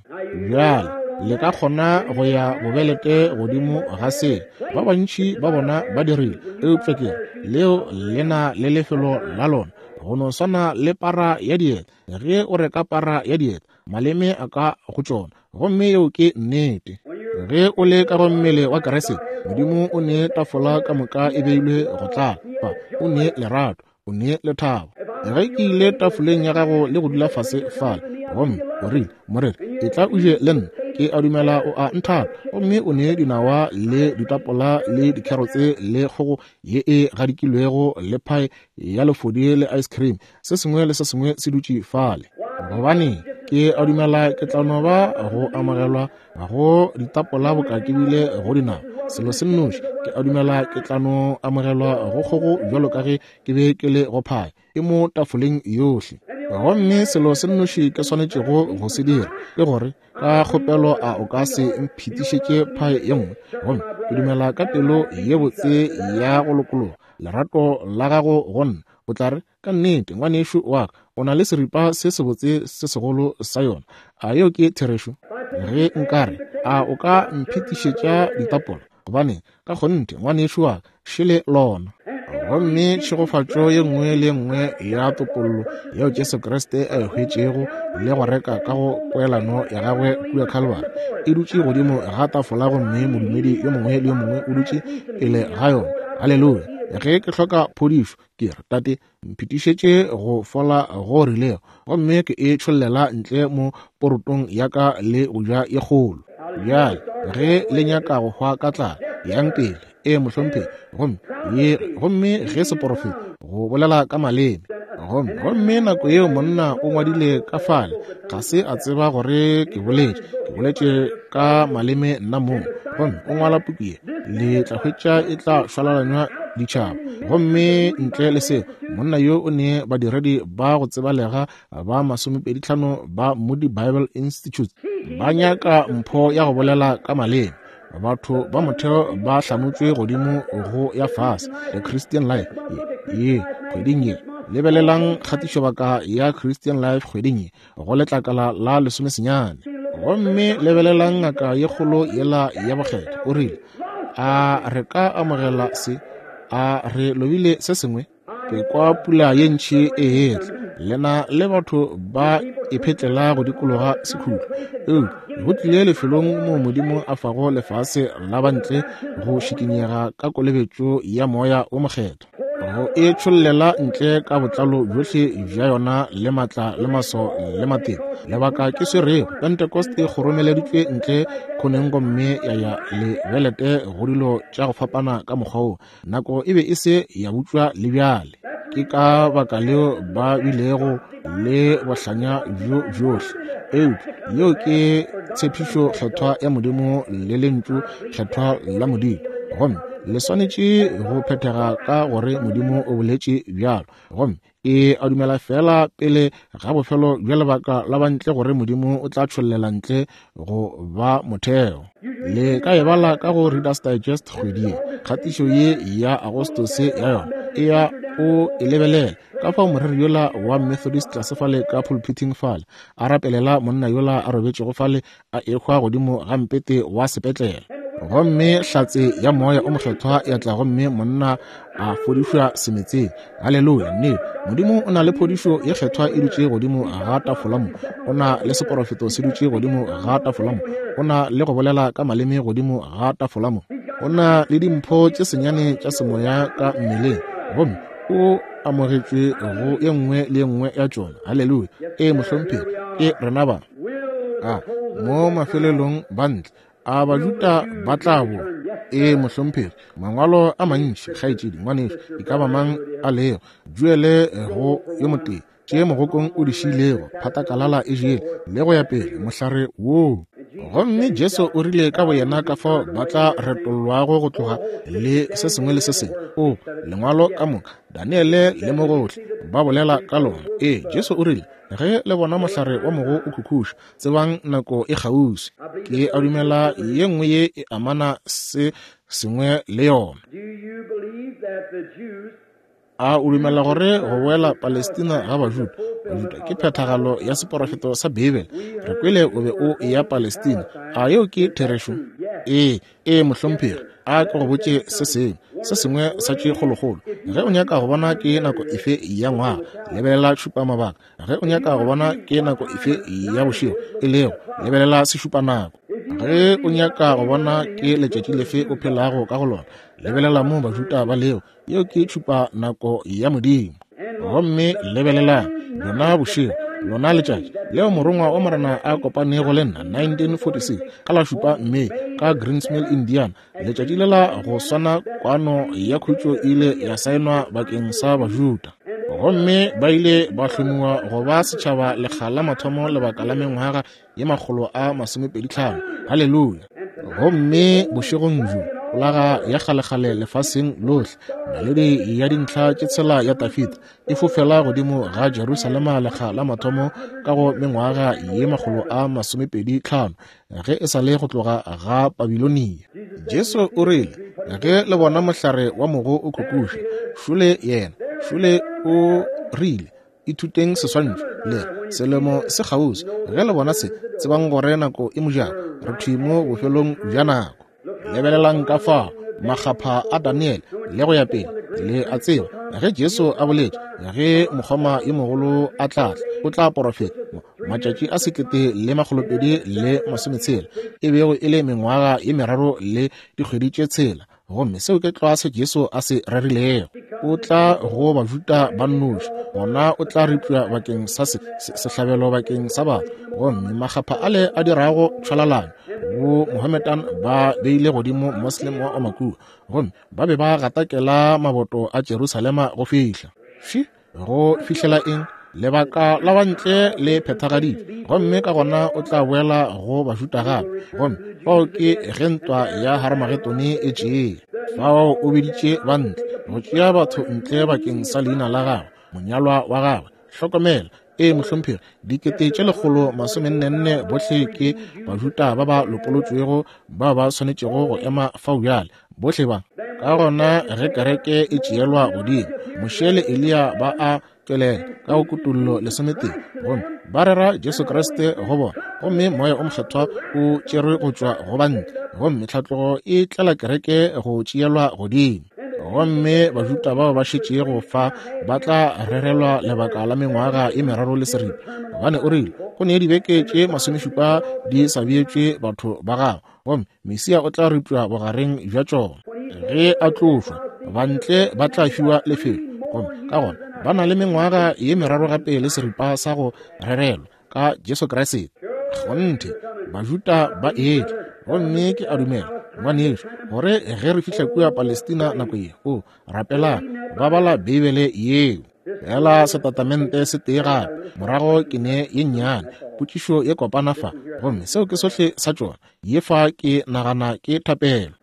Bjale le ka kgona go ya bobelete godimo ga se. Ba bantši ba bona ba dirile, eupša ke leo le na le lefelo la lona, go no swana le para ya dieta. Ge o reka para ya dieta, maleme a ka go tšona, gomme yeo ke nnete. Ge o le ka go mmele wa Kriste, Modimo o ne tafola ka moka e beilwe go tlala. Fa o ne lerato, o ne lethabo. Ge ke ile tafoleng ya gago le go dula fase fale, gomme o rile, moreri, e tla o je le nna, Ke a dumela o a nthata. Gomme o ne dinawa le ditapola le dikherotse le kgogo ye e gadikilwego le phae ya lefodi le ice cream. Se sengwe le se sengwe se dutše fale. Gobane ke a dumela ke tla no ba go amogelwa go ditapola boka ke bile go dinawa. Selo se nnoši, ke a dumela ke tla no amogelwa go kgogo bjalo ka ge ke be ke le go phae. E mo tafoleng yohle. Gomme selo se nnoši ke swanetšego go se dira ke gore ka kgopelo a o ka se mphetišetše phae ye nngwe. Gomme ke dumela ka pelo ye botse ya go lokologa lerato la gago go nna. O tla re, ka nnete ngwanešu wa ka, o na le seripa se sebotse se segolo sa yona. A yeo ke therešo? Ge nkare, a o ka mphetišetša ditapola? Gobane ka kgonthe ngwanešu wa ka, šele lona. Gomme tšhegofatšo ye nngwe le ye nngwe ya topollo yeo Jesu Kriste a e hwetšego le go reka ka go poelano ya gagwe kua Calvary e dutše godimo ga tafola, gomme modumedi yo mongwe le yo mongwe o dutše pele ga yona. Haleluya! Ge ke hloka phodišo, ke re, Tate, mphetišetše go fola go rilego, gomme ke e tšhollela ntle mo porotong ya ka le go ja ye kgolo. Bjale ge le nyaka go hwa ka tlala, yang pele. E mohlomphegi. Gomme ye, gomme ge seporofeto go bolela ka maleme. Gomme gomme nako yeo monna o ngwadile ka fale, ga se a tseba gore ke boletše, ke boletše ka maleme nna mong. Gomme o ngwala puku ye, le tla hwetša e tla šwalalanywa ditšhaba. Gomme ntle le seo, monna yo o ne badiredi ba go tsebalega ba masomepedi tlhano ba Moody Bible Institute ba nyaka mpho ya go bolela ka maleme. Batho ba motheo ba hlamotšwe godimo go ya fase. The Christian Life ye kgweding ye, lebelelang kgatišobaka ya Christian Life kgweding ye go letlakala la lesomesenyane. Gomme lebelelang ngaka ye kgolo yela ya bokgethwa, o rile, a re ka amogela se? A re lobile se sengwe? Ke kwa pula ye ntši e etla. Lena le batho ba iphetlela go dikologa sekhutlo. Eupša go tlile lefelong moo Modimo a fago lefase la bantle go šikinyega ka kolobetšo ya moya o mokgethwa, go e tšhollela ntle ka botlalo bjohle bja yona le matla le maso le matete. Lebaka ke swerego Pentecost e kgoromeleditšwe ntle khoneng gomme ya ya le belete go dilo tša go fapana ka mokgwa wo. Nako e be e se ya butšwa le bjale. Ke ka baka leo ba bilego le bohlanya bjo bjohle. Eupša yeo ke tshepišo kgethwa ya Modimo le lentšu kgethwa la Modimo, gomme le swanetše go phethega ka gore Modimo o boletše bjalo. Gomme e a dumela fela pele ga bofelo bja lebaka la bantle gore Modimo o tla tšhollela ntle go ba motheo. Le ka e bala ka go Reader's Digest kgwedi ye, kgatišo ye ya Agostose ya yona e ya o e lebelela. Ka fao moreri yola wa Methodist tlase fale ka pulpiting fale a rapelela monna yola a robetšego fale a ehwa godimo ga mpete wa sepetlele. Gomme hlatse ya moya o mokgethwa ya tla, gomme monna a fodišwa semetseng. Haleluya! Nnete, Modimo o na le phodišo ye kgethwa e dutše godimo ga tafola mo. O na le seporofeto se dutše godimo ga tafola mo. O na le go bolela ka maleme godimo ga tafola mo. O na le dimpho tše senyane tša semoya ka mmeleng, gomme o amogetšwe go ye nngwe le ye nngwe ya tšona. Haleluya! E mohlomphegi, ke rena ba. A mo mafelelong bantle a Bajuda ba tla boa. E mohlomphegi, mangwalo a mantši, kgaetšedi, ngwanešu, e ka ba mang a lego, duele go yo motee tše mogokong o di šilego, phatakalala e jele, le go ya pele, mohlare woo. Gomme Jesu o rile ka boyena ka fao ba tla retollwago go tloga le se sengwe le se sengwe. O lengwalo ka moka, Daniele le mo gohle ba bolela ka lona. Ee, Jesu o rile, ge le bona mohlare wa mogo o khukhuša, tsebang nako e kgauswi. Ke a dumela ye nngwe ye e amana se sengwe le yona. A o dumela gore go boela Palestina ga Bajuda, Bajuda ke phethagalo ya seporofeto sa Bibele? Re kwele o be o eya Palestina. A yeo ke therešo? Ee, ee mohlomphegi. A ke go botše se sengwe, se sengwe sa tše kgolokgolo. Ge o nyaka go bona ke nako efe ya ngwaga, lebelela tšhupamabaka. Ge o nyaka go bona ke nako efe ya bošego e lego, lebelela sešupanako. Ge o nyaka go bona ke letšatši lefe o phelago ka go lona, lebelela mo Bajuda ba lego. Yeo ke tšhupa nako ya Modimo. Gomme lebelelang, bjona bošego Lona letšatši leo morongwa wa Morena a kopanego le nna, nineteen forty-six, ka la šupa May, ka Greens Mill, Indiana, letšatši lela go swana kwano ya khutšo ile ya saenwa bakeng sa Bajuda. Gomme ba ile ba hlomiwa go ba setšhaba lekga la mathomo lebaka la mengwaga ye makgolo a masomepedi tlhano. Haleluya! Gomme bošegong bjo, folaga ya kgalekgale lefaseng lohle, naledi ya dintlha tše tshela ya Dafida e fofela godimo ga Jerusalema lekga la mathomo ka go mengwaga ye makgolo a masomepedi tlhano, ge e sa le go tloga ga Babilonia. Jesu o rile, ge le bona mohlare wa mogo o khukuša, šole yena, šole o rile, ithuteng seswantšho, le re, selemo se kgauswi. Ge le bona se, tsebang gore nako e mojako, re thwi mo bofelong bja nako. Lebelelang ka fao makgapha a Daniel le go ya pele, le a tseba ge Jesu a boletše, ge mokgoma yo mogolo a tla tla, o tla porofeta matšatši a sekete le makgolopedi le masometshela, e bego e le mengwaga ye meraro le dikgwedi tše tshela. Gomme seo ke tlwa se Jesu a se rerilego. O tla go Bajuda ba nnoši, gona o tla ripša bakeng sa se, se, sehlabelo bakeng sa batho. Gomme makgapha ale a dirago tšhwalalano, bo Mohammedan ba beile godimo Muslim wa Omakua, gomme ba be ba gatakela maboto a Jerusalema go fihla. Fi, go fihlela eng? Lebaka la bantle le phethagaditšwe, gomme ka gona o tla boela go Bajuda gape. Gomme fao ke ge ntwa ya Haramagedone e tšea. Fao o biditše bantle, go tšea batho ntle bakeng sa leina la gagwe, monyalwa wa gagwe. Hlokomela, ee mohlomphegi, dikete tše lekgolo masomennenne bohle ke Bajuda ba ba lopolotšwego ba ba swanetšego go ema fao bjale, bohle ba. Ka gona ge kereke e tšeelwa godimo, Moshe le Eliya ba a tšwelela ka go Kutollo lesometee, gomme ba rera Jesu Kriste go bona, gomme Moya o Mokgethwa o tšerwe go tšwa go bantle, gomme tlhatlogo e tlela kereke go tšeelwa godimo. Gomme Bajuda bao ba šetšego fa ba tla rerelwa lebaka la mengwaga ye meraro le seripa, gobane o rile go ne dibeke tše masomešupa di sa beetšwe batho ba gagwe, gomme Mesia o tla ripša bogareng bja tšona. Ge a tlošwa, bantle ba tla fiwa lefelo, gomme ka gona ba na le mengwaga ye meraro gape le seripa sa go rerelwa ka Jesu Kriste. Kgonthe, Bajuda ba etla, gomme ke a dumela, ngwanešu, gore ge re fihla kua Palestina nako ye, o rapelang, ba bala Beibele yeo. Fela setatamente se tee gape, morago ke ne ye nnyane potšišo ye kopana fa, gomme seo ke sohle sa tšona. Ye fa ke nagana ke thapelo.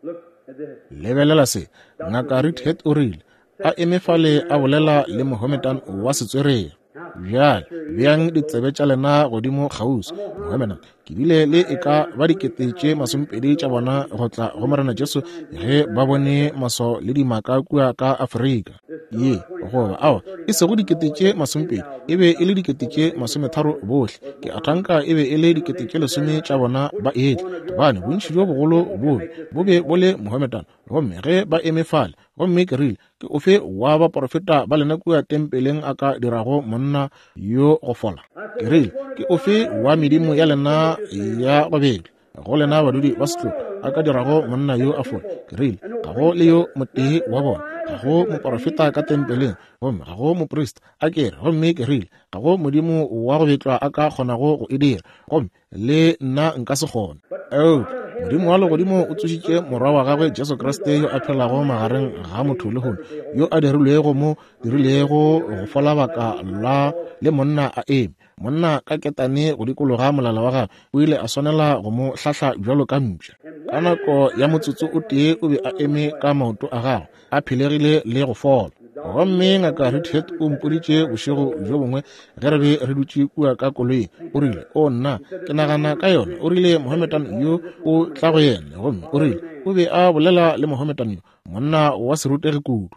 Lebelela se, Ngaka Reidhead o rile, a eme fale a bolela le Mohammedan wa setswerere. Bjale beang ditsebe tša lena godimo kgauswi. Mohammedan, ke bile le e ka ba dikete tše masomepedi tša bona go tla go Morena Jesu ge ba bone maswao le dimaka kua ka Afrika. Ye goba awa, e sego dikete tše masomepedi, e be e le dikete tše masometharo bohle. Ke a thanka e be e le dikete tše lesome tša bona ba etla, gobane bontši bjo bogolo bobe bo be bo le Mohammedan. Gomme ge ba eme fale, gomme ke rile, ke ofe wa baporofeta ba lena kua tempeleng a ka dirago monna yo go fola? Ke rile, ke ofe wa medimo ya lena ya go betla go lena badudi ba setlogo a ka dirago monna yo a fola? Ke rile, ga go le yo motee wa bona, ga go moporofeta ka tempeleng, gomme ga go moprista a kere. Gomme ke rile, ga go modimo wa go betlwa a ka kgonago go e dira, gomme le nna nka se kgone. Eupša Modimo wa legodimo o tsošitše morwa wa gagwe Jesu Kriste yo a phelago magareng ga motho lehono, yo a dirilwego mo dirilego go fola baka la le monna a eme. Monna ka ketane go dikologa molala wa gagwe, o ile a swanela go mo hlahla bjalo ka mpša. Ka nako ya motsotso o tee o be a eme ka maoto a gagwe, a phelegile le go fola. Gomme Ngaka Reidhead o mpoditše bošego bjo bongwe ge re be re dutše kua ka koloing, o rile, o nna, ke nagana ka yona. O rile Mohammedan yo o tla go yena, gomme o rile o be a bolela le Mohammedan yo, monna wa serutegi kudu.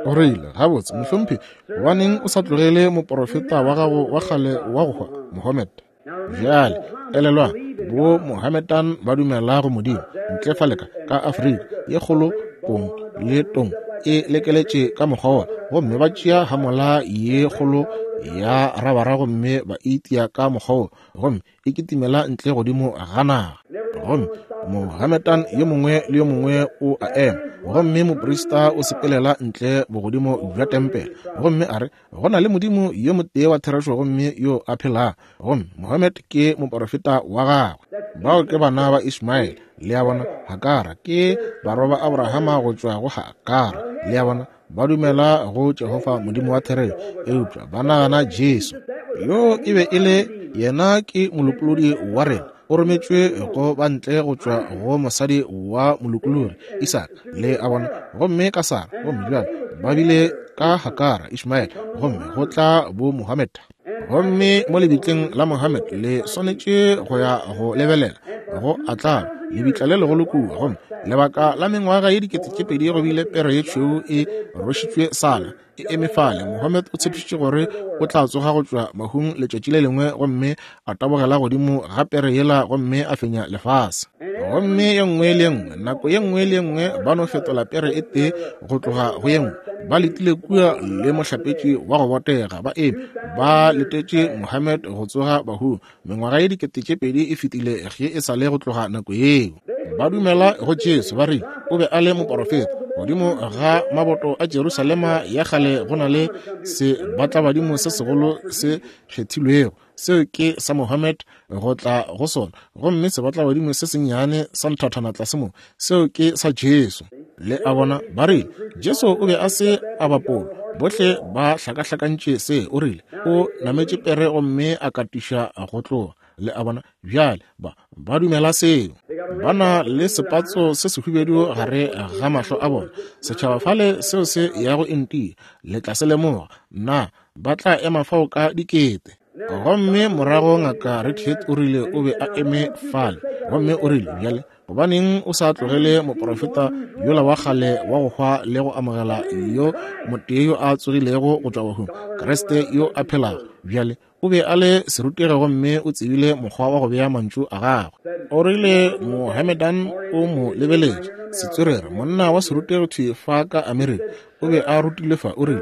O rile, gabotse mohlomphegi, gobaneng o sa tlogele moporofeta wa gago wa kgale wa go hwa, Mohammed? Bjale elelwang, bo Mohammedan ba dumela go Modimo ntle fale ka ka Afrika ye kgolo, pong le tong e lekeletše ka mokgwa wona, gomme ba tšea hamola ye kgolo ya rabara gomme ba itia ka mokgwa wo, gomme e kitimela ntle godimo ga naga. Gomme Mohammedan yo mongwe le yo mongwe o a ema, gomme moprista o sepelela ntle bogodimo bja tempele, gomme a re, go na le Modimo yo motee wa therešo gomme yo a phelago, gomme Mohammed ke moporofeta wa gagwe. Bao ke bana ba Ishmael, le a bona. Hakara ke barwa ba Abrahama go tšwa go Hakara, le a bona. Ba dumela go Jehofa Modimo wa therešo, eupša ba nagana Jesu yo e be e le yena ke molopolodi wa rena, o rometšwe go ba ntle go tšwa go mosadi wa molokolori Isaka, le a bona, gomme ka Sara, gomme bjale ba bile ka Hakara Ishmael, gomme go tla bo Mohammed. Gomme mo lebitleng la Mohammed le swanetše go ya go lebelela go atla lebitla le legolo kua, gomme lebaka la mengwaga ye dikete tše pedi go bile pere ye tšhweu e rwešitšwe sala e eme fale. Mohammed o tshepišitše gore o tla tsoga go tšwa mahung letšatši le lengwe, gomme a tabogela godimo ga pere yela gomme a fenya lefase. Gomme ye nngwe le ye nngwe, nako ye nngwe le ye nngwe, ba no fetola pere e tee go tloga go ye nngwe. Ba letile kua le mohlapetši wa go botega, ba eme ba letetše Mohammed go tsoga bahung. Mengwaga ye dikete tše pedi e fetile ge e sa le go tloga nako yeo. Ba dumela go Jesu, ba rile o be a le moporofeta. Godimo ga maboto a Jerusalema ya kgale go na le sebatlabadimo se segolo se kgethilwego, seo ke sa Mohammed go tla go sona, gomme sebatlabadimo se sennyane sa nthathana tlase mo, seo ke sa Jesu. Le a bona, ba rile Jesu o be a se a bapolwa. Bohle ba hlakahlakantše se. O rile o nametše pere gomme a katiša go tloga. Le a bona, bjale ba ba dumela seo. Ba na le sepatso se sehubedu gare ga mahlo a bona. Setšhaba fale seo se yago India, le tla se lemoga. Na ba tla ema fao ka dikete. Gomme morago ngaka Redhead o rile o be a eme fale, gomme o rile, bjale gobaneng o sa tlogele moporofeta yola wa kgale wa go hwa le go amogela yo motee yo a tsogilego go tšwa bahung, Kriste yo a phelago? Bjale o be a le serutegi gomme o tsebile mokgwa wa go bea mantšu a gagwe. O rile Mohammedan o mo lebeletše, setswerere, monna wa serutegi thwi fa ka Amerika, o be a rutilwe fa. O rile,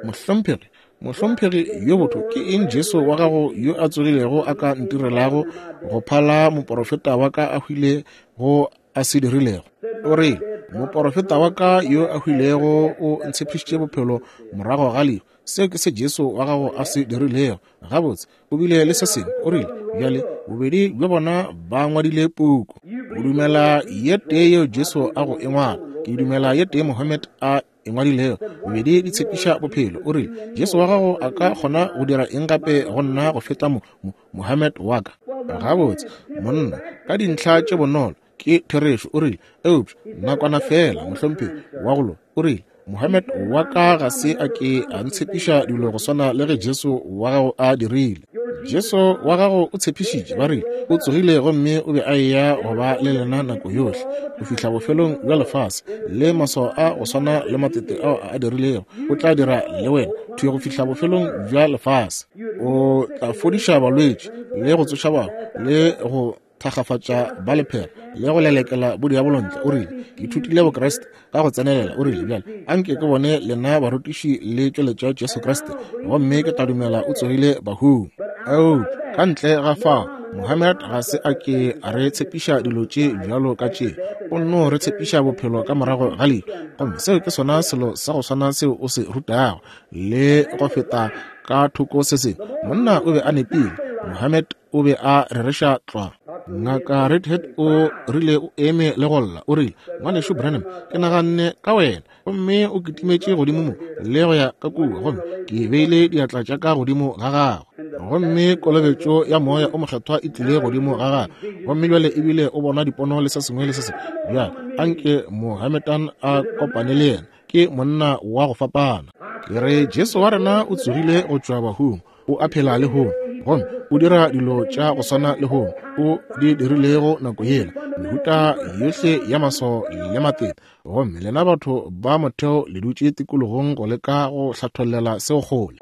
mohlomphegi, mohlomphegi yo botho, ke eng Jesu wa gago yo a tsogilego a ka ntirelago go phala moporofeta wa ka a hwile go a se dirilego? O rile, moporofeta wa ka yo a hwilego o ntshepišitše bophelo morago ga lehu. Seo ke se Jesu wa gago a se dirilego. Gabotse, o bile le se sengwe. O rile, bjale bobedi bja bona ba ngwadile puku. O dumela ye tee yeo Jesu a go e ngwala, ke dumela ye tee Mohammed a e ngwadilego. Bobedi di tshepiša bophelo. O rile, Jesu wa gago a ka kgona go dira eng gape go nna go feta mo, mo Mohammed wa ka? Gabotse, monna, ka dintlha tše bonolo ke therešo. O rile, eupša nakwana fela, mohlomphegi wa go loka. O rile, Mohammed wa ka ga se a ke a ntshepiša dilo go swana le ge Jesu wa gago a dirile. Jesu wa gago o tshepišitše, ba rile o tsogile gomme o be a eya go ba le lena nako yohle go fihla bofelong bja lefase, le maswao a go swana le matete ao a dirilego o tla dira le wena thwi go fihla bofelong bja lefase. O tla fodiša balwetši le go tsoša bahu le go thakgafatša ba lephera le go lelekela bodiabolo ntle. O rile, ke ithutile Bokriste ka go tsenelela. O rile, bjale anke ke bone lena barutiši le tšweletša Jesu Kriste, gomme ke tla dumela o tsogile bahung. Eupša ka ntle ga fao, Mohammed ga se a ke a re tshepiša dilo tše bjalo ka tše. O nno re tshepiša bophelo ka morago ga lehu, gomme seo ke sona selo sa go swana seo o se rutago le go feta ka thoko se sengwe. Monna o be a nepile. Mohammed o be a rereša tlwa. Ngaka Redhead o rile o eme le go lla. O rile, ngwanešu Branham, ke naganne ka wena, gomme o kitimetše godimo mo le go ya ka kua, gomme ke beile diatla tša ka godimo ga gagwe, gomme kolobetšo ya moya o mokgethwa e tlile godimo ga gagwe, gomme bjale ebile o bona dipono le se sengwe le se sengwe. Bjale anke Mohammedan a kopane le yena, ke monna wa go fapana. Ke re Jesu wa rena o tsogile go tšwa bahung, o a phela lehono, gomme o dira dilo tša go swana lehono o di dirilego nako yela, mehuta yohle ya maswao le matete. Gomme lena batho ba motheo le dutše tikologong go leka go hlathollela seo kgole,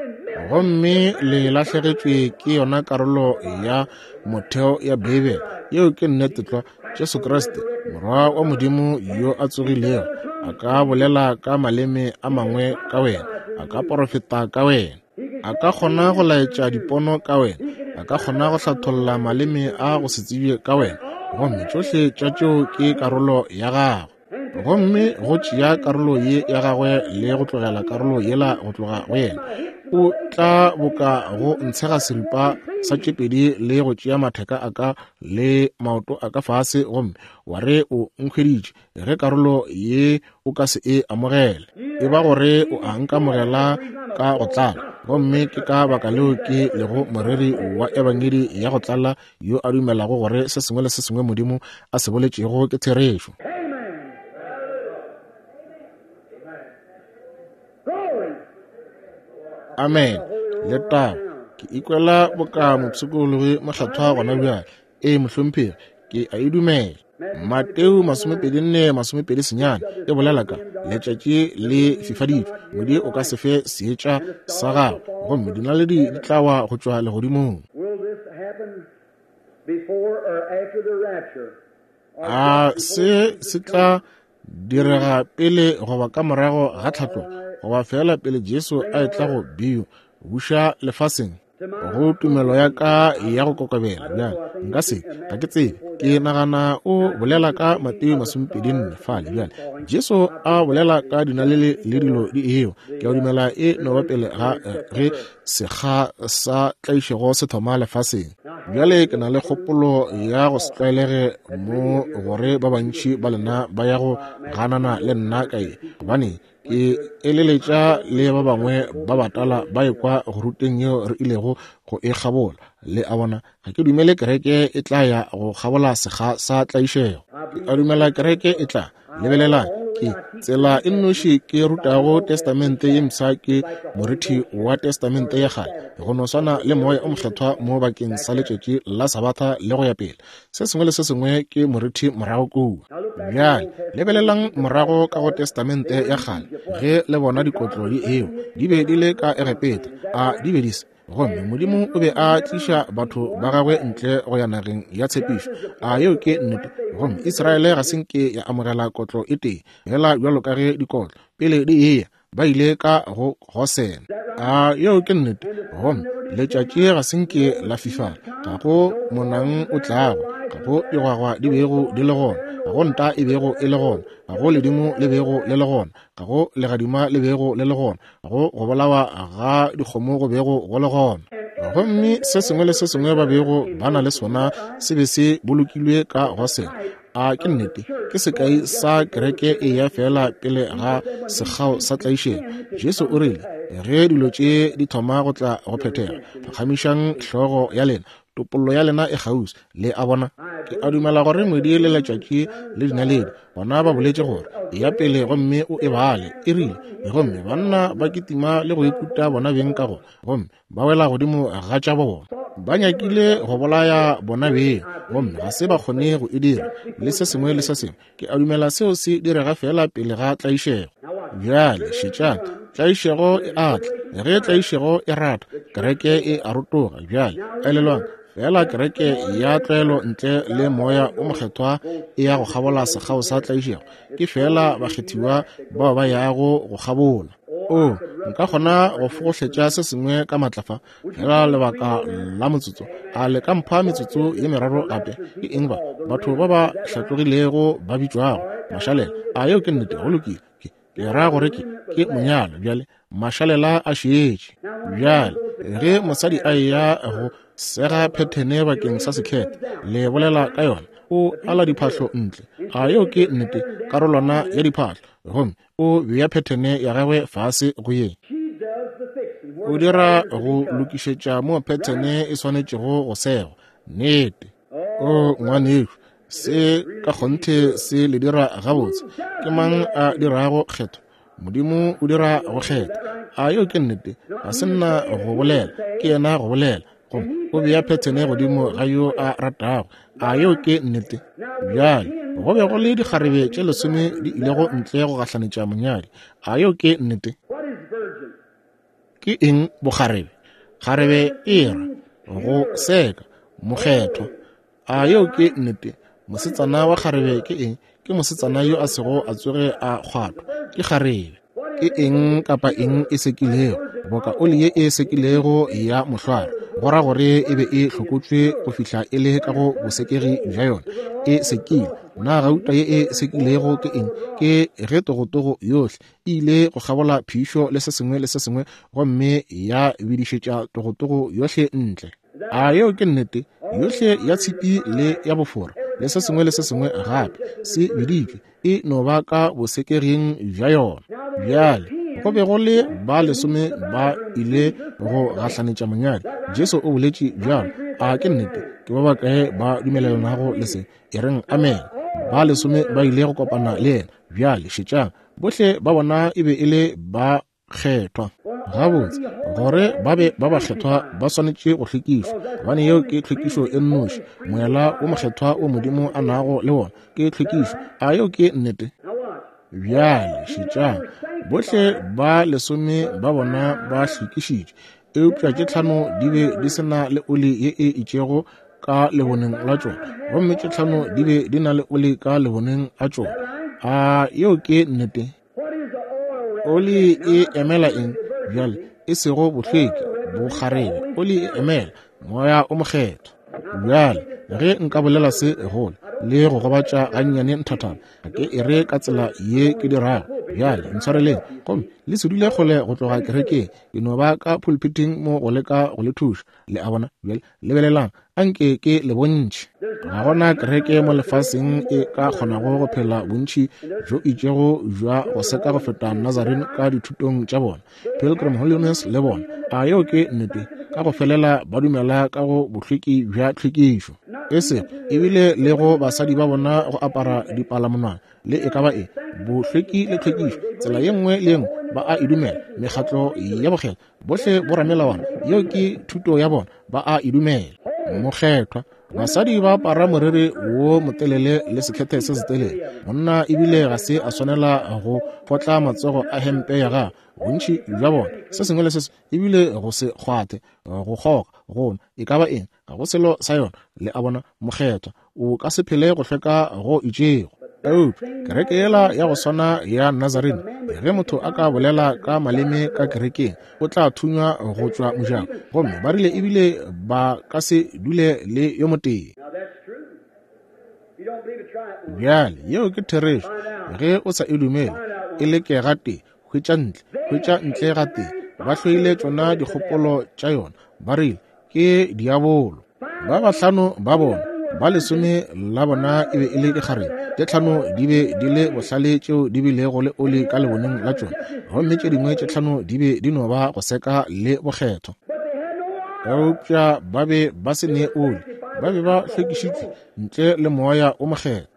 gomme le lahlegetšwe ke yona karolo ya motheo ya Beibele. Yeo ke nnete tlwa. Jesu Kriste, Morwa wa Modimo yo a tsogilego, a ka bolela ka maleme a mangwe ka wena, a ka porofeta ka wena. A ka kgona go laetša dipono ka wena, a ka kgona go hlatholla maleme a go se tsebje ka wena, gomme tšohle tša tšeo ke karolo ya gagwe. Gomme go tšea karolo ye ya gagwe le go tlogela karolo yela go tloga go yena, o tla boka go ntshega seripa sa tše pedi le go tšea matheka a ka le maoto a ka fase, gomme wa re o nkhweditše ge karolo ye o ka se e amogele. E ba gore o a nkamogela ka go tlala, gomme ke ka baka leo ke lego moreri wa ebangedi ya go tlala yo a dumelago gore se sengwe le se sengwe Modimo a se boletšego ke therešo. Amen. Letago. Ke ikwela boka mopshikologi mokgethwa gona bjale. Ee, mohlomphegi, ke a e dumela. Mateo masomepedi nne masomepedi senyane e bolela ka letšatši le fifaditšwe, ngwedi o ka se fe seetša sa gago, gomme dinaledi di tla wa go tšwa legodimong. A se se tla direga pele goba ka morago ga tlhatlogo, goba fela pele Jesu a etla go bio buša lefaseng? Go tumelo ya ka ya go kokobela bjale nka se, ga ke tsebe. Ke nagana o bolela ka Mateo masomepedi nne fale bjale, Jesu a bolela ka dinaleli le dilo di eo. Ke a dumela e no ba pele ga ge sekga sa tlaišego se thoma lefaseng. Bjale ke na le kgopolo ya go se tlwaelege mo gore ba bantši ba lena ba ya go ganana le nna ka ye, gobane ke eleletša le ba bangwe ba batala ba ekwa go ruteng yeo re ilego go e kgabola. Le a bona, ga ke dumele kereke e tla ya go kgabola sekga sa tlaišego. Ke a dumela kereke e tla. Lebelelang, ke tsela e nnoši ke rutago testamente ye mpsha ke morithi wa testamente ya kgale, go no swana le moya o mokgethwa mo bakeng sa letšatši la sabatha le go ya pele. Se sengwe le se sengwe ke morithi morago kua. Bjale lebelelang morago ka go testamente ya kgale, ge le bona dikotlo di eo di be di le ka Egepeta, a di be di se? Gomme Modimo o be a tliša batho ba gagwe ntle go ya nageng ya tshepišo. A yeo ke nnete? Gomme Israele ga se nke ya amogela kotlo e tee, fela bjalo ka ge dikotlo pele di eya ba ile ka go Gosene. A yeo ke nnete? Gomme letšatši ga se nke la fifala, ga go monang o tlago, ga go digwagwa di bego di le gona, ga go nta e bego e le gona, ga go ledimo le bego le le gona, ga go legadima le bego le le gona, ga go go bolawa ga dikgomo go bego go le gona. Gomme se sengwe le se sengwe ba bego ba na le sona se be se bolokilwe ka Gosene. A ke nnete? Ke sekai sa kereke e ya fela pele ga sekgao sa tlaišego. Jesu o rile ge dilo tše di thoma go tla go phethega, phagamišang hlogo ya lena, topollo ya lena e kgauswi. Le a bona, ke a dumela gore ngwedi le letšatši le dinaledi bona ba boletše gore ya pele gomme o e bale, e rile, gomme banna ba kitima le go ikuta bona beng ka gona, gomme ba wela godimo ga tša bona. Ba nyakile go bolaya bona beng, gomme ga se ba kgone go e dira, le se sengwe le se sengwe. Ke a dumela seo se direga fela pele ga tlaišego. Bjale šetšang, tlaišego e a tla. Ge tlaišego e rata, kereke e a rotoga. Bjale elelwang, fela kereke ya tlwaelo ntle le moya o mokgethwa e ya go kgabola sekgao sa tlaišego. Ke fela bakgethiwa bao ba yago go kgabola. O nka kgona go fogohletša se sengwe ka matla fa, fela lebaka la motsotso. A le ka mpha metsotso ye meraro gape? Ke eng ba batho ba ba hlatlogilego ba bitšwago mašalela? A yeo ke nnete? Go lokile. Ke ke ra gore ke ke monyalo. Bjale mašalela a šetše. Bjale ge mosadi a eya go sega phethene bakeng sa sekhete, le bolela ka yona, o ala diphahlo ntle. A yeo ke nnete? Karolwana ya diphahlo, gomme o bea phethene ya gagwe fase go ye. O dira go lokišetša mo phethene e swanetšego go segwa. Nnete. O ngwanešu, se ka kgonthe se le dira gabotse. Ke mang a dirago kgetho? Modimo o dira go kgetha. A yeo ke nnete? Ga se nna go bolela, ke yena go bolela. Gomme o bea phethene godimo ga yo a ratago. A yeo ke nnete? Bjale go be go le dikgarebe tše lesome di ilego ntle go gahlanetša monyadi. A yeo ke nnete? Ke eng bokgarebe? Kgarebe e ra go seka, mokgethwa. A yeo ke nnete? Mosetsana wa kgarebe ke eng? Ke mosetsana yo a sego a tsoge a kgwathwa, ke kgarebe. Ke eng kapa eng e sekilego? Boka oli ye e sekilego ya mohlware, go ra gore e be e hlokotšwe go fihla e le ka go bosekegi bja yona, e sekile. Na gauta ye e sekilego ke eng? Ke ge togotogo yohle e ile go kgabola phišo le se sengwe le se sengwe, gomme ya bidišetša togotogo yohle ntle. A yeo ke nnete? Yohle ya tshipi le ya bofora le se sengwe le se sengwe gape se biditšwe, e no ba ka bosekeging bja yona. Bjale go be go le ba lesome ba ile go gahlanetša monyadi. Jesu o boletše bjalo. A ke nnete? Ke ba bakae ba dumelelanago le se? E reng amen. Ba lesome ba ile go kopana le yena. Bjale šetšang, bohle ba bona e be e le ba kgethwa. Gabotse, gore ba be ba bakgethwa ba swanetše go hlwekišwa, gobane yeo ke tlhwekišo e nnoši. Moela wo mokgethwa wo Modimo a nago le wona ke tlhwekišo. A yeo ke nnete? Bjale šetšang, bohle ba lesome ba bona ba hlwekišitšwe, eupša tše tlhano di be di se na le oli ye e itšego ka leboneng la tšona, gomme tše tlhano di be di na le oli ka leboneng la tšona. A yeo ke nnete? Oli e emela eng? Bjale, e sego bohlweki, bokgarebe. Oli e emela Moya o Mokgethwa. Bjale, ge nka bolela se gole le go gobatša gannyane nthathana, ga ke e re ka tsela ye ke dirago. Bjale, ntshwareleng, gomme le se dule kgole go tloga kerekeng. Ke no ba ka pulpiting mo go leka go le thuša. Le a bona? Bjale, lebelelang, anke ke le bontšhe. Ga gona kereke mo lefaseng e ka kgonago go phela bontši bjo itšego bja go seka go feta Nazarene ka dithutong tša bona, Pilgrim Holiness le bona. A yeo ke nnete? Ka go felela ba dumela ka go bohlweki bja tlhwekišo. E sego ebile le go basadi ba bona go apara dipalamonwana le e ka ba eng, bohlweki le tlhwekišo, tsela ye nngwe le ye nngwe ba a e dumela. Mekgatlo ya bokgethwa, bohle boramelawana, yeo ke thuto ya bona, ba a e dumela. Mokgethwa, basadi ba apara moriri wo motelele le sekhethe se setelele. Monna ebile ga se a swanela go potla matsogo a hempe ya gagwe. Bontši bja bona, se sengwe le se sengwe, ebile go se kgwathe, go kgoga, go nwa, e ka ba eng, ga go selo sa yona. Le a bona? Mokgethwa, o ka se phele go hlweka go itšego. Eupša kereke yela ya go swana ya Nazarene, ge motho a ka bolela ka maleme ka kerekeng, o tla thunywa go tšwa mojako. Gomme ba rile ebile ba ka se dule le yo motee. Bjale, yeo ke therešo. Ge o sa e dumele, e leke gatee, hwetša ntle, hwetša ntle gatee. Ba hloile tšona dikgopolo tša yona. Ba rile ke diabolo. Ba bahlano ba bona, ba lesome la bona e be e le dikgarebe, tše tlhano di be di le bohlale tšeo di bilego le oli ka leboneng la tšona, gomme tše dingwe tše tlhano di be di no ba go seka le bokgethwa. Eupša ba be ba se ne oli, ba be ba hlwekišitšwe ntle le Moya o Mokgethwa.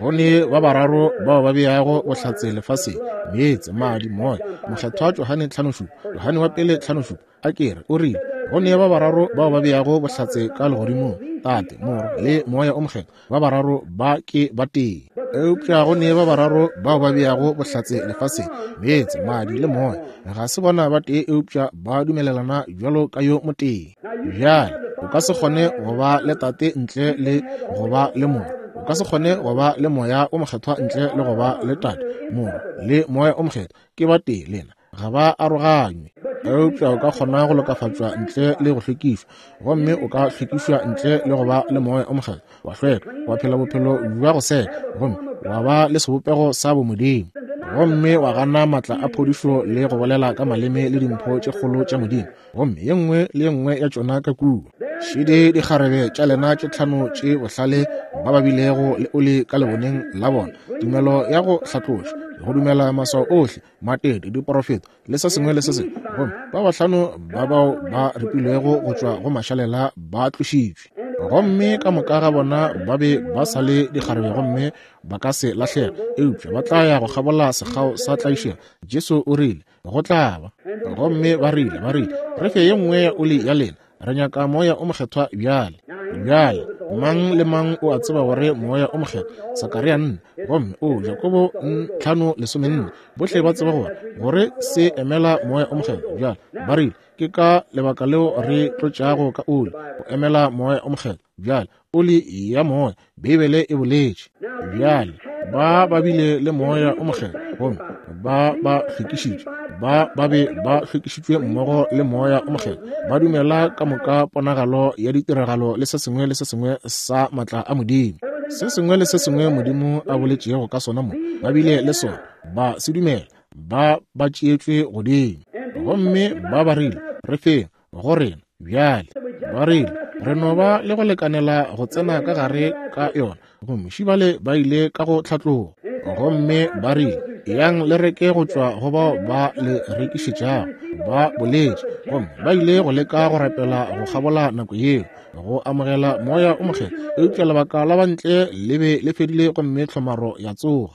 Go ne ba bararo bao ba beago bohlatse lefaseng: meetse, madi, moya. Mokgethwa Johane tlhano šupa, Johane wa pele tlhano šupa, a ke re o rile go ne ba bararo bao ba beago bohlatse ka legodimong: Tate, Morwa le Moya o Mokgethwa. Ba bararo ba ke ba tee. Eupša go ne ba bararo bao ba beago bohlatse lefaseng: meetse, madi le moya. Ga se bona ba tee, eupša ba dumelelana bjalo ka yo motee. Bjale, o ka se kgone go ba le Tate ntle le go ba le Morwa. O ka se kgone go ba le Moya o Mokgethwa ntle le go ba le Tate, Morwa le Moya o Mokgethwa. Ke ba tee lena, ga ba aroganywe. Eupša o ka kgona go lokafatšwa ntle le go hlwekišwa, gomme o ka hlwekišwa ntle le go ba le Moya o Mokgethwa, wa hlweka, wa phela bophelo bja go seka, gomme wa ba le sebopego sa bomodimo, gomme wa gana maatla a phodišo le go bolela ka maleme le dimpho tše kgolo tša Modimo, gomme ye nngwe le ye nngwe ya tšona ka kua. Šidi dikgarebe tša lena tše tlhano tše bohlale ba ba bilego le oli ka leboneng la bona, tumelo ya go hlatloša, go dumela maswao ohle, matete, diporofeto le se sengwe le se sengwe, gomme ba bahlano ba bao ba ripilwego go tšwa go mašalela ba tlošitšwe. Gomme ka moka ga bona ba be ba sa le dikgarebe, gomme ba ka se lahlega, eupša ba tla ya go kgabola sekgao sa tlaišego. Jesu o rile go tla ba. Gomme ba rile, ba rile, re fe ye nngwe ya oli ya lena, re nyaka Moya o Mokgethwa bjale. Bjale, mang le mang o a tseba gore Moya o Mokgethwa, Sakaria nne, gomme o Jakobo tlhano lesomenne, bohle ba tseba gore gore se emela Moya o Mokgethwa. Bjale ba rile ke ka lebaka leo re tlotšago ka oli, go emela Moya o Mokgethwa. Bjale oli ya moya, Beibele e boletše. Bjale ba ba bile le Moya o Mokgethwa, gomme Ba ba hlwekišitšwe, ba ba be ba hlwekišitšwe mmogo le Moya o Mokgethwa, ba dumela ka moka ponagalo ya ditiragalo le se sengwe le se sengwe sa matla a Modimo. Se sengwe le se sengwe Modimo a boletšego ka sona mo, ba bile le sona, ba se dumela, ba ba tšeetšwe godimo. Gomme ba ba rile, re feng go rena bjale. Ba rile, re no ba le go lekanela go tsena ka gare ka yona. Gomme šibale ba ile ka go tlhatloga. Gomme ba rile, yang le reke go tšwa go bao ba le rekišetšago. Ba boletše. Gomme ba ile go leka go rapela go kgabola nako yeo, go amogela Moya o Mokgethwa. Eupša lebaka la bantle le be le fedile gomme tlhomaro ya tsoga.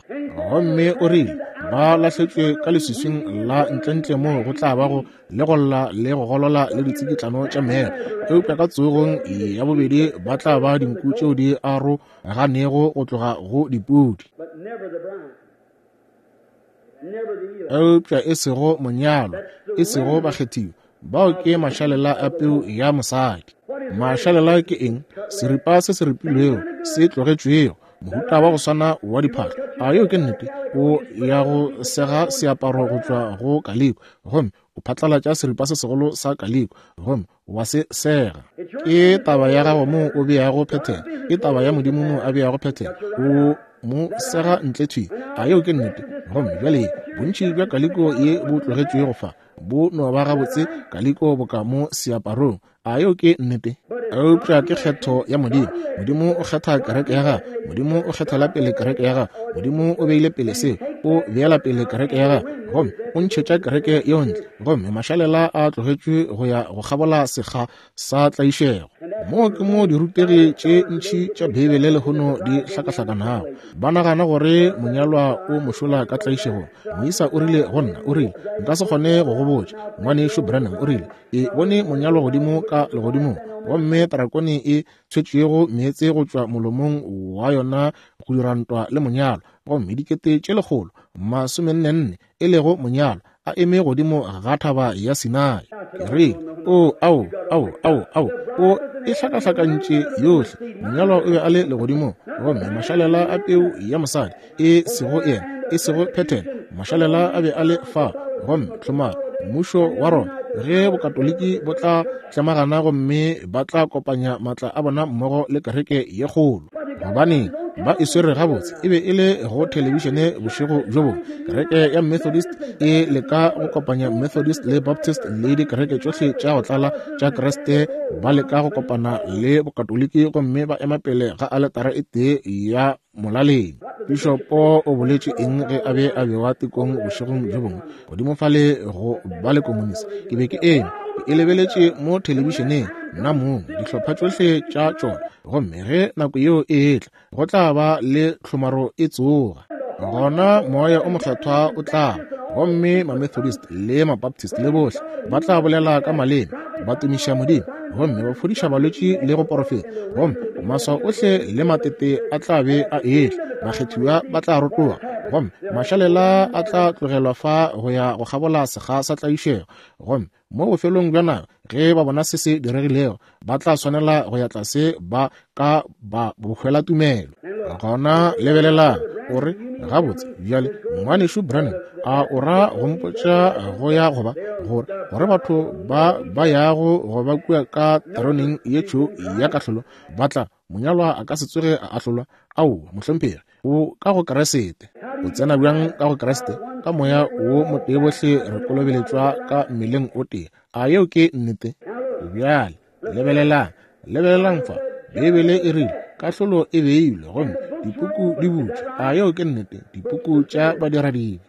Gomme o rile, ba lahletšwe ka leswiswing la ntlentle moo go tla bago le go lla le go golola le ditsikitlano tša meya. Eupša ka tsogong ya bobedi ba tla ba dinku tšeo di aroganego go tloga go dipudi. Eupša e sego monyalwa, e sego bakgethiwa. Bao ke mašalela a peu ya mosadi. Mašalela ke eng? Seripa se se ripilwego, se tlogetšwego, mohuta wa go swana wa diphahlo. A yeo ke nnete? O ya go sega seaparo go tšwa go kaliko, gomme o phatlalatša seripa se segolo sa kaliko, gomme wa se sega. Ke taba ya gago moo o beago phethene, ke taba ya Modimo moo a beago phethene. O mo sega ntle thwi. A yeo ke nnete? Gomme bjale bontši bja kaliko ye bo tlogetšwego fa bo no ba gabotse kaliko boka mo seaparong. A yeo ke nnete? Eupša ke kgetho ya Modimo. Modimo o kgetha kereke ya gagwe. Modimo o kgethela pele kereke ya gagwe. Modimo o beile pele seo, o beela pele kereke ya gagwe, gomme o ntšhetša kereke yeo ntle. Gomme mašalela a tlogetšwe go ya go kgabola sekga sa tlaišego. Moo ke mo dirutegi tše ntši tša Beibele lehono di hlakahlakanago. Ba nagana gore monyalwa o mošola ka tlaišegong. Moisa o rile go nna, o rile, nka se kgone go go botša. Ngwanešu Branham o rile, ke bone monyalwa godimo ka legodimong, gomme tarakone e tshwetšego meetse go tšwa molomong wa yona go dira ntwa le monyalwa, gomme dikete tše lekgolo masomennenne e lego monyalwa a eme godimo ga thaba ya Sinai. Ke rile, o ao ao ao ao o e hlakahlakantše yohle. Monyalwa o be a le legodimong, gomme mašalela a peu ya mosadi e sego yena, e sego phethene, mašalela a be a le fa. Gomme tlhomaro mmušo wa Roma, ge bokatoliki bo tla tlemagana gomme ba tla kopanya matla a bona mmogo le kereke ye kgolo, gobane ba e swere gabotse. E be e le go thelebišene bošego bjo bongwe. Kereke ya Methodist e leka go kopanya Methodist le Baptist le dikereke tšohle tša go tlala tša Kriste, ba leka go kopana le bokatoliki gomme ba ema pele ga aletara e tee ya molaleng. Pišopo o boletše eng ge a be a bewa tekong bošegong bjo bongwe godimo fale go ba le komunisi? Ke be ke eme ke e lebeletše mo thelebišeneng nna mong, dihlopha tšohle tša tšona. Gomme ge nako yeo e etla, go tla ba le tlhomaro e tsoga. Gona Moya o Mokgethwa o tla, gomme ma-Methodist le ma-Baptist le bohle ba tla bolela ka maleme, ba tumiša Modimo, gomme ba fodiša balwetši le go porofeta. Gomme maswao ohle le matete a tla be a etla, bakgethiwa ba tla rotoga, gomme mašalela a tla tlogelwa fa go ya go kgabola sekga sa tlaišego. Gomme mo bofelong bja nako, ge ba bona se se diregilego, ba tla swanela go ya tlase ba ka ba bohwela tumelo. Gona lebelelang, o re, gabotse bjale ngwanešu Branham, a o ra go mpotša go ya goba gore gore batho ba ba yago go ba kua ka teroneng ye tšho ya kahlolo ba tla monyalwa a ka se tsoge a ahlolwa? Ao, mohlomphegi, o ka go Kriste. O tsena bjang ka go Kriste? Ka moya wo motee bohle re kolobeletšwa ka mmeleng o tee. A yeo ke nnete? Bjale lebelelang, lebelelang fa. Beibele e rile kahlolo e beilwe gomme dipuku di butšwe. A yeo ke nnete? Dipuku tša badiradibe.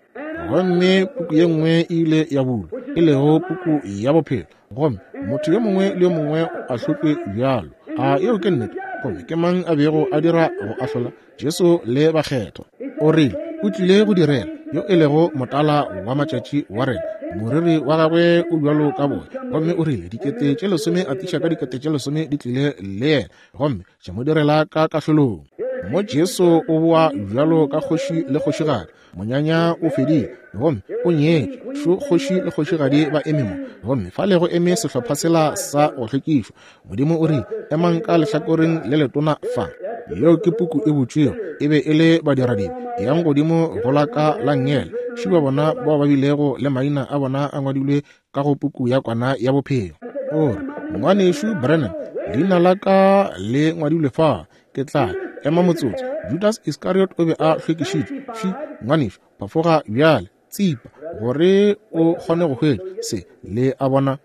Gomme puku ye nngwe e ile ya bulwa, e lego puku ya bophelo, gomme motho yo mongwe le yo mongwe o ahlotšwe bjalo. A yeo ke nnete? Gomme ke mang a bego a dira go ahlola? Jesu le bakgethwa. O rile o tlile go direla yo e lego motala wa matšatši wa rena, moriri wa gagwe o bjalo ka boya. Gomme o rile dikete tše lesome a tiša ka dikete tše lesome di tlile le yena, gomme tša mo direla ka kahlolong. Mo Jesu o boa bjalo ka kgoši le kgošigadi. Monyanya o fedile, gomme o nyetše. Šo kgoši le kgošigadi ba eme mo, gomme fale go eme sehlopha sela sa go hlwekišwa. Modimo o rile, emang ka lehlakoreng le letona fa. Yeo ke puku e butšwego. E be e le badiradibe. Yang godimo go la ka la nngele. Šiba bona bao ba bilego le maina a bona a ngwadilwe ka go puku ya Kwana ya Bophelo. O re, Ngwanešu Branham, leina la ka le ngwadilwe fa. Ke tla ema motsotso. Judas Iscariot o be a hlwekišitšwe. Ši, ngwanešu, phafoga bjale, tsipa, gore o kgone go hwetša se. Le a bona?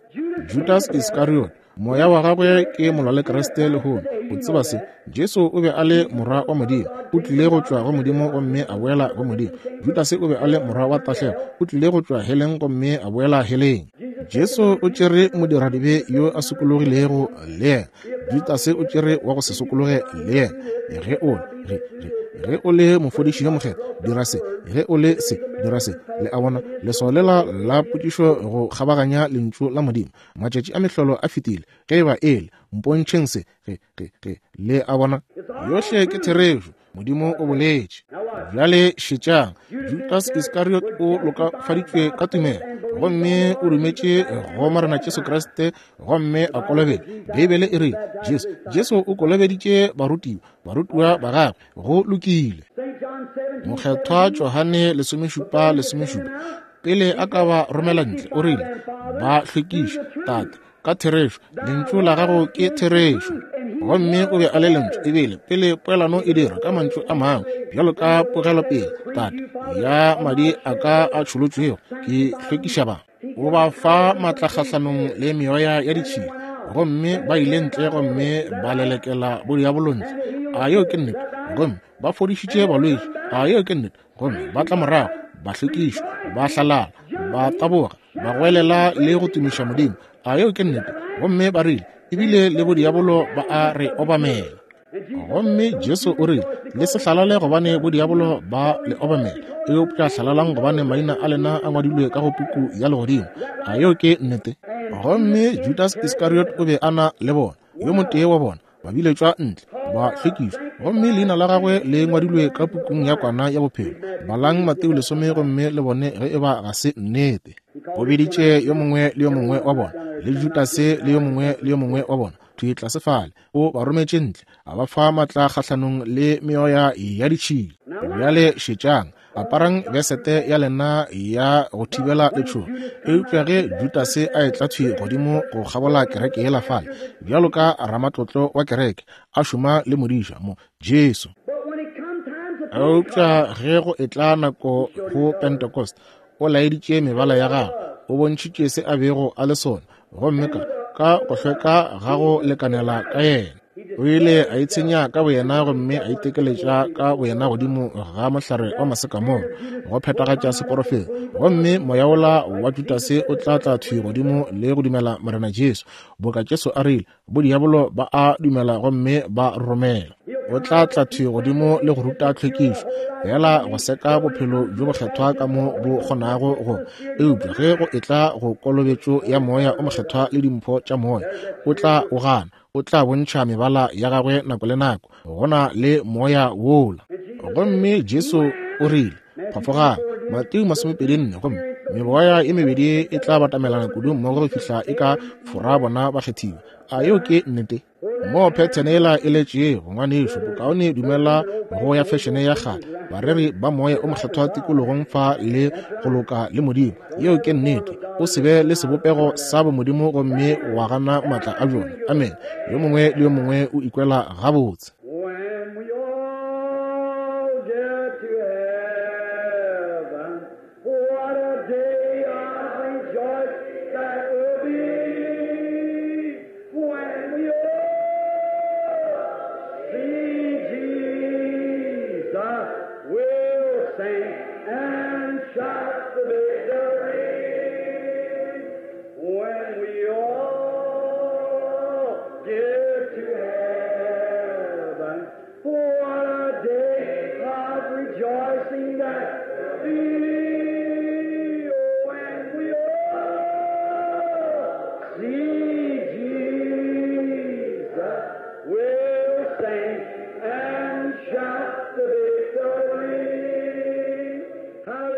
Judas Iscariot, moya wa gagwe ke molwalekriste lehono. O tseba se? Jesu o be a le morwa wa Modimo, o tlile go tšwa go Modimo gomme a boela go Modimo. Judas o be a le morwa wa tahlego, o tlile go tšwa heleng gomme a boela heleng. Jesu o tšere modiradibe yo a sokologilego le yena. Judas o tšere wa go se sokologe le yena. Ge o ge ge ge o le mofodiši yo mokgethwa, dira se. Ge o le se, dira se. Le a bona, leswao lela la potšišo go kgabaganya lentšu la Modimo. Matšatši a mehlolo a fetile. Ge e ba ele, mpontšheng se. Ge ge ge le a bona, yohle ke therešo. Modimo o boletše. Bjale šetšang, Judas Iscariot o lokafaditšwe ka tumelo, gomme o dumetše go Morena Jesu Kriste gomme a kolobetšwa. Beibele e rile Jesu Jesu o kolobeditše barutiwa, barutiwa ba gagwe. Go lokile. Mokgethwa Johane lesomešupa lesomešupa, pele a ka ba romela ntle, o rile, ba hlwekiše, Tate, ka therešo, lentšu la gago ke therešo. Gomme o be a le lentšu ebile pele poelano e dira ka mantšu a mangwe, bjalo ka pogelopele, Tate, ya madi a ka a tšholotšwego, ke hlwekiša ba. O ba fa maatla kgahlanong le meoya ya ditšhila, gomme ba ile ntle gomme ba lelekela bodiabolo ntle. A yeo ke nnete? Gomme ba fodišitše balwetši. A yeo ke nnete? Gomme ba tla morago, ba hlwekišwa, ba hlalala, ba taboga, ba goelela le go tumiša Modimo. A yeo ke nnete? Gomme ba rile, ebile le bodiabolo ba a re obamela. Gomme Jesu o rile, le se hlalale gobane bodiabolo ba le obamela, eupša hlalalang gobane maina a lena a ngwadilwe ka go puku ya legodimo. A yeo ke nnete? Gomme Judas Iscariot o be a na le bona, yo motee wa bona, ba biletšwa ntle, ba hlwekišwa, gomme leina la gagwe le ngwadilwe ka pukung ya Kwana ya Bophelo. Balang Mateo lesome gomme le bone ge e ba ga se nnete. O biditše yo mongwe le yo mongwe wa bona, le Judase le yo mongwe le yo mongwe wa bona, thwi tlase fale. O ba rometše ntle, a ba fa maatla kgahlanong le meoya ya ditšhila. Bjale šetšang, aparang besete ya lena ya go thibela letšhogo. Eupša ge Judase a etla thwi godimo go kgabola kereke yela fale, bjalo ka ramatlotlo wa kereke, a šoma le modiša mo, Jesu. Eupša ge go etla nako go Pentecost, o laeditše mebala ya gagwe, o bontšhitše se a bego a le sona, gomme ka ka go hlweka ga go lekanela ka yena. O ile a itshenya ka boyena gomme a itekeletša ka boyena godimo ga mohlare wa masekamoro go phethagatša seporofeto. Gomme moya wola wa Judase o tla tla thwi godimo le go dumela Morena Jesu, boka Jesu a rile, bodiabolo ba a dumela gomme ba romela. O tla tla thwi godimo le go ruta tlhwekišo, fela go seka bophelo bjo bokgethwa ka mo bo kgonago go. Eupša ge go etla go kolobetšo ya moya o mokgethwa le dimpho tša moya, o tla o gana. O tla bontšha mebala ya gagwe nako le nako. Go na le moya wola. Gomme Jesu o rile, phafogang, Mateo masomepedi nne, gomme meboya e mebedi e tla batamelana kudu mmogo go fihla e ka fora bona bakgethiwa. A yeo ke nnete? Mo phethene yela e letšego, ngwanešu, bokaone dumela go ya fešene ya kgale, bareri ba moya o mokgethwa tikologong fa le go loka le Modimo. Yeo ke nnete. O se be le sebopego sa bomodimo gomme wa gana maatla a bjona. Amen. Yo mongwe le yo mongwe o ikwela gabotse.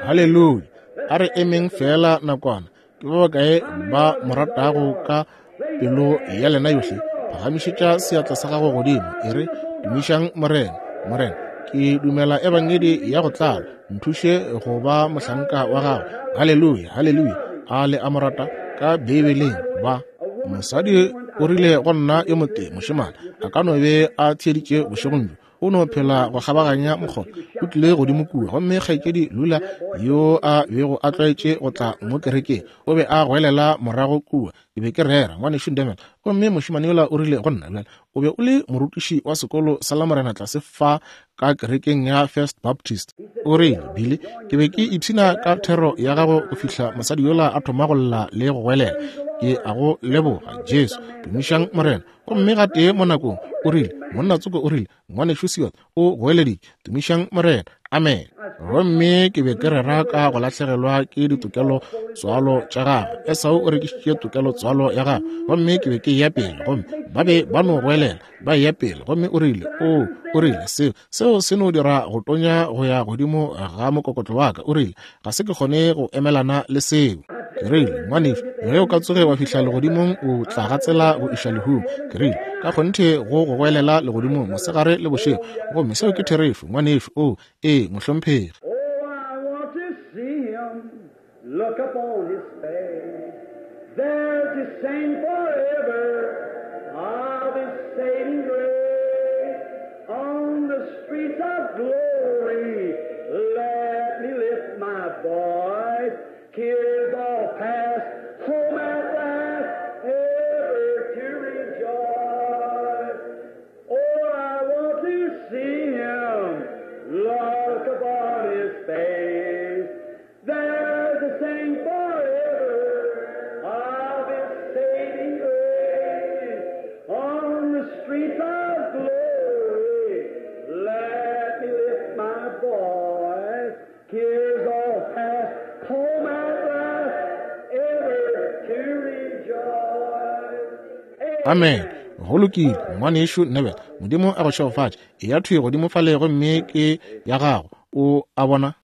Haleluya. A re emeng fela nakwana. Ke ba bakae ba mo ratago ka pelo ya lena yohle? Phagamišetša seatla sa gago godimo, e re, Tumišang Morena. Morena, ke dumela ebangedi ya go tlala. Nthuše go ba mohlanka wa gago. Haleluya, haleluya. A le a mo rata ka Beibeleng ba. Mosadi o rile go nna yo motee, mošemane a ka no be a theeditše bošegong bjo. O no phela go kgabaganya mokgotha. O tlile godimo kua, gomme kgaetšedi Lula yo a bego a tlwaetše go tla mo kerekeng o be a goelela morago kua. Ke be ke rera, ngwanešu Demel. Gomme mošemane yola o rile go nna, bjale o be o le morutiši wa sekolo sa Lamorena tlase fa ka kerekeng ya First Baptist. O rile, Billy, ke be ke ipshina ka thero ya gago go fihla mosadi yola a thoma go lla le go goelela. Ke a go leboga, Jesu. Tumišang Morena. Gomme gatee mo nakong o rile, monna tsoko o rile, ngwanešu Seward o goeleditše, tumišang Morena. Amen. Gomme ke be ke rera ka go lahlegelwa ke ditokelo tswalo tša gagwe. Esau o rekišitše tokelo tswalo ya gagwe. Gomme ke be ke eya pele, gomme ba be ba no goelela, ba eya pele. Gomme o rile, o, o rile, seo, seo se no dira go tonya go ya godimo ga mokokotlo wa ka. O rile, ga se ke kgone go emelana le seo. Ke rile, ngwanešu, ge o ka tsoge wa fihla legodimong, o tla gatsela go iša lehung. Ke rile, ka kgonthe go go goelela legodimong mosegare le bošego. Gomme seo ke therešo, ngwanešu. O, ee, mohlomphegi. Oh, I want to see him, look upon his face, there to sing forever of his saving grace. On the streets of glory, let me lift my voice. Tears all past, home at last, ever to rejoice. Oh, I want to see him, look upon his face, there to sing forever of his saving grace. On the streets of glory, let me lift my voice. Tears all past, home at last, ever to rejoice. Amen. Go lokile, ngwanešu Neville. Modimo a go šegofatše. Eya thwi godimo fale gomme ke ya gago. O a bona?